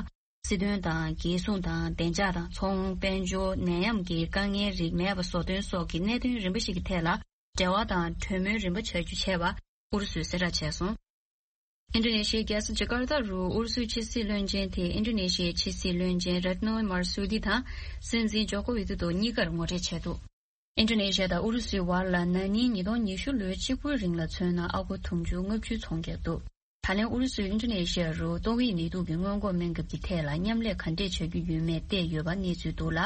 སྲིད་དོན་དང་། རྒྱལ་སྲུང་དང་། བདེ་འཇགས་དང་། ཚོང་། དཔལ་འབྱོར། ནད་ཡམས་ཀྱི་དཀའ་ངལ་རིགས་མེད་པ་བཟོ་སྟོན་སོགས་ཀྱི་གནད་དོན་རིམ་པ་ཞིག་གི་ཐད་ལ་འབྲེལ་བ་དང་གྲོས་མོལ་རིམ་པ་བྱ་རྒྱུ་བྱས་པ་ཨུ་རུ་སུས་གསལ་བསྒྲགས་བྱས་སོང་། ཨིན་ཌོ་ནེ་ཤི་ཡའི་རྒྱལ་ས་ཇ་ཀར་ཏ་རུ་ཨུ་རུ་སུའི་ཕྱི་སྲིད་བློན་ཆེན་དེས་ཨིན་ཌོ་ནེ་ཤི་ཡའི་ཕྱི་སྲིད་བློན་ཆེན་རད་ནོ་མར་སུ་དི་དང་སྲིད་འཛིན་ཇོ་ཀོ་ཝི་ཏི་ཏོ་གཉིས་ཀར་ངོ་འཕྲད་བྱས་འདུག་ཨིན་ཌོ་ནེ་ཤི་ཡ་དང་ཨུ་རུ་སུའི་བར་ལ་ན་ནིང་ཉིས་སྟོང་ཉི་ཤུ་ལོའི་གཅིག་པུའི་རིང་ལ་མཚོན་ན་ཨ་སྒོར་དུང་ཕྱུར་ལྔ་བཅུ་ཚོང་རྒྱག་འདུག་ད་ལན་ཨུ་རུ་སུས་ཨིན་ཌོ་ནེ་ཤི་ཡ་རུ་ཏོག་དབྱིབས་ནད་དུག་གི་སྔོན་འགོག་སྨན་ཁབ་ཀྱི་ཐད་ལ་མཉམ་ལས་ག་འདྲས་བྱ་རྒྱུ་ཡོད་མེད་བལྟས་ཡོད་པ་གནས་ཚུལ་འདུག་ལ།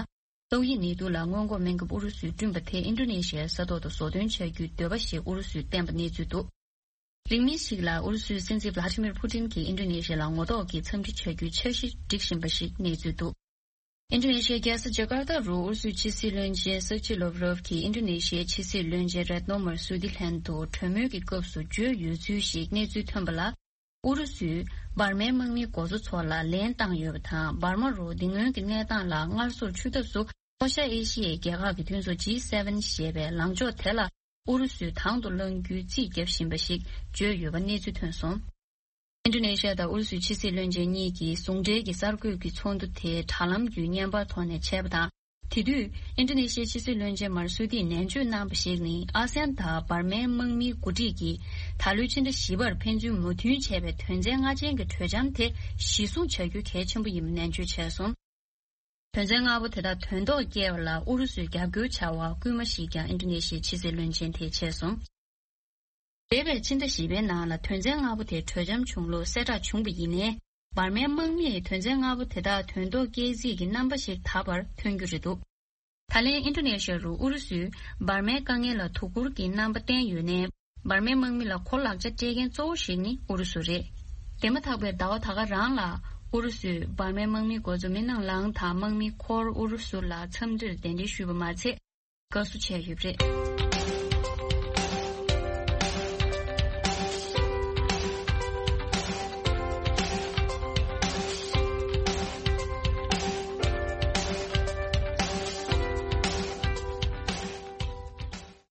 ཏོག་དབྱིབས་ནད་དུག་ལ་སྔོན་འགོག་སྨན་ཁབ་ཨུ་རུ་སུས་བསྐྲུན་པ་དེ་ཨིན་ཌོ་ནེ་ཤི་ཡའི་ས་ཐོག་ཏུ་བཟོ་སྟོན་བྱ་རྒྱུའི་འདོད་པ་ཞིག་ཨུ་རུ་སུས་བསྟན་པ་གནས་ཚུལ་འདུག་རིང་མིན་ཞིག་ལ་ཨུ་རུ་སུའི་སྲིད་འཛིན་ཝླ་ཏི་མིར་ཕུ་ཏིན་གྱིས་ཨིན་ཌོ་ནེ་ཤི་ཡ་ལ་ངོ་ཐོག་གི་འཚམས་འདྲི་བྱ་རྒྱུའི་འཆར་གཞི་སྒྲིག་བཞིན་པ་ཞིག་གནས་ཚུལ་འདུག་ཨིན་ཌོ་ནེ་ཤི་ཡའི་རྒྱལ་ས་ཇ་ཀར་ཏ་རུ་ཨུ་རུ་སུའི་ཕྱི་སྲིད་བློན་ཆེན་སེར་ཇི་ལོབ་རོབ་ཀྱིས་ཨིན་ཌོ་ནེ་ཤི་ཡའི་ཕྱི་སྲིད་བློན་ཆེན་རད་ནོ་མར་སུ་དི་ལྷན་དུ་གྲོས་མོལ་གྱི་སྐབས་སུ་བརྗོད་ཡོད་ཚུལ་ཞིག་གནས་ཚུལ་ཐོན་པ་ལ། ཨུ་རུ་སུས་འབར་མའི་དམག་མིའི་འགོ་གཙོ་ཚོ་ལ་ལན་བཏང་ཡོད་པ་དང་། འབར་མ་རུ་འདི་སྔོན་གྱི་གནས་སྟངས་ལ་སྔར་སོར་ཆུད་ཐབས་སུ་ལྷོ་ཤར་ཨེ་ཤི་ཡའི་རྒྱལ་ཁག་གི་མཐུན་ཚོགས་ཇི་སེ་ཝེན་ཞེས་པའི་ལངས་ཕྱོགས་དེ་ལ་ཨུ་རུ་སུས་དང་དུ་བླང་རྒྱུའི་རྩིས་བརྒྱབ་བཞིན་པ་ཞིག་བརྗོད་ཡོད་པ་གནས་ཚུལ་ཐོན་སོང་། ཨིན་ཌོ་ནེ་ཤི་ཡ་དང་ཨུ་རུ་སུའི་ཕྱི་སྲིད་བློན་ཆེན་གཉིས་ཀྱིས་ཟུང་འབྲེལ་གྱི་གསར་འགོད་ཀྱི་ཚོགས་འདུ་དེ་དྲ་ལམ་བརྒྱུད་བརྙན་པར་ཐོག་ནས་བྱས་པ་དང་། དེ་དུས་ཨིན་ཌོ་ནེ་ཤི་ཡའི་ཕྱི་སྲིད་བློན་ཆེན་མར་སུ་ཏིས་ནན་བརྗོད་གནང་བ་ཞིག་ནི། ཨ་སེ་ཡན་དང་འབར་མའི་དམག་མིའི་འགོ་ཁྲིད་ཀྱིས་ད་ལོའི་ཕྱི་ཟླ་བཞི་པར་ཕན་ཚུན་མོས་མཐུན་བྱས་པའི་དོན་ཚན་ལྔ་ཅན་གྱི་གྲོས་འཆམ་དེ་གཞི་བཟུང་བྱ་རྒྱུ་གལ་ཆེན་པོ་ཡིན་པ་ནན་བརྗོད་བྱས་སོང་། དོན་ཚན་ལྔ་པོ་དེ་དག་དོན་ཐོག་སྐྱེལ་བ་ལ་ཨུ་རུ་སུས་རྒྱབ་སྐྱོར་བྱ་བར་སྐུལ་མ་ཞིག་ཀྱང་ཨིན་ཌོ་ནེ་ཤི་ཡའི་ཕྱི་སྲིད་བློན་ཆེན་དེས་བྱས་སོང་། འདས་པའི་ཕྱི་ཟླ་བཞི་པའི་ནང་ལ་དོན་ཚན་ལྔ་པོ་དེ་གྲོས་འཆམ་བྱུང་ལུགས་གསལ་བསྒྲགས་བྱུང་བ་ཡིན་ནའི། འབར་མའི་དམག་མིས་དོན་ཚན་ལྔ་པོ་དེ་དག་དོན་ཐོག་སྐྱེལ་རྩིས་ཀྱི་རྣམ་པ་ཞིག་ད་བར་ཐོན་རྒྱུ་རེད་འདུག་ད་ལན་ཨིན་ཌོ་ནེ་ཤི་ཡ་རུ་ཨུ་རུ་སུས་འབར་མའི་དཀའ་ངལ་ལ་དོ་ཁུར་གྱི་རྣམ་པ་བསྟན་ཡོད་ནའི། འབར་མའི་དམག་མི་ལ་གོ་ལག་ཆ་སྤྲད་མཁན་གཙོ་བོ་ཞིག་ནི་ཨུ་རུ་སུ་རེད། དེ་མ་ཐག་པའི་ཟླ་བ་ད་ག་རང་ལ་ཨུ་རུ་སུས་འབར་མའི་དམག་མིའི་འགོ་གཙོ་མིན་ཨང་ལང་དང་དམག་མི་འཁོར་ཨུ་རུ་སུ་ལ་འཚམས་འདྲིར་གདན་འདྲེན་ཞུས་པ་མ་ཚད། དགའ་བསུ་བྱས་ཡོད་པ་རེད།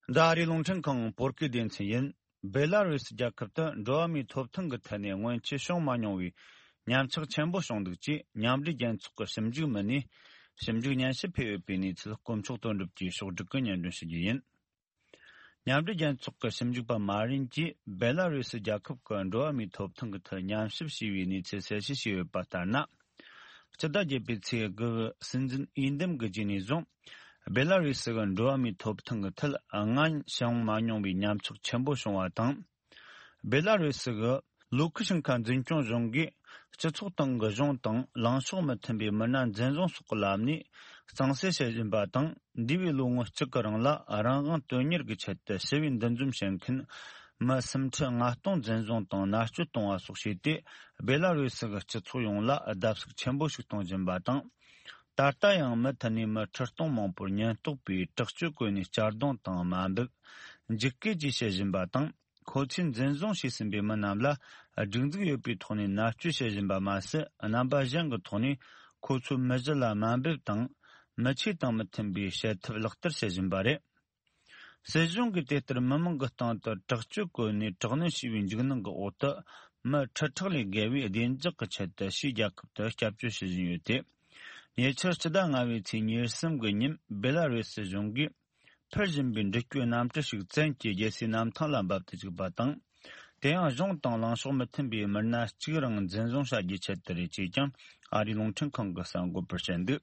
འདི་ཨ་རིའི་རླུང་འཕྲིན་ཁང་བོད་སྐད་སྡེ་ཚན་ཡིན། སྦེ་ལ་རུས་རྒྱལ་ཁབ་ཏུ་འགྲོ་བ་མིའི་ཐོབ་ཐང་གི་ཐད་ནས་སྔོན་ཆད་བྱུང་མ་མྱོང་བའི་ཉམས་ཆག་ཆེན་པོ་བྱུང་འདུག་ཅེས་མཉམ་འབྲེལ་རྒྱལ་ཚོགས་ཀྱི་ཞིབ་འཇུག་མི་སྣས་ཞིབ་འཇུག་སྙན་ཞུ་ཕུལ་ཡོད་པའི་གནས་ཚུལ་དཀོན་མཆོག་དོན་གྲུབ་ཀྱིས་ཕྱོགས་བསྒྲིགས་ཀྱིས་སྙན་སྒྲོན་ཞུ་རྒྱུ་ཡིན། མཉམ་འབྲེལ་རྒྱལ་ཚོགས་ཀྱི་ཞིབ་འཇུག་པ་མ་རིན་གྱིས་སྦེ་ལ་རུས་རྒྱལ་ཁབ་ཀྱི་འགྲོ་བ་མིའི་ཐོབ་ཐང་གི་ཐད་ཉམས་ཞིབ་བྱས་པའི་གནས་ཚུལ་གསལ་བཤད་བྱས་ཡོད་པ་ལྟར་ན། སྤྱི་ཟླ་བརྒྱད་པའི་ཚེས་དགུ་སྲིད་འཛིན་འོས་འདེམས་ཀྱི་རྗེས་ནས་བཟུང་། སྦེ་ལ་རུས་སུ་གི་འགྲོ་བ་མིའི་ཐོབ་ཐང་གི་ཐད་སྔ་ཕྱི་བྱུང་མ་མྱོང་བའི་ཉམས་ཆག་ཆེན་པོ་བྱུང་བ་དང་། སྦེ་ལ་རུས་སུ་གི་ལུ་ཁུ་ཤིན་ཁ་འཛིན་སྐྱོང་གཞུང་གིས་སྤྱི་ཚོགས་སྟེང་གི་གཞུང་དང་ལངས་ཕྱོགས་མི་མཐུན་པའི་མི་སྣ་འཛིན་བཟུང་སོགས་ཀྱི་ལམ་ནས་གཙང་སེལ་བྱེད་བཞིན་པ་དང་། འདས་པའི་ལོ་ངོ་གཅིག་གི་རིང་ལ་རང་དབང་དོན་གཉེར་གྱི་ཆེད་དུ་ཞི་བའི་འདུ་འཛོམས་བྱེད་མཁན་མི་སུམ་ཁྲི་ལྔ་སྟོང་འཛིན་བཟུང་དང་མནར་གཅོད་གཏོང་བ་སོགས་བྱས་ཏེ། སྦེ་ལ་རུས་སུ་གི་སྤྱི་ཚོགས་ཡོངས་ལ་བརྡབ་གསིག་ཆེན་པོ་ཞིག་གཏོང་བཞིན་པ་དང་། ད་ལྟ་ཡང་མུ་མཐུད་ནས་མི་ཁྲི་སྟོང་མང་པོར་ཉེན་རྟོག་པས་དྲག་སྤྱོད་བཀོལ་ནས་གཅར་རྡུང་དང་དམའ་འབེབས། འཇིགས་སྐུལ་བཅས་བྱེད་བཞིན་པ་དང་། ཁོ་ཚོས་འཛིན་བཟུང་བྱས་ཟིན་པའི་མི་རྣམས་ལ་སྒྲིག་འཛུགས་ཡོད་པའི་ཐོག་ནས་མནར་གཅོད་བྱེད་བཞིན་པ་མ་ཟད། རྣམ་པ་གཞན་གྱི་ཐོག་ནས་ཁོ་ཚོའི་མི་གཞི་ལ་དམའ་འབེབས་དང་། མི་ཆོས་དང་མི་མཐུན་པའི་བྱེད་ཐབས་ལག་བསྟར་བྱེད་བཞིན་པ་རེད། སྲིད་གཞུང་གིས་དེ་ལྟར་མི་མང་གི་སྟེང་དུ་དྲག་སྤྱོད་བཀོལ་ནས་དྲག་གནོན་བྱས་པའི་འཇིགས་སྣང་གི་འོག་ཏུ། མི་ཁྲི་ཕྲག་ལས་བརྒལ་བས་བདེ་འཇགས་ཀྱི་ཆེད་དུ་ཕྱིའི་རྒྱལ་ཁབ་ཏུ་སྐྱབས་བཅོལ་བྱེད་བཞིན་ཡོད་དེ། ཉེ་ཆར་སྤྱི་ཟླ་ལྔ་པའི་ཚེས་ཉེར་གསུམ་གྱི་ཉིན་སྦེ་ལ་རུས་སི་གཞུང་གིས་འཕུར་བཞིན་པའི་འགྲུལ་སྐྱོད་གནམ་གྲུ་ཞིག་བཙན་གྱིས་རྒྱལ་སའི་གནམ་ཐང་ལ་འབབ་ཏུ་བཅུག་པ་དང་། དེ་ཡང་གཞུང་དང་ལངས་ཕྱོགས་མི་མཐུན་པའི་མི་སྣ་གཅིག་རང་འཛིན་བཟུང་བྱ་རྒྱུའི་ཆེད་དུ་རེད་ཅེས་ཀྱང་ཨ་རིའི་རླུང་འཕྲིན་ཁང་གིས་གསར་འགོད་པར་བཤད་འདུག་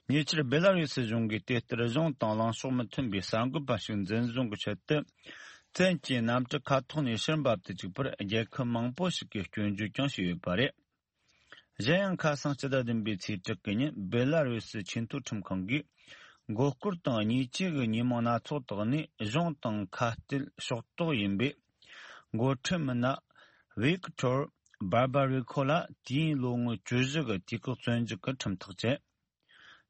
ཉེ་ཆར་སྦེ་ལ་རུས་སི་གཞུང་གིས་དེ་ལྟར་གཞུང་དང་ལངས་ཕྱོགས་མི་མཐུན་པའི་གསར་འགོད་པ་ཞིག་འཛིན་བཟུང་གི་ཆེད་དུ། བཙན་གྱིས་གནམ་གྲུ་ཁ་ཐོག་ནས་ཕྱིར་འབབ་ཏུ་བཅུག་པར་རྒྱལ་ཁབ་མང་པོ་ཞིག་གིས་སྐྱོན་བརྗོད་ཀྱང་བྱས་ཡོད་པ་རེད། གཞན་ཡང་ཁ་སང་སྤྱི་ཟླ་བདུན་པའི་ཚེས་དྲུག་གི་ཉིན་སྦེ་ལ་རུས་སི་ཆེས་མཐོའི་ཁྲིམས་ཁང་གིས། མགོ་སྐོར་དང་ཉེས་ཆད་ཀྱི་ཉེས་མིང་སྣ་ཚོགས་བཏགས་ནས་གཞུང་དང་ཁ་གཏད་ཕྱོགས་གཏོགས་ཡིན་པའི། འགོ་ཁྲིད་མི་སྣ་ཝིག་ཐོར་བར་བ་རི་ཁོ་ལ་དུས་ཡུན་ལོ་ངོ་བཅུ་བཞི་གི་དུས་བཀག་བཙོན་འཇུག་གི་ཁྲིམས་ཐག་བཅད།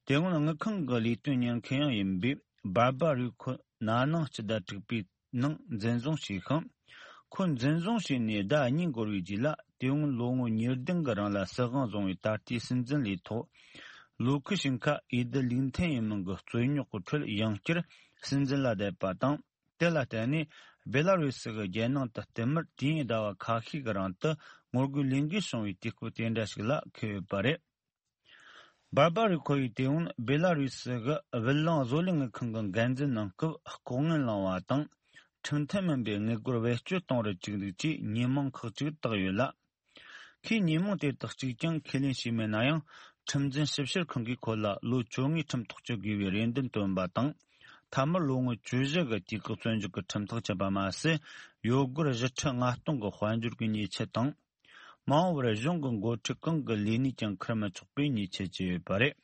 དེ་སྔོན་དངུལ་ཁང་གི་ལས་དོན་གཉེར་མཁན་ཡང་ཡིན་པའི་བར་བ་རི་ཁོ་ན་ནིང་སྤྱི་ཟླ་དྲུག་པའི་ནང་འཛིན་བཟུང་བྱས་ཤིང་། ཁོ་འཛིན་བཟུང་བྱས་ནས་ཟླ་གཉིས་འགོར་བའི་རྗེས་ལ། དེ་སྔོན་ལོ་ངོ་ཉེར་བདུན་གྱི་རིང་ལ་སྲིད་དབང་བཟུང་བའི་ད་ལྟའི་སྲིད་འཛིན་ལས་ཐོག་ལུ་ཁུ་ཤིན་ཁ་འོས་བསྡུ་ལུགས་མཐུན་ཡིན་མིན་གྱི་རྩོད་རྙོག་གི་ཁྲོད་ཡང་བསྐྱར་སྲིད་འཛིན་ལ་བསྡད་པ་དང་། དེ་ལ་བརྟེན་ནས་སྦེ་ལ་རུས་སི་གི་རྒྱལ་ནང་དུ་བསྟུད་མར་དུས་ཡུན་ཟླ་བ་ཁ་ཤས་ཀྱི་རིང་དུ་ངོ་རྒོལ་ལས་འགུལ་བྱུང་བའི་དུས་སྐབས་དེ་འདྲ་ཞིག་ལ་འཁེལ་ཡོད་པ་རེད། བར་བ་རི་ཁོ་ཡིས་དེ་སྔོན་སྦེ་ལ་རུས་སི་གི་བུ་ལོན་བཟོ་ལས་དངུལ་ཁང་གི་འགན་འཛིན་གནང་སྐབས་ལྐོག་རྔན་བླངས་པ་དང་། ཁྲིམས་མཐུན་མིན་པའི་དངུལ་སྒོར་བེད་སྤྱོད་གཏོང་རུ་བཅུག་འདུག་ཅེས་ཉེས་མིང་ཁག་ཅིག་བཏགས་ཡོད་ལ། ཁོས་ཉེས་མིང་དེ་དག་གཅིག་ཀྱང་ཁས་ལེན་བྱས་མེད་ན་ཡང་། ཁྲིམས་འཛིན་ཞིབ་བཤེར་ཁང་གིས་ཁོ་ལ་ལོ་བཅོ་ལྔའི་ཁྲིམས་ཐག་གཅོད་དགོས་པའི་རེ་འདུན་བཏོན་པ་དང་། མཐའ་མར་ལོ་ངོ་བཅུ་བཞི་གི་དུས་བཀག་བཙོན་འཇུག་གི་ཁྲིམས་ཐག་བཅད་པ་མ་ཟད། ཡོ་སྒོར་བཞི་ཁྲི་ལྔ་སྟོང་གི་དཔལ་འབྱོར་གྱི་ཉེས་ཆད་དང་། མ་འོངས་པར་གཞུང་གི་འགོ་ཁྲིད་གང་གི་ལས་གནས་ཀྱང་འཁུར་མི་ཆོག་པའི་ཉེས་ཆད་བཅད་ཡོད་པ་རེད།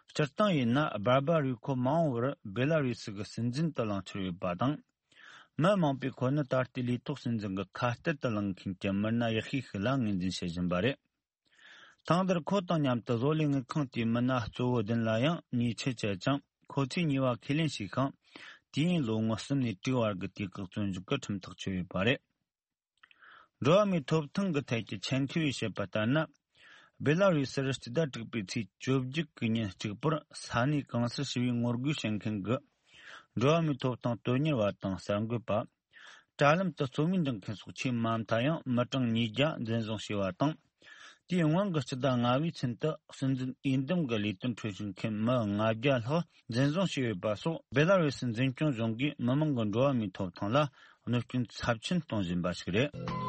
སྤྱིར་བཏང་ཡིན་ན་སྦར་བ་རུས་ཁོ་མ་འོངས་པར་སྦེ་ལ་རུས་སི་གི་སྲིད་འཛིན་དུ་ལངས་འཆར་ཡོད་པ་དང་། མི་མང་པོས་ཁོ་ནི་ད་ལྟའི་ལས་ཐོག་སྲིད་འཛིན་གྱི་ཁ་གཏད་དུ་ལངས་མཁན་གྱི་མི་སྣ་ཡག་ཤོས་ཤིག་ལ་ངོས་འཛིན་བྱེད་བཞིན་པ་རེད། ཐེངས་འདིར་ཁོ་དང་མཉམ་དུ་བཟོ་ལས་དངུལ་ཁང་དེའི་མི་སྣ་གཙོ་བོ་བདུན་ལ་ཡང་ཉེས་ཆད་བཅད་ཅིང་། ཁོ་ཚོས་ཉེས་པ་ཁས་ལེན་བྱས་ཤིང་། དུས་ཡུན་ལོ་ངོ་གསུམ་ནས་དྲུག་བར་གྱི་དུས་བཀག་བཙོན་འཇུག་གི་ཁྲིམས་ཐག་ཆོད་ཡོད་པ་རེད། འགྲོ་བ་མིའི་ཐོབ་ཐང་གི་ཐད་ཀྱི་ཆེད་མཁས་པས་བཤད་པ་ལྟར་ན། སྦེ་ལ་རུས་སུར་སྤྱི་ཟླ་དྲུག་པའི་ཚེས་བཅོ་བརྒྱད་ཀྱི་ཉིན་གཅིག་པུར་ས་གནས་གང་སར་ཞི་བའི་ངོ་རྒོལ་བྱེད་མཁན་གྱི་འགྲོ་བ་མིའི་ཐོབ་ཐང་དོན་གཉེར་བ་དང་གསར་འགོད་པ། དྲ་ལམ་དུ་རྩོམ་ཡིག་འབྲི་མཁན་སོགས་ཆེས་མ་མཐའ་ཡང་མི་གྲངས་ཉིས་བརྒྱ་འཛིན་བཟུང་བྱས་པ་དང་། དེའི་སྔོན་གྱི་སྤྱི་ཟླ་ལྔ་པའི་ཚུན་དུ་སྲིད་འཛིན་འོས་འདེམས་ཀྱི་ལས་དོན་ཁྲོད་ཞུགས་མཁན་མི་ལྔ་བརྒྱ་ལྷག་འཛིན་བཟུང་བྱས་ཡོད་པ་སོགས། བེ་ལ་རུ་སི་འཛིན་སྐྱོང་གཞུང་གིས་མི་མང་གི་འགྲོ་བ་མིའི་ཐོབ་ཐང་ལ་གནོད་སྐྱོན་ཚབས་ཆེན་གཏོང་བཞིན་པ་ཞིག་རེད།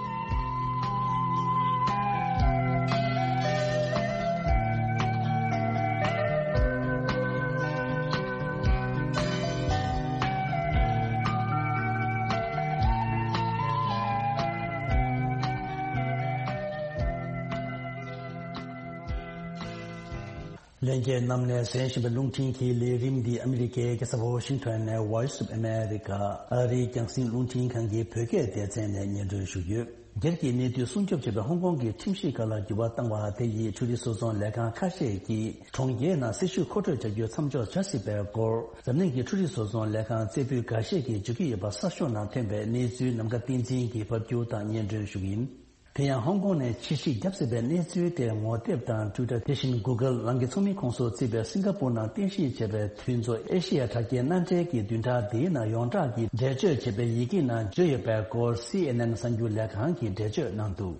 ལྷན་རྒྱས་རྣམས་ནས་གསན་བཞིན་པའི་རླུང་འཕྲིན་གྱི་ལས་རིམ་འདི་ཨ་མི་རི་ཀའི་རྒྱལ་ས་ཝ་ཤིང་ཊོན་ནས་Voice of America ཨ་རིའི་རྒྱང་སྲིང་རླུང་འཕྲིན་ཁང་གི་བོད་སྐད་སྡེ་ཚན་ནས་སྙན་སྒྲོན་ཞུ་རྒྱུ། སྒེར་གྱི་གནས་ཚུལ་སྲུང་སྐྱོབ་བྱེད་པའི་ཧོང་ཀོང་གི་ཁྲིམས་གཞི་ཁག་ལ་འགྱུར་བ་བཏང་བ་དེ་ཡིས་འཕྲུལ་རིག་བཟོ་ཚོང་ལས་ཁང་ཁ་ཤས་ཀྱིས་གྲོང་ཁྱེར་ནང་སྲི་ཞུ་མཁོ་སྤྲོད་བྱ་རྒྱུ་མཚམས་འཇོག་བྱ་སྲིད་པའི་སྐོར། འཛམ་གླིང་གི་འཕྲུལ་རིག་བཟོ་ཚོང་ལས་ཁང་རྩེ་ཕུད་འགའ་ཤས་ཀྱིས་བརྗོད་ཀྱི་ཡོད་པ་གསར་ཤོག་ནང་ཐོན་པའི་གནས་ཚུལ་ནམ་མཁའ་བསྟན་འཛིན་གྱིས་ཕབ་སྒྱུར་དང་སྙན་སྒྲོན་ཞུ་གི་ཡིན། དེ་ཡང་ཧོང་ཀོང་ནས་ཕྱིར་བཤིག་བརྒྱབ་ཟིན་པའི་གནས་ཚུལ་དེ་ངོ་དེབ་དང་Twitter དེ་བཞིན་Google རང་གི་ཚོགས་མི་ཁོངས་སུ་བརྩིས་པའི་སིང་ག་པུར་ནང་རྟེན་གཞི་བྱས་པའི་མཐུན་ཚོགས་ཨེ་ཤི་ཡ་དྲ་རྒྱའི་མནའ་འབྲེལ་གྱི་བདུན་ཕྲག་འདིའི་ནང་ཡོངས་གྲགས་ཀྱི་འགྲེལ་བརྗོད་བྱས་པའི་ཡི་གེ་ནང་བརྗོད་ཡོད་པའི་སྐོར་སི་ཨེན་ཨེན་གསར་འགྱུར་ལས་ཁང་གིས་འགྲེལ་བརྗོད་གནང་འདུག་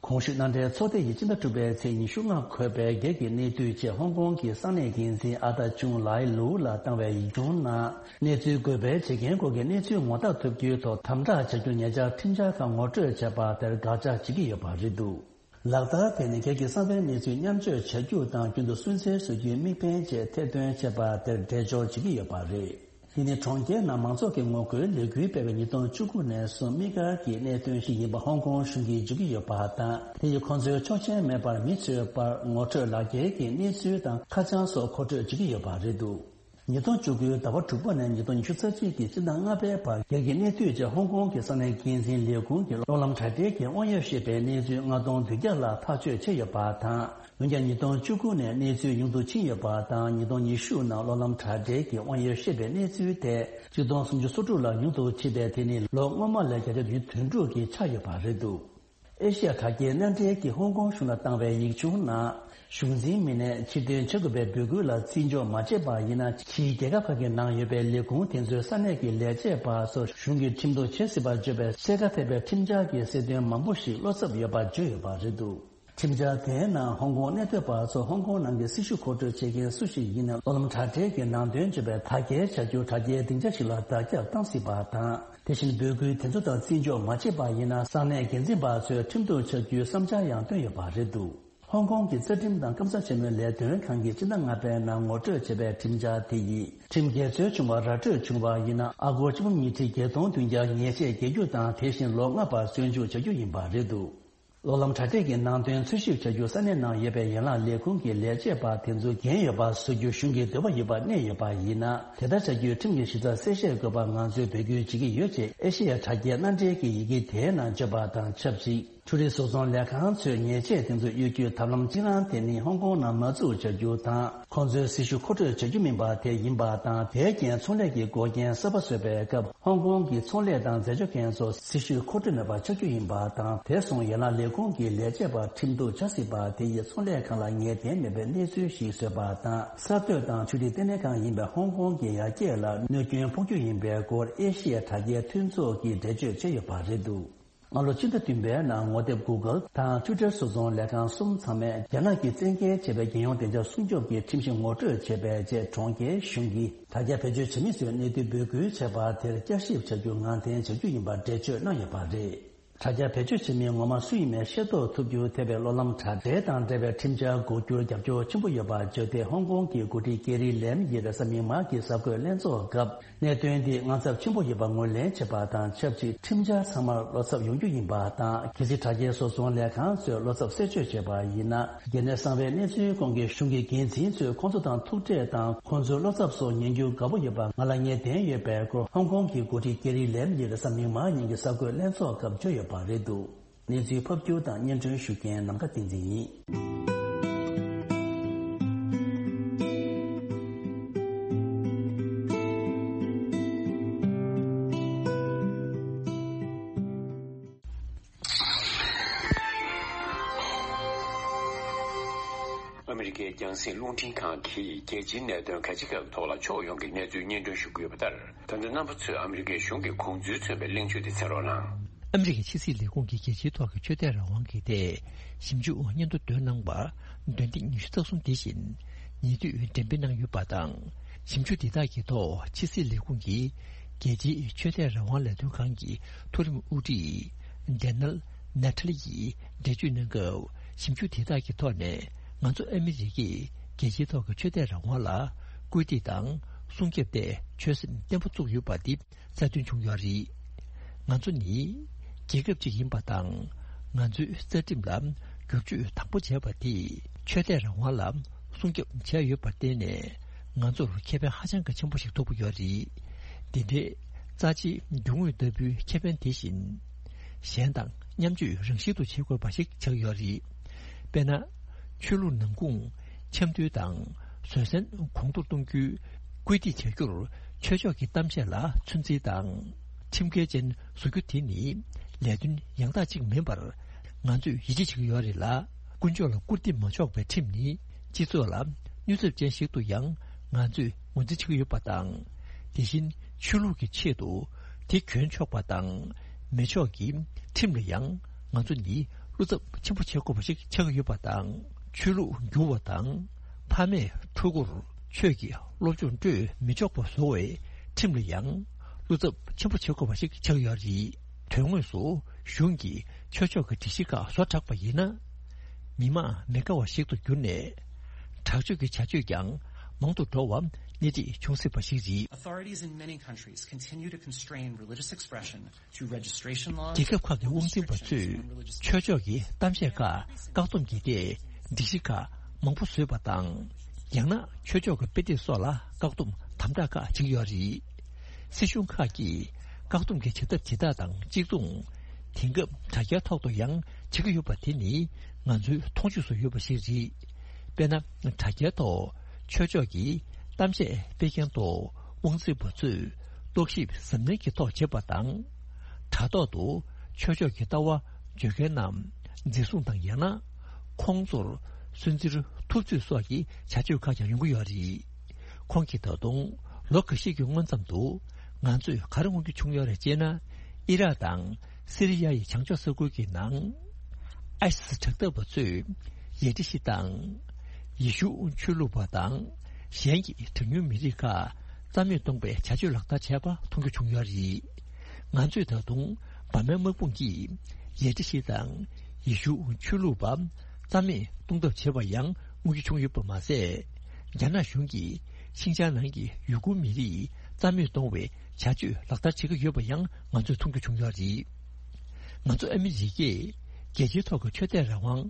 གོང་ཞུས་མནའ་འབྲེལ་ཚོགས་སྡེ་ཡིས་སྤྱི་ཟླ་དྲུག་པའི་ཚེས་ཉི་ཤུ་ལྔ་འཁོད་པའི་སྒེར་གྱི་གནས་སྡུད་ཆེད་ཧོང་ཀོང་གི་ས་གནས་འགན་འཛིན་ཨ་ཏཱ་ཅུང་ལའི་ལུའུ་ལ་བཏང་བའི་ཡིག་ཆུང་ནང་། གནས་ཚུལ་འགོད་སྤེལ་བྱེད་མཁན་སྐོར་གྱི་གནས་ཚུལ་ངོ་རྟགས་ཐོབ་རྒྱུའི་ཐོག་དམ་དྲག་བྱ་རྒྱུར་ཉེ་ཆར་ཁྲིམས་འཆར་ཁག་ངོ་སྤྲོད་བྱས་པ་དེར་དགག་བྱ་བྱེད་ཀྱི་ཡོད་པ་རེད་འདུག་ལག་བསྟར་དེ་ནི་སྒེར་གྱི་གསང་བའི་གནས་ཚུལ་མཉམ་སྤྱོད་བྱ་རྒྱུ་དང་རྒྱུན་དུ་སུན་གཙེར་བཟོ་རྒྱུའི་དམིགས་འབེན་བཅས་ཐེར་འདོན་བྱས་པ་དེར་འགྲེལ་སྦྱོར་བྱེད་ཀྱི་ཡོད་པ་རེད། འདི་ནི་གྲོང་ཁྱེར་ནང་མང་ཚོགས་ཀྱི་ངོ་རྒོལ་ལས་འགུལ་སྤེལ་བའི་ཉིས་སྟོང་བཅུ་དགུ་ནས་བཟུང་དམིགས་བཀར་གྱི་གནད་དོན་ཞིག་ཡིན་པ་ཧོང་ཀོང་གཞུང་གིས་བརྗོད་ཀྱི་ཡོད་པ་དང་། དེ་ཡིས་ཁོང་ཚོའི་ཆོག་མཆན་མེད་པར་མི་ཚོའི་བར་ངོ་སྤྲོད་ལག་འཁྱེར་གྱི་གནས་ཚུལ་དང་ཁ་བྱང་སོགས་མཁོ་སྤྲོད་བྱེད་ཀྱི་ཡོད་པ་རེད་འདུག་ཉིས་སྟོང་བཅུ་དགུའི་ཟླ་བ་དྲུག་པ་ནས་ཉིས་སྟོང་ཉི་ཤུ་རྩ་གཅིག་གི་སྤྱི་ཟླ་ལྔ་པའི་བར་སྒེར་གྱི་གནས་སྡུད་ཆེད་ཧོང་ཀོང་གི་ས་གནས་འགན་འཛིན་ལས་ཁུངས་ཀྱིས་གློག་ལམ་དྲ་སྦྲེལ་གྱི་དབང་ཡོད་ཤེས་པའི་གནས་ཚུལ་ལྔ་སྟོང་བདུན་བརྒྱ་ལྷག་ཐག་གཅོད་བྱས་ཡོད་པ་དང་། འོན་ཀྱང་ཉིས་སྟོང་བཅུ་དགུ་ནས་གནས་ཚུལ་ཉུང་དུ་ཕྱིན་ཡོད་པ་དང་། ཉིས་སྟོང་ཉི་ཤུ་ནང་གློག་ལམ་དྲ་སྦྲེལ་གྱི་དབང་ཡོད་ཤེས་པའི་གནས་ཚུལ་དེ་ཆིག་སྟོང་སུམ་ཅུ་སོ་དྲུག་ལ་ཉུང་དུ་ཕྱིན་པས། དེ་ནི་ལོ་སྔོན་མ་ལས་བརྒྱ་ཆ་བདུན་ཅུ་དོན་དྲུག་གིས་ཆག་ཡོད་པ་རེད་འདུག་ཨེ་ཤི་ཡ་དྲ་རྒྱའི་མནའ་འབྲེལ་གྱིས་ཧོང་ཀོང་གཞུང་ལ་བཏང་བའི་ཡིག་ཆུང་ནང་། གཞུང་འཛིན་མི་སྣས་ཕྱིར་འཐེན་བྱེད་དགོས་པའི་འབོད་སྐུལ་ལ་བརྩི་འཇོག་མ་བྱས་པ་ཡིན་ན། ཕྱིའི་རྒྱལ་ཁབ་ཁག་གི་ནང་ཡོད་པའི་ལས་ཁུངས་དེ་ཚོའི་ས་གནས་ཀྱི་ལས་བྱེད་པ་སོགས་གཞུང་གིས་ཁྲིམས་གཏུག་བྱེད་སྲིད་པར་བརྗོད་པའི་གསལ་ཁ་ཐེབས་པའི་ཁྲིམས་འཆར་གྱི་གསལ་སྟོན་མང་པོ་ཞིག་བློ་འཚབ་ཡོད་པ་བརྗོད་ཡོད་པ་རེད་འདུག་ཁྲིམས་འཆར་དེའི་ནང་ཧོང་ཀོང་གནས་སྡོད་པ་ཚོ་ཧོང་ཀོང་ནང་གི་སྲི་ཞུ་མཁོ་སྤྲོད་བྱེད་མཁན་སུ་ཞིག་ཡིན་ན། གློག་ལམ་དྲ་སྦྲེལ་གྱི་ནང་དོན་བརྗོད་པའི་དག་སྐྱེལ་བྱ་རྒྱུ་དྲ་རྒྱའི་སྡིངས་ཆ་ཞིག་ལ་བརྡ་ཁྱབ་བཏང་སྲིད་པ་དང་། དེ་བཞིན་འབོད་སྐུལ་དེ་ཚོ་དང་བརྩི་འཇོག་མ་བྱས་པ་ཡིན་ན། ས་གནས་འགན་འཛིན་པ་ཚོས་ཁྲིམས་གཏུག་བྱ་རྒྱུའི་བསམ་འཆར་ཡང་བཏོན་ཡོད་པ་རེད་འདུག་ཧོང་ཀོང་གི་རྩ་ཁྲིམས་དང་སྐམ་ས་ཆེན་མོའི་ལས་དོན་ཁང་གིས་སྤྱི་ཟླ་ལྔ་པའི་ནང་ངོ་སྤྲོད་བྱས་པའི་ཁྲིམས་འཆར་དེ་ཡིས། ཁྲིམས་འགལ་འཛོལ་བྱུང་བ་ར་སྤྲོད་བྱུང་བ་ཡིན་ན། ཨ་སྒོར་ཆིག་འབུམ་ཉིས་ཁྲི་བརྒྱད་སྟོང་བདུན་བརྒྱ་ཉེས་ཆད་འགེལ་རྒྱུ་དང་། དེ་བཞིན་ལོ་ལྔ་བར་བཙོན་འཇུག་བྱ་རྒྱུ་ཡིན་པ་རེད་འདུག་གློག་ལམ་དྲ་སྦྲེལ་གྱི་ནང་དོན་འཚོལ་ཞིབ་བྱ་རྒྱུ་ས་གནས་ནང་ཡོད་པའི་ཡན་ལག་ལས་ཁུངས་ཀྱི་ལས་བྱེད་པ་དེ་ཚོ་འགན་ཡོད་པ་བཟོ་རྒྱུ་གཞུང་གི་འདོད་པ་ཡོད་པ་གནས་ཡོད་པ་ཡིན་ན། དེ་ལྟར་བྱ་རྒྱུའི་ཁྲིམས་ཀྱི་གཞི་རྩ་གསལ་བཤད་དགོས་པ་ང་ཚོས་འབོད་སྐུལ་བྱེད་ཀྱི་ཡོད་ཅེས་ཨེ་ཤེ་ཡ་དྲ་རྒྱའི་མནའ་འབྲེལ་གྱི་ཡི་གེ་དེའི་ནང་བརྗོད་པ་དང་ཆབས་ཅིག་འཕྲུལ་རིག་བཟོ་ཚོང་ལས་ཁང་ཚོས་ཉེས་ཆད་དེ་ཚོ་གཡོལ་རྒྱུའི་ཐབས་ལམ་གཅིག་རང་དེ་ནི་ཧོང་ཀོང་ནང་མ་འཛུགས་བྱ་རྒྱུ་དང་། ཁོང་ཚོའི་སྲི་ཞུ་མཁོ་སྤྲོད་བྱ་རྒྱུ་མིན་པ་དེ་ཡིན་པ་དང་། དེའི་རྐྱེན་ཚོང་ལས་ཀྱི་འགོག་རྐྱེན་གསར་པ་བཟོས་པའི་སྐབས། ཧོང་ཀོང་གི་ཚོང་ལས་དང་འཛད་སྤྱོད་མཁན་ཚོ་སྲི་ཞུའི་མཁོ་སྤྲོད་མེད་པ་ཆགས་རྒྱུ་ཡིན་པ་དང་། དེ་སོང་ཡན་ལག་ལས་ཁུངས་ཀྱི་ལས་བྱེད་པ་ཁྲིམས་གཏུག་བྱ་སྲིད་པ་དེ་ཡིས་ཚོང་ལས་ཁང་ལ་ངེས་གཏན་མེད་པའི་གནས་ཚུལ་ཞིག་བཟོས་པ་དང་། གསར་གཏོད་དང་ཆོས་རིག་ལྟེ་གནས་ཁང་ཡིན་པའི་ཧོང་ཀོང་གི་ཡར་རྒྱས་ལ་གནོད་སྐྱོན་ཕོག་རྒྱུ་ཡིན་པའི་སྐོར་ཨེ་ཤི་ཡ་དྲ་རྒྱའི་མཐུན་ཚོགས་ཀྱིས་འགྲེལ་བརྗོད་བྱས་ཡོད་པ་རེད་འདུག་སྔ་ལོ་ཕྱི་ཟླ་བདུན་པའི་ནང་ངོ་དེབ་Google དང་Twitter བཟོ་ཚོང་ལས་ཁང་གསུམ་ཚང་མས་རྒྱ་ནག་གིས་བཙན་འགེལ་བྱས་པའི་རྒྱལ་ཡོངས་བདེ་འཇགས་སྲུང་སྐྱོབ་ཀྱི་ཁྲིམས་གཞི་ངོ་སྤྲོད་བྱས་པའི་རྗེས། གྲོང་ཁྱེར་གཞུང་གིས་དྲ་རྒྱ་བེད་སྤྱོད་བྱེད་མི་ཚོའི་གནས་ཚུལ་འབོད་སྐུལ་བྱས་པ་དེར་བསྐྱར་ཞིབ་བྱ་རྒྱུ་ངང་འཐེན་བྱ་རྒྱུ་ཡིན་པར་འགྲེལ་བརྗོད་གནང་ཡོད་པ་རེད། དྲ་རྒྱ་བེད་སྤྱོད་བྱེད་མི་ངོ་མ་སུ་ཡིན་མིན་ཤེས་རྟོགས་ཐུབ་རྒྱུ་ཐེ་བའི་གློག་ལམ་དྲ་སྦྲེལ་དང་འབྲེལ་བའི་ཁྲིམས་འཆར་འགོག་རྒྱུར་རྒྱབ་སྐྱོར་ཆེན་པོ་ཡོད་པ་བརྗོད་དེ། ཧོང་ཀོང་གི་འགོ་ཁྲིད་ཀེ་རི་ལེམ་ཡིས་རེས་གཟའ་མིག་དམར་གྱི་གསར་འགོད་ལྷན་ཚོགས་སྐབས། གནད་དོན་འདི་དངངས་འཚབ་ཆེན་པོ་ཡོད་པ་ངོས་ལེན་བྱེད་པ་དང་ཆབས་ཅིག་ཁྲིམས་འཆར་ཚང་མར་བློ་འཚབ་ཡོང་རྒྱུ་ཡིན་པ་དང་། གལ་སྲིད་དྲ་རྒྱའི་བཟོ་ཚོང་ལས་ཁང་ཚོས་བློ་འཚབ་སེལ་བཅོས་བྱས་པ་ཡིན་ན། གལ་གནད་གསང་བའི་གནས་ཚུལ་སྐོར་གྱི་གཞུང་གི་འགན་འཛིན་ཚོས་ཁོང་ཚོ་དང་ཐུག་འཕྲད་དང་། ཁོང་ཚོའི་བློ་འཚབ་སོགས་ཉན་རྒྱུ་དགའ་པོ་ཡོད་པ་ང་ལ་ངེས་གཏན་ཡོད་པའི་སྐོར། ཧོང་ཀོང་གི་འགོ་ཁྲིད་ཀེ་རི་ལེམ་ཡིས་རེས་གཟའ་མིག་དམར་ཉིན་གྱི་གསར་འགོད་ལྷན་ཚོགས་སྐབས་བརྗོད་ཡོད་པ་རེད་འདུག་གནས་ཚུལ་ཕབ་སྒྱུར་དང་སྙན་སྒྲོན་ཞུ་མཁན་ནམ་མཁའ་བསྟན་འཛིན་ཡིན། ཨ་མི་རི་ཀའི་རྒྱང་སྲིང་རླུང་འཕྲིན་ཁང་གིས་རྒྱལ་སྤྱིའི་གནད་དོན་ག་ཅི་ག་གི་ཐོག་ལ་ཕྱོགས་ཡོངས་ཀྱི་གནས་ཚུལ་སྙན་སྒྲོན་ཞུ་གི་ཡོད་པ་ལྟར། ད་ལྟ་རྣམ་པ་ཚོས་ཨ་མི་རི་ཀའི་གཞུང་གི་དགོངས་ཚུལ་མཚོན་པའི་གླེང་བརྗོད་དེ་གསན་རོགས་གནང་། ཨ་མི་རི་ཀའི་ཕྱི་སྲིད་ལས་ཁུངས་ཀྱིས་རྒྱལ་སྤྱིའི་ཐོག་གི་ཆོས་དད་རང་དབང་གི་ཐད་ཞིབ་འཇུག་སྙན་ཐོ་བཏོན་གནང་བ། འདོན་ཐེངས་ཉི་ཤུ་རྩ་གསུམ་འདི་བཞིན་ཉེ་དུས་འགྲེམས་སྤེལ་གནང་ཡོད་པ་དང་། ཞིབ་འཇུག་འདི་དག་གི་ཐོག་ཕྱི་སྲིད་ལས་ཁུངས་ཀྱི་རྒྱལ་སྤྱིའི་ཆོས་དད་རང་དབང་ལས་དོན་ཁང་གི་མཐོ་རིམ་དབུ་ཁྲིད་ཌེ་ནལ་ནེ་ཐ་ལི་ཡིས་འགྲེལ་བརྗོད་གནང་སྐབས། ཞིབ་འཇུག་དེ་དག་གི་ཐོག་ནས་ང་ཚོ་ཨ་མི་རི་ཀས་རྒྱལ་སྤྱིའི་ཐོག་གི་ཆོས་དད་རང་དབང་ལ་སྐུལ་འདེད་དང་སྲུང་སྐྱོབ་ཐད་ཆོད་སེམས་བརྟན་པོ་བཙུགས་ཡོད་པ་འདི་གསལ་སྟོན་བྱུང་ཡོད་རེད། ང་ཚོ་ནི་རྒྱལ་ཁབ་ཅིག་ཡིན་པ་དང་། ང་ཚོའི་རྩ་ཁྲིམས་ལ་བསྒྱུར་བཅོས་དང་པོ་བྱས་པ་དེས་ཆོས་དད་རང་དབང་ལ་སྲུང་སྐྱོབ་བྱས་ཡོད་པར་བརྟེན་ནས། ང་ཚོར་ཁེ་ཕན་ཧ་ཅང་གི་ཆེན་པོ་ཞིག་ཐོབ་ཀྱི་ཡོད་རེད། འདི་འདྲའི་རྩ་ཆེའི་རྒྱུ་དངོས་ལྟ་བུའི་ཁེ་ཕན་དེ་བཞིན་གཞན་དང་མཉམ་སྤྱོད་རང་བཞིན་དུ་བྱེད་དགོས་པ་ཞིག་ཆགས་ཡོད་རེད། དཔེར་ན། ཆོས་ལུགས་ནང་ཁུངས་འཆམ་མཐུན་དང་བཟོད་བསྲན་གོང་མཐོར་གཏོང་རྒྱུའི་སྐུལ་འདེད་བྱ་རྒྱུར་ཆོས་ཕྱོགས་ཀྱི་གཏམ་བཤད་ལ་ཚོད་འཛིན་དང་ཁྲིམས་འགལ་ཅན་བཟོ་རྒྱུ་དེ་ནི་ལས་དོན་ཡང་དག་ཅིག་མིན་པར་ང་ཚོས་ཡིད་ཆེས་བྱེད་ཀྱི་ཡོད་རེད་ལ། དཀོན་མཆོག་ལ་སྐུར་འདེབས་མ་ཆོག་པའི་ཁྲིམས་ནི་སྤྱི་ཚོགས་ལ་གནོད་ཚབས་ཅན་ཞིག་ཏུ་ཡང་ང་ཚོས་ངོས་འཛིན་བྱེད་ཀྱི་ཡོད་པ་དང་། དེ་བཞིན་ཆོས་ལུགས་ཀྱི་ཆེད་དུ་དེ་གྱོན་ཆོག་པ་དང་མི་ཆོག་གི་ཁྲིམས་ལ་ཡང་ང་ཚོ་ནི་བློ་འཚབ་ཆེན་པོ་བྱེད་དགོས་པ་ཞིག་ཆགས་ཀྱི་ཡོད་པ་དང་། ཆོས་ལུགས་བསྒྱུར་བ་དང་ཕ་མས་ཕྲུ་གུར་ཆོས་ཀྱི་སློབ་སྦྱོང་སྤྲོད་མི་ཆོག་པ་བཟོ་བའི་ཁྲིམས་ལ་ཡང་བློ་འཚབ་ཆེན་པོ་བྱེད་དགོས་པ་ཞིག་ཆགས་ཡོད་རེད། དོན་དངོས་སུ་གཞུང་གིས་ཆོས་ཕྱོགས་ཀྱི་སྒྲིག་གཞི་ཁག་བཟོ་དྲགས་པ་ཡིན་ན། མི་མང་མི་དགའ་བ་ཞིག་ཏུ་གྱུར་ནས། དྲག་སྤྱོད་ཀྱི་བྱ་སྤྱོད་ཀྱང་མང་དུ་འགྲོ་བ་སྣེ་ཁྲིད་བྱུང་སྲིད་པ་ཞིག་རེད། Authorities in many countries continue to constrain religious expression through registration laws. རྒྱལ་ཁབ་ཁག་གི་དབང་འཛིན་པ་ཚོས་ཆོས་ཕྱོགས་ཀྱི་གཏམ་བཤད་ཁག་བཀག་སྡོམ་གྱི་ཐད་སྒྲིག་གཞི་ཁག་མང་པོ་བཟོས་པ་དང་། ཡང་ན་ཆོས་ཕྱོགས་ཀྱི་དཔེ་དེབ་སོགས་ལ་བཀག་སྡོམ་དམ་དྲག་ཁག་བྱེད་ཀྱི་ཡོད་རེད། སྲིད་གཞུང་ཁག་གིས་བཀག་སྡོམ་གྱི་བྱ་ཐབས་ཇི་ལྟར་དང་གཅིག་མཚུངས། དེང་སྐབས་དྲ་རྒྱའི་ཐོག་ཏུ་ཡང་བྱེད་ཀྱི་ཡོད་པ་དེ་ནི་ང་ཚོའི་མཐོང་ཆོས་སུ་ཡོད་པ་ཞིག་རེད། དཔེར་ན། དྲ་རྒྱའི་ཐོག་ཆོས་ཕྱོགས་ཀྱི་གཏམ་བཤད་སྤེལ་མཁན་ཐོག་དབང་འཛིན་པ་ཚོས་རྟོག་ཞིབ་གཟབ་ནན་གྱི་ཐོག་བྱེད་པ་དང་། དྲ་ཐོག་ཏུ་ཆོས་ཕྱོགས་ཀྱི་ལྟ་བ་བརྗོད་མཁན་རྣམས་འཛིན་བཟུང་དང་ཡང་ན་ཁོང་ཚོར་སུན་གཙེར་ཐུབ་ཚོད་སོགས་ཀྱི་བྱ་སྤྱོད་ཁག་ཀྱང་ཡོང་གི་ཡོད་རེད། ཁོང་གིས་ད་དུང་ལོ་འགའ་ཤས་ཀྱི་སྔོན་ཙམ་དུ་ང་ཚོས་ག་རེ་མངོན་གྱི་བྱུང་ཡོད་རེད་ཅེ་ན། ཨི་རག་དང་སི་རི་ཡ་ཡི་བྱང་ཕྱོགས་ས་ཁུལ་གྱི་ནང་ཨའི་སི་དྲག་འཐབ་པ་ཚོས་ཡ་ཏི་ཤི་དང་ཡེ་ཤུ་ཆོས་ལུགས་པ་དང་གཞན་གྱི་གྲངས་ཉུང་མི་རིགས་ཁག་རྩ་མེད་གཏོང་པའི་བྱ་སྤྱོད་ལག་བསྟར་བྱས་པ་མཐོང་རྒྱུ་བྱུང་ཡོད་རེད། ང་ཚོས་ད་དུང་འབར་མའི་དམག་དཔུང་གིས་ཡ་ཏི་ཤི་དང་ཡེ་ཤུ་ཆོས་ལུགས་པ་རྩ་མེད་གཏོང་ཐབས་བྱས་པ་ཡང་མངོན་གྱི་བྱུང་ཡོད་པ་མ་ཟད། རྒྱ་ནག་གཞུང་གིས་ཤིང་ཅང་ནང་གི་ཡུ་གུར་མི་རིགས་རྩ་མེད་གཏོང་བའི་བྱ་སྤྱོད་ལག་བསྟར་བྱེད་ཀྱི་ཡོད་པ་ཡང་ང་ཚོས་མཐོང་རྒྱུ་བྱུང་ཡོད་རེད། ང་ཚོ་ཨ་མི་རི་ཀས་རྒྱལ་སྤྱིའི་ཐོག་གི་ཆོས་དད་རང་དབང་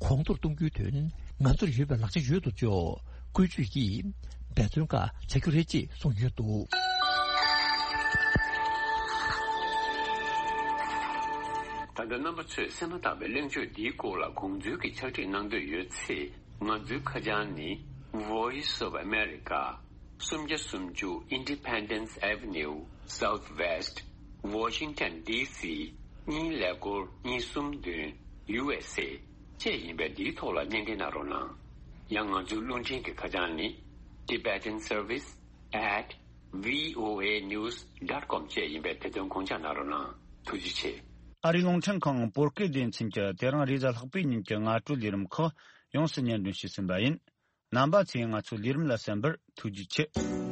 གོང་མཐོར་གཏོང་རྒྱུའི་དོན་ང་ཚོར་ཡོད་པའི་ལག་ཆ་ཡོད་དོ་ཅོག་བཀོལ་སྤྱོད་ཀྱིས་འབད་བརྩོན་ཁག་བྱ་རྒྱུ་རེད་ཅེས་གསུངས་ཡོད་འདུག་ད་ལྟ་རྣམ་པ་ཚོས་གསན་མ་ཐག་པའི་གླེང་བརྗོད་འདིའི་སྐོར་ལ་དགོངས་ཚུལ་གྱི་ཕྱག་བྲིས་གནང་འདོད་ཡོད་ཚེ། ང་ཚོའི་ཁ་བྱང་ནི། Voice of America། སུམ་བརྒྱ་སུམ་ཅུ་Independence Avenue Southwest Washington D C གཉིས་ཀླད་ཀོར་གཉིས་གསུམ་བདུན། U S A བཅས་ཡིན་པས། འདིའི་ཐོག་ལ་སྙན་འགྲེལ་གནང་རོགས་གནང་། ཡང་ང་ཚོའི་རླུང་འཕྲིན་གྱི་ཁ་བྱང་ནི། Tibetan Service at V O A news dot com བཅས་ཡིན་པས། དེ་དོན་དགོངས་འཇགས་གནང་རོགས་གནང་། ཐུགས་རྗེ་ཆེ། ཨ་རིའི་རླུང་འཕྲིན་ཁང་བོད་སྐད་སྡེ་ཚན་གྱིས་དེ་རིང་རེས་གཟའ་ལྷག་པའི་ཉིན་གྱི་སྔ་དྲོའི་ལས་རིམ་ཁག་ཡོངས་སུ་སྙན་སྒྲོན་ཞུས་ཟིན་པ་ཡིན། རྣམ་པ་ཚོས་ང་ཚོའི་ལས་རིམ་ལ་གསན་པར་ཐུགས་རྗེ་ཆེ།